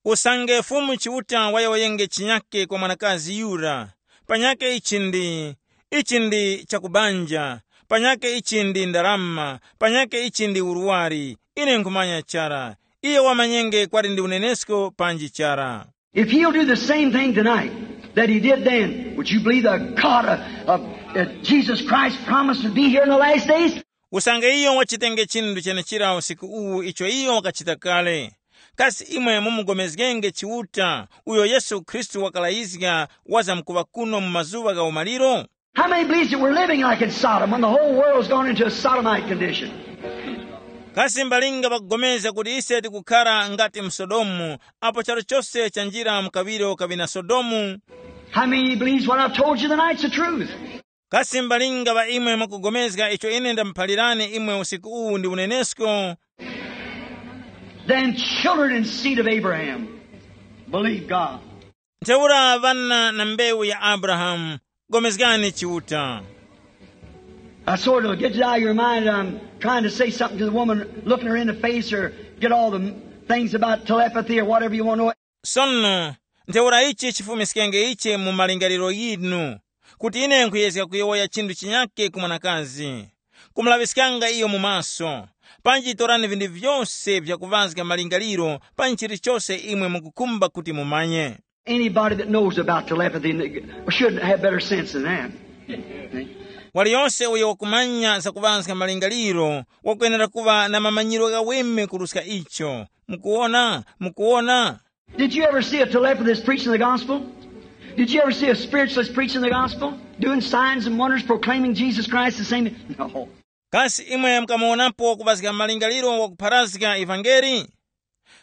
Usange Fumu Chiuta wayowoyenge chinyake kwa mwanakazi yura, panyake ichi ndi, ichi ndi chakubanja, panyake ichi ndi ndarama, panyake ichi ndi urwari, ine nkhumanya chara, Iyo wamanyenge kwali ndi unenesko panji chara. If he'll do the same thing tonight that he did then, would you believe the God of, of, uh, Jesus Christ promised to be here in the last days? Usange iyo wachitenge chinthu chenechira usiku uwu icho iyo wakachita kale, kasi imwe mumugomezgenge Chiuta uyo Yesu Khristu wakalayizga wazamkuŵa kuno mu mazuŵa gha umaliro? How many believes that we're living like in Sodom when the whole world's gone into a sodomite condition? Kasi mbalinga ŵakupulikana kuti ise tikukhara ngati mu Sodomu, apo charu chose chanjira mu kaŵiro kaŵi na Sodomu? How many believes what I've told you tonight's the truth? Kasi mbalinga ŵa imwe mwakupulikana icho ine ndamuphalirani imwe usiku uwu ndi unenesko? Then children and seed of Abraham, believe God. Ntheura ŵana na mbewu ya Abrahamu, pulikani Chiuta. I sort of get it out of your mind that I'm trying to say something to the woman, looking her in the face, or get all the things about telepathy or whatever you want to know. Sono, ntheura ichi chifumiskenge ichi mu malingaliro yinu, kuti ine nkhuyezga kuyowoya chinthu chinyake ku mwanakazi, kumulaŵiskanga iyo mu maso, panji torani vinthu vyose vyakuŵazga malingaliro pa nchilichose imwe mukukhumba kuti mumanye. Anybody that knows about telepathy should have better sense than that. Waliyonse uyo wakumanya zakuŵazga malingaliro wakwenera kuŵa na mamanyiro ghaweme kuruska icho. Mukuwona? Mukuwona? Did you ever see a telepathist preaching the gospel? Did you ever see a spiritualist preaching the gospel? Doing signs and wonders, proclaiming Jesus Christ the same? No. Kasi imwe mukamuwonapo kuŵazga malingaliro wakupharazga ivangeli?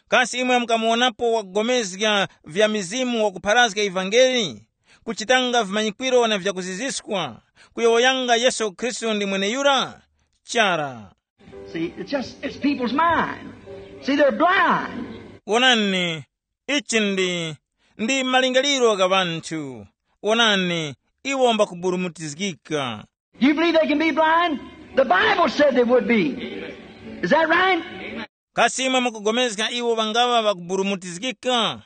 Kasi imwe mukamuwonapo wakugomezga vya mizimu wakupharazga ivangeli? Kuchitanga vimanyikwiro na vyakuziziskwa, kuyowoyanga Yesu Khristu ndi mweneyura? Chara. See, it's just, it's people's mind. See, they're blind. Wonani, ichi ndi, ndi malingaliro gha ŵanthu. Wonani, iwo mbakuburumutizgika. You believe they can be blind? The Bible said they would be. Is that right? Kasi imwe mukugomezga iwo ŵangaŵa ŵakuburumutizgika?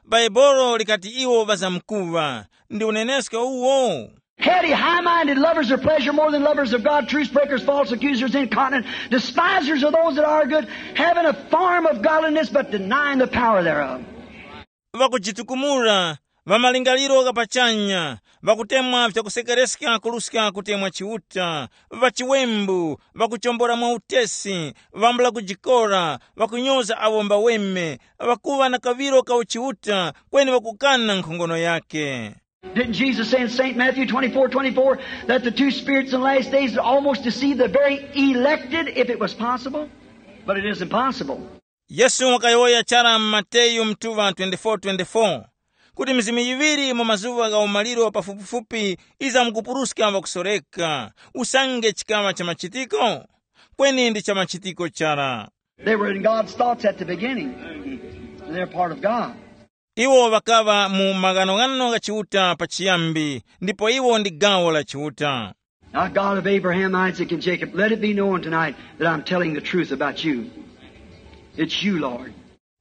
Bhaibolo likati iwo ŵazamkuŵa. Ndi unenesko uwo? Heady, high-minded, lovers of pleasure more than lovers of God, truce breakers, false accusers, incontinent, despisers of those that are good, having a form of godliness but denying the power thereof. Ŵakujitukumula, ŵamalingaliro ghapachanya, ŵakutemwa vyakusekereska kuruska kutemwa Chiuta, ŵachiwembu, ŵakuchombora mwa utesi, ŵambula kujikora, ŵakunyoza awo mbaweme, ŵakuŵa na kaŵiro ka uchiuta, kweni ŵakukana nkhongono yake. Didn't Jesus say in Saint Matthew twenty-four twenty-four that the two spirits in the last days would almost deceive the very elected if it was possible? But it isn't possible. Yesu wakayowoya chara mu Mateyu mtuŵa twenty-four twenty-four, kuti mizimu yiŵiri mu mazuŵa gha umaliro pafupifupi izamkupuruska ŵakusoreka, usange chikaŵa cha machitiko? Kweni ndi cha machitiko chara. They were in God's thoughts at the beginning. They're part of God. Iwo ŵakaŵa mu maghanoghano gha Chiuta pachiyambi, ndipo iwo ndi gawo la Chiuta. Now, God of Abraham, Isaac, and Jacob, let it be known tonight that I'm telling the truth about you. It's you, Lord.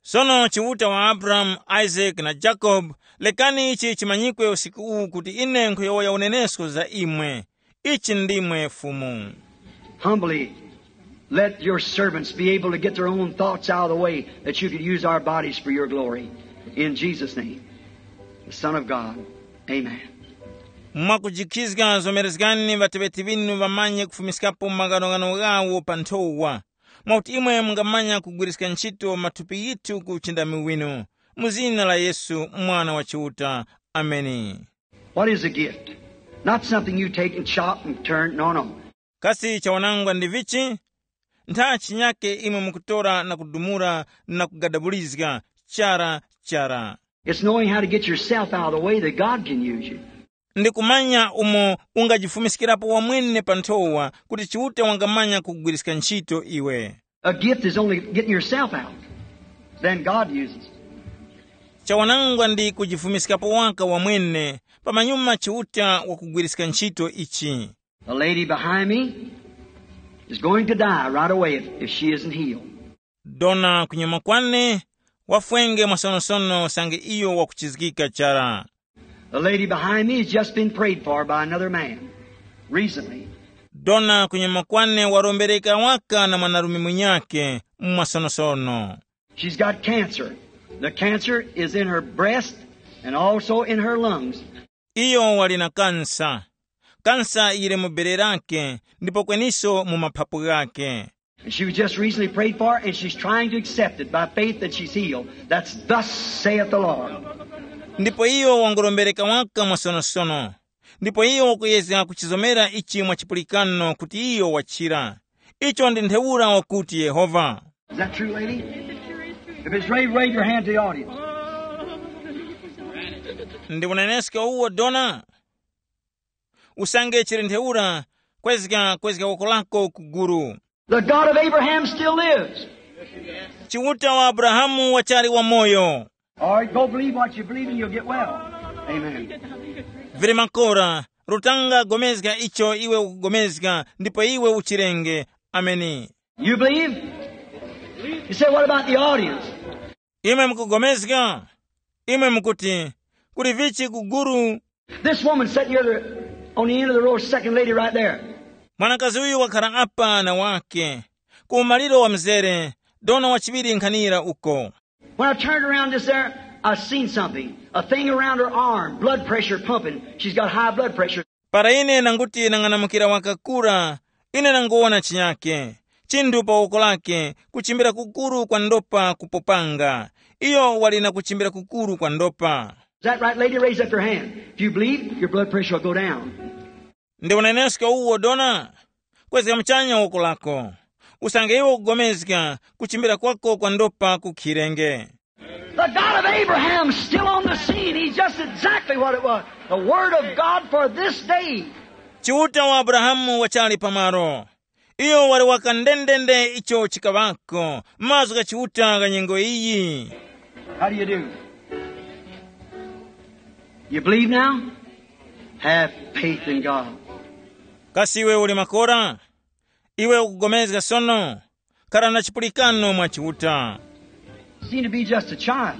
Sono Chiuta wa Abrahamu, Isaac na Jacob, lekani ichi chimanyikwe usiku uwu kuti ine nkhuyowoya unenesko za imwe. Ichi ndimwe Fumu. Humbly, let your servants be able to get their own thoughts out of the way that you could use our bodies for your glory. In Jesus' name, the Son of God. Amen. Mwakujikhizga zomerezgani ŵateŵeti ŵinu ŵamanye kufumiskapo maghanoghano ghawo pa nthowa, mwakuti imwe mungamanya kugwiriska ntchito mathupi yithu ku uchindami winu, mu zina la Yesu, Mwana wa Chiuta. Ameni. What is a gift? Not something you take and chop and turn. No, no. Kasi chawanangwa ndi vichi? Ntha chinyake imwe mukutora na kudumura na kugadabulizga chara chara. It's knowing how to get yourself out of the way that God can use you. Ndi kumanya umo ungajifumiskirapo wamwene pa nthowa kuti Chiuta wangamanya kugwiriska ntchito iwe. A gift is only getting yourself out. Then God uses. Chawanangwa ndi kujifumiskapo waka wamwene, pamanyuma Chiuta wakugwiriska ntchito ichi. The lady behind me is going to die right away if, if she isn't healed. Dona kunyuma kwane wafwenge mwasonosono sange iyo wakuchizgika chara. The lady behind me has just been prayed for by another man recently. Dona kunyuma kwane warombereka waka na mwanarume munyake mwasonosono. She's got cancer. The cancer is in her breast and also in her lungs. Iyo wali na kansa. Kansa yili mu bere lake ndipo kweniso mu maphapu ghake. And she was just recently prayed for, and she's trying to accept it by faith that she's healed. That's thus saith the Lord. Ndipo iyo wangorombereka waka mwasonosono. Ndipo iyo wakuyezga kuchizomera ichi mwa chipulikano kuti iyo wachira. Icho ndi ntheura wakuti Yehova. Is that true, lady? If it's right, wave your hand to the audience. Ndi unenesko uwo dona? Usange chili ntheura, kwezga kwezga woko lako ku gulu. The God of Abraham still lives. Chiuta wa Abrahamu wachali wamoyo. All right, go believe what you believe and you'll get well. Amen. Vili makora, rutanga gomezga icho iwe ukugomezga ndipo iwe uchirenge. Ameni. You believe? You say, what about the audience? Imwe mukugomezga? Imwe mukuti, kuli vichi ku gulu? This woman sitting here on the end of the row, second lady right there. Mwanakazi uyu wakhala apa na wake, ku umaliro wa mzere, dona wachiŵiri nkhanira uko. When I turned around this there, I seen something. A thing around her arm, blood pressure pumping. She's got high blood pressure. Para ine nanguti nang'anamukira wakakura, ine nanguwona chinyake, chinthu pa woko lake, kuchimbira kukuru kwa ndopa kupopanga. Iyo wali na kuchimbira kukuru kwa ndopa. Is that right, lady? Raise up your hand. If you believe, your blood pressure will go down. Ndi unenesko uwo dona? Kwezga muchanya woko lako. Usange iwe ukugomezga, kuchimbira kwako kwa ndopa kukhirenge. The God of Abraham still on the scene. He's just exactly what it was. The Word of God for this day. Chiuta wa Abrahamu wachali pamaro. Iyo wali waka ndendende icho chikaŵako, mazgu gha Chiuta gha nyengo iyi. How do you do? You believe now? Have faith in God. Kasi iwe uli makora? Iwe ukugomezga sono? Kara na chipulikano mwa Chiuta. Seem to be just a child.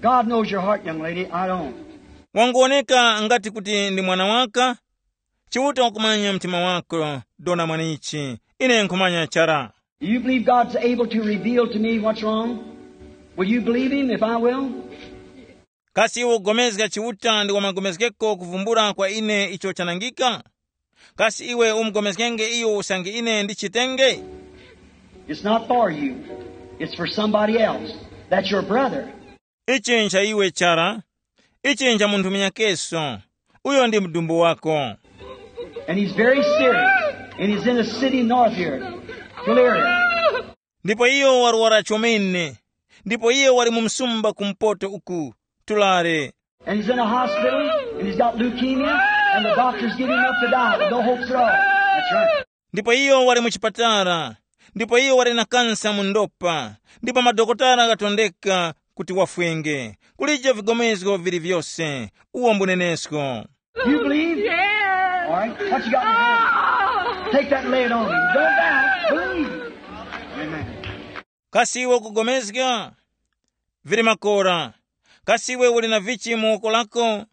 God knows your heart, young lady. I don't. Wanguwoneka ngati kuti ndi mwana waka. Chiuta wakumanya mtima wako, dona mwanichi. Ine nkhumanya chara. Do you believe God's able to reveal to me what's wrong? Will you believe him if I will? Kasi iwe ukugomezga Chiuta ndi wamagomezgeko kuvumbula kwa ine icho chanangika? Kasi iwe umugomezgenge iyo usange ine ndichitenge? It's not for you. It's for somebody else. That's your brother. Ichi ncha iwe chara. Ichi ncha munthu munyakeso. Uyo ndi mdumbu wako. And he's very serious. And he's in a city north here, California. Ndipo iyo warwara chomene. Ndipo iyo wali mu msumba kumpoto uku, Tulare. And he's in a hospital, and he's got leukemia, and the doctors give him up to die, with no hopes at all. That's right. Ndipo iyo wali mu chipatala, ndipo iyo wali na kansa mu ndopa, ndipo madokotala gatondeka kuti wafwenge. Kulije vigomezgo vili vyose. Uwo mbunenesko. You believe? Yes. All right. What you got in your hand? Take that and lay it on him. Don't doubt. Believe. Amen. Kasi iwe ukugomezga? Vili makora. Kasi iwe uli na vichi mu woko lako?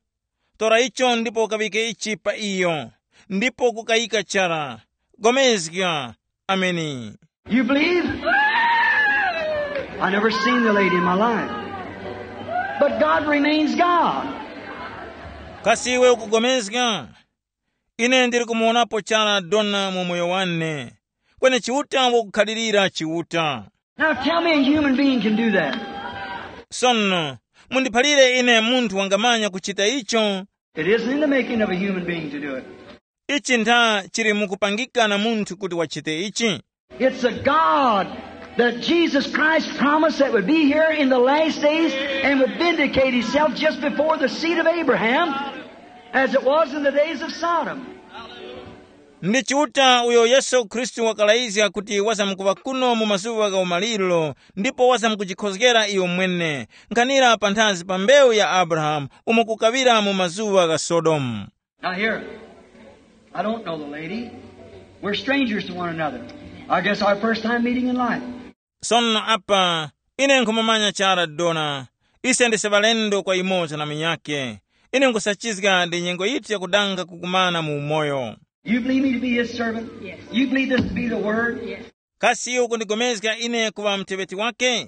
Tora icho ndipo ukaŵike ichi pa iyo, ndipo kukayika chara. Gomezga. Ameni. You believe? I never seen the lady in my life. But God remains God. Kasi iwe ukugomezga? Ine ndili kumuwonapo chara dona mu moyo wane. Kweni Chiuta wakukhalirira Chiuta. Now tell me a human being can do that. Sono, mundiphalire ine munthu wangamanya kuchita icho. It isn't in the making of a human being to do it. Ichi ntha chili mukupangika na munthu kuti wachite ichi. It's a God that Jesus Christ promised that would be here in the last days and would vindicate himself just before the seed of Abraham, as it was in the days of Sodom. Ndi Chiuta uyo Yesu Khristu wakalayizga kuti wazamkuŵa kuno mu mazuŵa gha umaliro, ndipo wazamkujikhozgera iyo mwene, nkhanira panthazi pa mbewu ya Abrahamu umo kukaŵira mu mazuŵa gha Sodomu. Now here, I don't know the lady. We're strangers to one another. I guess our first time meeting in life. Sono apa, ine nkhumumanya chara dona. Ise ndise ŵalendo kwa yumoza na munyakhe. Ine nkhusachizga ndi nyengo yithu yakudanga kukumana mu umoyo. You believe me to be his servant? Yes. You believe this to be the word? Yes. Kasi iwe ukundigomezga ine kuŵa muteŵeti wake?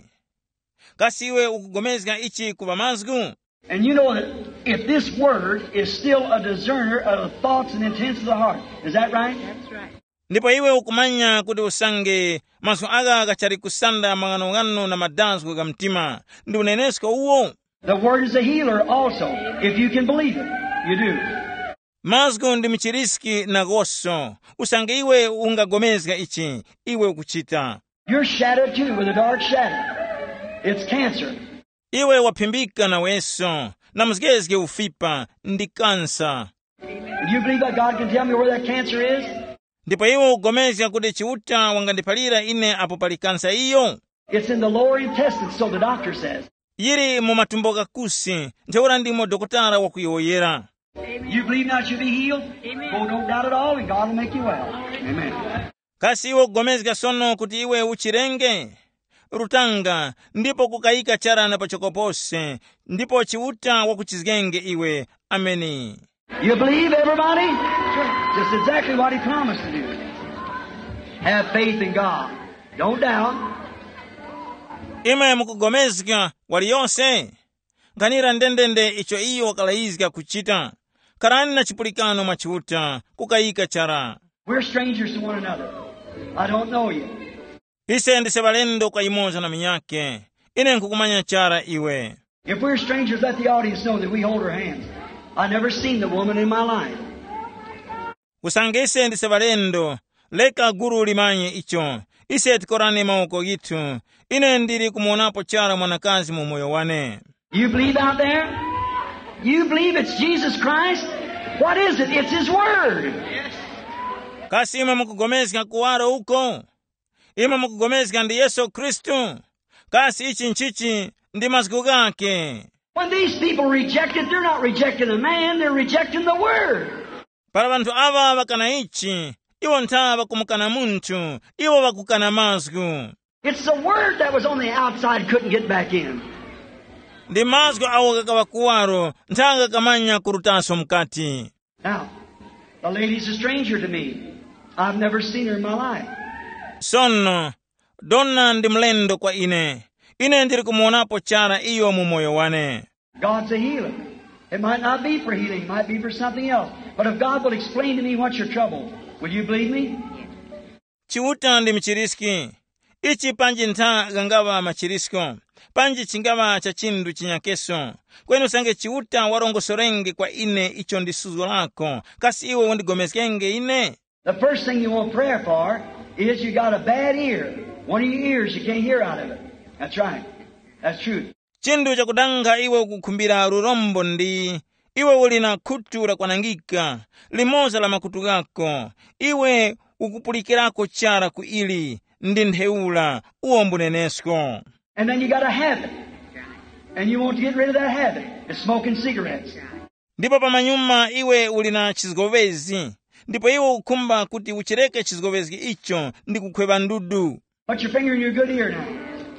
Kasi iwe ukugomezga ichi kuŵa mazgu? And you know that if this word is still a discerner of the thoughts and intents of the heart, is that right? Ndipo iwe ukumanya kuti usange mazgu agha ghachali kusanda maghanoghano na madazgo gha mtima, ndi unenesko uwo. The word is a healer also, if you can believe it. You do. Mazgu ndi mchiriski nagoso. Usange iwe ungagomezga ichi, iwe ukuchita. You're shadowed too with a dark shadow. It's cancer. Iwe waphimbika naweso na mzgezge ufipa, ndi kansa. Do you believe that God can tell me where that cancer is? Ndipo iwe ugomezga kuti Chiuta wangandiphalira ine apo pali kansa iyo? It's in the lower intestine, so the doctor says. Yili mu matumbo ghakusi, ntheura ndimo dokotala wakuyowoyera. You believe now you'll be healed? Oh, don't doubt at all, and God will make you well. Amen. Kasi iwe ukugomezga sono kuti iwe uchirenge? Rutanga, ndipo kukayika charana pachoko pose, ndipo Chiuta wakuchizgenge iwe. Ameni. You believe, everybody? Just exactly what he promised to do. Have faith in God. Don't doubt. Imwe mukugomezga waliyose? Nkhanira ndendende icho iyo wakalayizga kuchita. Kharani na chipulikano mwa Chiuta, kukayika chara. We're strangers to one another. I don't know you. Ise ndise ŵalendo kwa yumoza na munyakhe. Ine nkhukumanya chara iwe. If we're strangers, let the audience know that we hold our hands. I never seen the woman in my life. Usange ise ndise ŵalendo, leka gulu limanye icho. Ise tikorane mawoko ghithu. Ine ndili kumuwonapo chara mwanakazi mu moyo wane. You believe out there? You believe it's Jesus Christ? What is it? It's His Word. Kasi imwe mukugomezga kuwaro uko? Imwe mukugomezga ndi Yesu Khristu? Kasi ichi nchichi? Ndi mazgu ghake. When these people reject it, they're not rejecting a man, they're rejecting the Word. Para ŵanthu aŵa ŵakana ichi, iwo ntha ŵakumukana munthu, iwo ŵakukana mazgu. It's the Word that was on the outside couldn't get back in. Ndi mazgu awo ghakaŵa kuwaro, ntha ghakamanya kurutaso mukati. Now, the lady's a stranger to me. I've never seen her in my life. Sono, dona ndi mlendo kwa ine. Ine ndili kumuwonapo chara iyo mu moyo wane. God's a healer. It might not be for healing, it might be for something else. But if God will explain to me what's your trouble, will you believe me? Chiuta ndi mchiriski. Ichi panji ntha ghangaŵa machirisko, panji chingaŵa cha chinthu chinyakeso. Kweni usange Chiuta warongosorenge kwa ine icho ndi suzgo lako, kasi iwe undigomezgenge ine? The first thing you want prayer for is you got a bad ear. One of your ears, you can't hear out of it. That's right. That's true. Chinthu chakudanga iwe ukukhumbira lurombo ndi, iwe uli na khutu lakwanangika, limoza la makutu ghako, iwe ukupulikirako chara ku ili, ndi ntheura, uwo mbunenesko. And then you got a habit. And you want to get rid of that habit. It's smoking cigarettes. Ndipo pamanyuma iwe uli na chizgowezi, ndipo iwe ukukhumba kuti uchireke chizgowezi icho ndi kukhweva ndudu. Put your finger in your good ear now.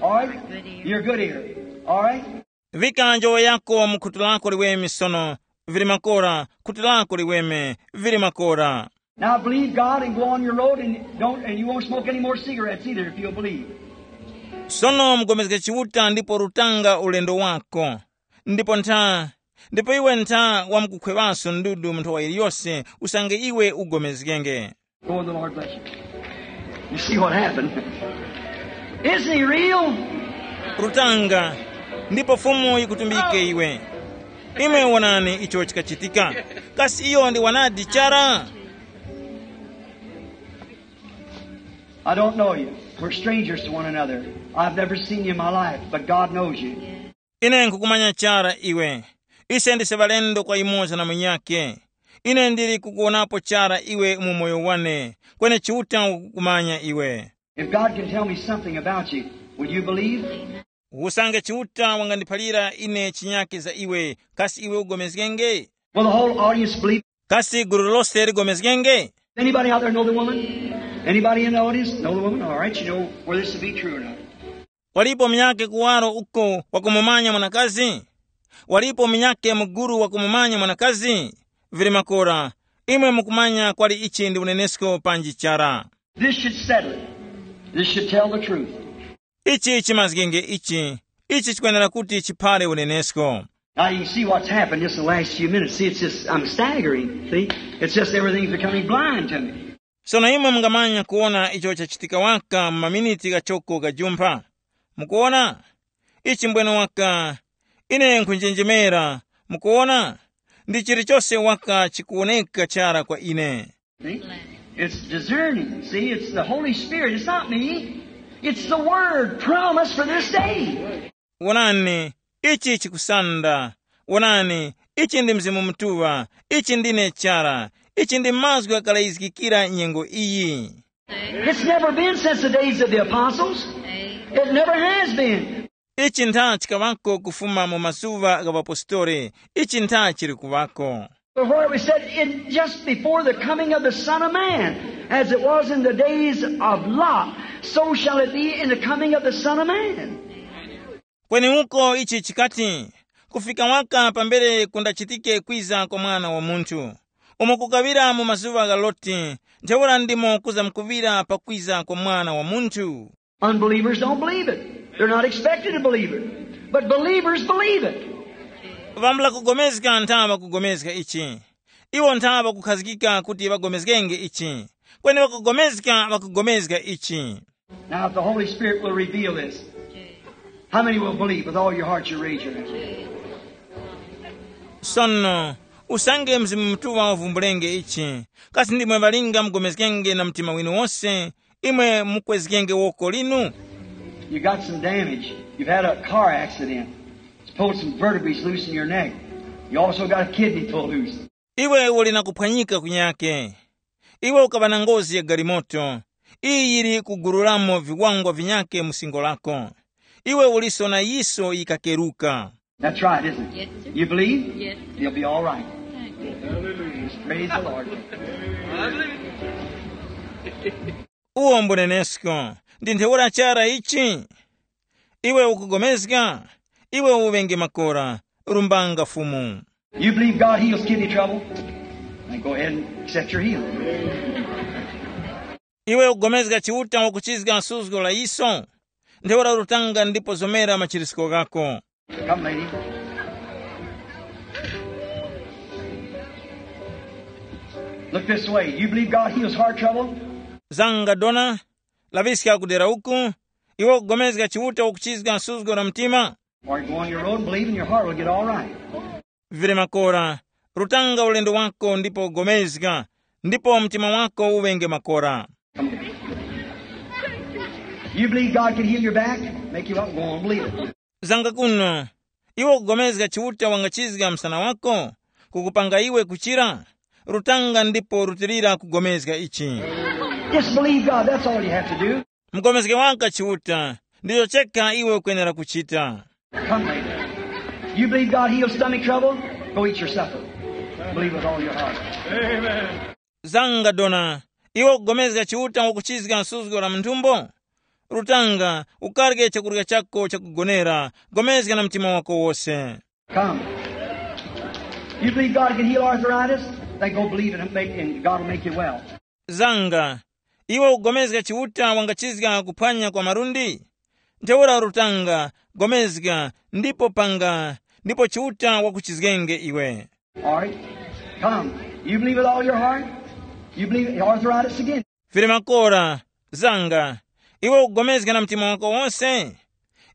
All right? Your good ear. All right? Vika njowa yako mu khutu lako liweme sono, vili makora, khutu lako liweme, vili makora. Now believe God and go on your road and don't and you won't smoke any more cigarettes either if you'll believe. Sono mugomezge Chiuta ndipo rutanga ulendo wako. Ndipo ntha, ndipo iwe ntha wamkukhweŵaso ndudu mu nthowa iliyose, usange iwe ugomezgenge. Go and the Lord bless you. You see what happened? Isn't he real? Rutanga, ndipo Fumu yikutumbike iwe. Imwe wonani icho chikachitika. Kasi iyo ndi wanadi chara? I don't know you. We're strangers to one another. I've never seen you in my life, but God knows you. Ine nkukumanya chara iwe. Ise ndise ŵalendo kwa yumoza na munyakhe. Ine ndili kukuwonapo chara iwe mu moyo wane, kweni Chiuta wakukumanya iwe. If God can tell me something about you, will you believe? Usange Chiuta wangandiphalira ine chinyakhe za iwe, kasi iwe ugomezgenge? Will the whole audience believe? Kasi gulu lose ligomezgenge? Anybody out there know the woman? Anybody in the audience know the woman? All right, you know whether this to be true or not. Walipo munyakhe kuwaro uko wakumumanya mwanakazi? Walipo munyakhe muguru wakumumanya mwanakazi? Vili makora, imwe mukumanya kwali ichi ndi unenesko panji chara. This should settle it. This should tell the truth. Ichi chimazgenge ichi. Ichi chikwenera kuti chiphare unenesko. Now you can see what's happened just in the last few minutes. See, it's just, I'm staggering. See, it's just everything's becoming blind to me. Sono imwe mungamanya kuwona icho chachitika waka mu maminiti ghachoko ghajumpha. Mukuwona? Ichi mbwene waka, ine nkhunjenjemera. Mukuwona? Ndi chilichose waka chikuwoneka chara kwa ine. See? It's discerning. See, it's the Holy Spirit. It's not me. It's the Word promised for this day. Wonani, ichi chikusanda. Wonani, ichi ndi Mzimu Mutuŵa. Ichi ndine chara. Ichi ndi mazgu ghakalazgikira nyengo iyi. It's never been since the days of the apostles. It never has been. Ichi ntha chikaŵako kufuma mu mazuŵa gha ŵapostoli. Ichi ntha chili kuŵako. But where we said, in just before the coming of the Son of Man, as it was in the days of Lot, so shall it be in the coming of the Son of Man. Kweni uko ichi chikati, kufika waka pambere kundachitike kwiza kwa Mwana wa Munthu, umo kukaŵira mu mazuŵa gha Loti, ntheura ndimo kuzamkuŵira pakwiza kwa Mwana wa Munthu. Unbelievers don't believe it. They're not expected to believe it. But believers believe it. Ŵambula kugomezga ntha ŵakugomezga ichi. Iwo ntha ŵakukhazikika kuti ŵagomezgenge ichi. Kweni ŵakugomezga ŵakugomezga ichi. Now, if the Holy Spirit will reveal this, how many will believe with all your heart? You raise your hand. Sono, usange Mzimu Mutuŵa wavumbulenge ichi, kasi ndimwe ŵalinga mugomezgenge na mtima winu wose, imwe mukwezgenge woko linu? You got some damage. You've had a car accident. It's pulled some vertebrae loose in your neck. You also got a kidney pulled loose. Iwe uli na kuphwanyika kunyake. Iwe ukaŵa na ngozi ya galimoto. Iyi yili kugurulamo viwangwa vinyake mu singo lako. Iwe uliso na yiso yikakeruka. That's right, isn't it? Yes, sir. You believe? Yes, sir. You'll be all right. Thank you. Just praise the Lord. Uwo mbunenesko. Ndi ntheura chara ichi? Iwe ukugomezga? Iwe uŵenge makora. Rumbanga Fumu. You believe God heals kidney trouble? Then go ahead and accept your healing. Iwe ukugomezga Chiuta wakuchizga suzgo la yiso? Ntheura rutanga ndipo zomera machirisiko ghako. Come, lady. Look this way. You believe God heals heart trouble? Zanga dona, laŵiska kudera uku. Iwe ukugomezga Chiuta wakuchizga suzgo la mtima? Or you go on your road and believe and your heart will get all right. Vile makora, rutanga ulendo wako ndipo ugomezga, ndipo mtima wako uŵenge makora. You believe God can heal your back? Make you up and go on, believe it. Zanga kuno, iwe ukugomezga Chiuta wangachizga msana wako, kukupanga iwe kuchira? Rutanga ndipo rutilira kugomezga ichi. Just believe God, that's all you have to do. Mugomezge waka Chiuta, ndicho chekha iwe ukwenera kuchita. Come later. You believe God heals stomach trouble? Go eat your supper. Believe with all your heart. Zanga dona, iwe ukugomezga Chiuta wakuchizga suzgo la munthumbo? Rutanga, ukarye chakurya chako chakugonera, gomezga na mtima wako wose. Come. You believe God can heal arthritis? Then go believe it and, make, and God will make you well. Zanga, iwe ukugomezga Chiuta wangachizga kuphwanya kwa malundi? Ntheura rutanga, gomezga, ndipo panga, ndipo Chiuta wakuchizgenge iwe. All right. Come. You believe with all your heart? You believe arthritis again? Vile makora, zanga, iwe ukugomezga na mtima wako wose?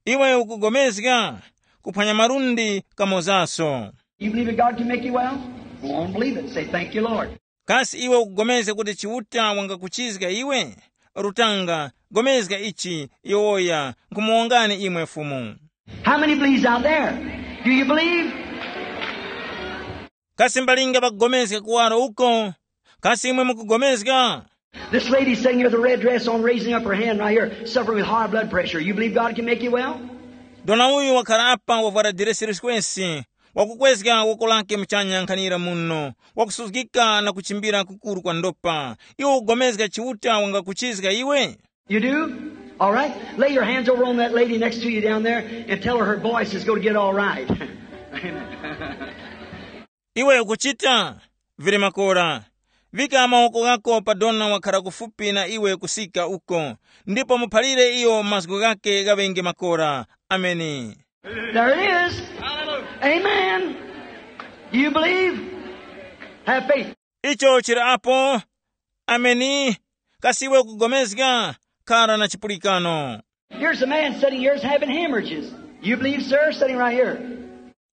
Iwe ukugomezga kuphwanya malundi kamozaso? You believe that God can make you well? Go on, believe it. Say, "Thank you, Lord." Kasi iwe ukugomezga kuti Chiuta wangakuchizga iwe? Rutanga, gomezga ichi, yowoya, nkhumuwongani imwe Fumu. How many believes out there? Do you believe? Kasi mbalinga pakugomezga kuwaro uko? Kasi imwe mukugomezga? This lady sitting here with a red dress on, raising up her hand right here, suffering with high blood pressure. You believe God can make you well? Dona uyu wakhala apa wavwara diresi liswesi, wakukwezga woko lake muchanya nkhanira muno, wakusuzgika na kuchimbira kukuru kwa ndopa. Iwe ukugomezga Chiuta wangakuchizga iwe? You do? All right. Lay your hands over on that lady next to you down there and tell her her voice is going to get all right. Amen. Iwe ukuchita? Vili makora. Vika mawoko ghako pa dona wakhara kufupi na iwe kusika uko, ndipo muphalire iyo mazgu ghake ghaŵenge makora. Ameni. There it is. Amen. Do you believe? Have faith. Icho chili apo. Ameni. Kasi iwe ukugomezga? Khala na chipulikano. Here's a man sitting here is having hemorrhages. You believe, sir, sitting right here.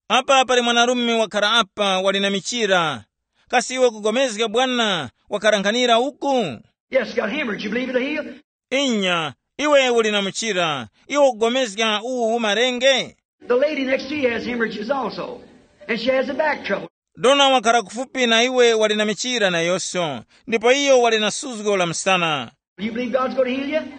Apa pali mwanarume wakhala apa wali na michira. Kasi iwe ukugomezga bwana? Wakhala nkhanira uku. Yes, got hemorrhage. You believe it'll heal? Inya, iwe uli na muchira. Iwe ukugomezga uwu umarenge? The lady next to you has hemorrhages also. And she has a back trouble. Dona wakhala kufupi na iwe wali na michira nayonso, ndipo iyo wali na suzgo la msana. You believe God's going to heal you?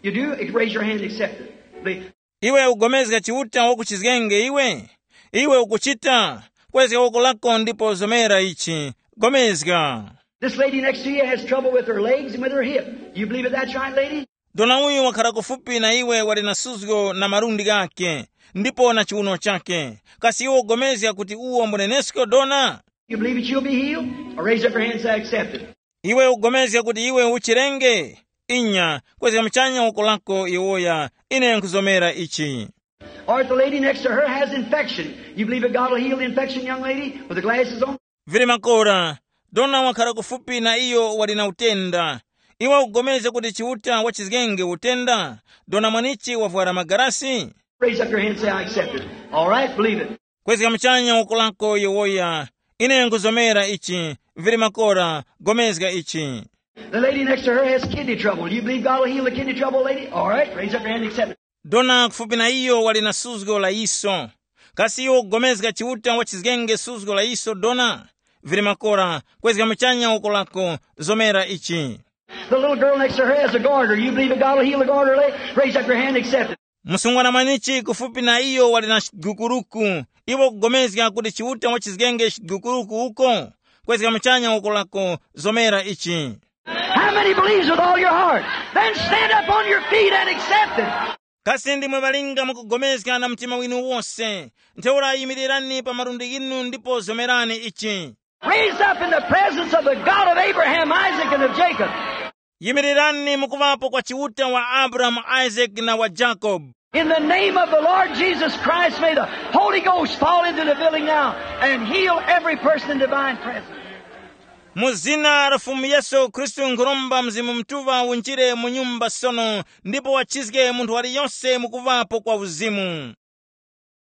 You do? Raise your hand and accept it. Believe. Iwe ugomezga Chiuta wakuchizgenge iwe? Iwe ukuchita? Kwezga woko lako ndipo zomera ichi. Gomezga. This lady next to you has trouble with her legs and with her hip. You believe it? That's right, lady? Dona uyu wakhala kufupi na iwe wali na suzgo na malundi ghake, ndipo na chiuno chake. Kasi iwe ugomezga kuti uwo mbunenesko dona? You believe that you'll be healed? Or raise up your hand and say, I accept it. Iwe ugomezga kuti iwe uchirenge? Inya, kwezga muchanya woko lako iwoya, ine nkhuzomera ichi. Or if the lady next to her has infection, you believe that God will heal the infection, young lady, with the glasses on? Vili makora, dona wakhala kufupi na iyo wali na utenda. Iwe ugomezga kuti Chiuta wachizgenge utenda? Dona mwanichi wavwara magarasi? Raise up your hand and say, I accept it. All right, believe it. Kwezga muchanya woko lako iwoya, ine nkhuzomera ichi. Vili makora, gomezga ichi. The lady next to her has kidney trouble. You believe God will heal the kidney trouble, lady? All right, raise up your hand and accept it. Dona kufupi na iyo wali na suzgo la iso. Kasi iwe ugomezga Chiuta wachizgenge suzgo la iso dona? Vili makora, kwezga muchanya woko lako, zomera ichi. The little girl next to her has a goiter. You believe that God will heal the goiter, lady? Raise up your hand and accept it. Msungwana mwanichi kufupi na iyo wali na chigukuruku. Iwe ukugomezga kuti Chiuta wachizgenge chigukuruku uko? Kwezga muchanya woko lako, zomera ichi. How many believes with all your heart? Then stand up on your feet and accept it. Kasi ndimwe ŵalinga mukugomezga na mtima winu wose? Ntheura yimirirani pa malundi ghinu ndipo zomerani ichi. Raise up in the presence of the God of Abraham, Isaac, and of Jacob. Yimirirani mukuŵapo kwa Chiuta wa Abrahamu, Isaac na wa Jacob. In the name of the Lord Jesus Christ, may the Holy Ghost fall into the building now and heal every person in divine presence. Mu zina la Fumu Yesu Khristu nkhuromba Mzimu Mutuŵa unjire mu nyumba sono ndipo wachizge munthu waliyonse mukuŵapo kwa uzimu.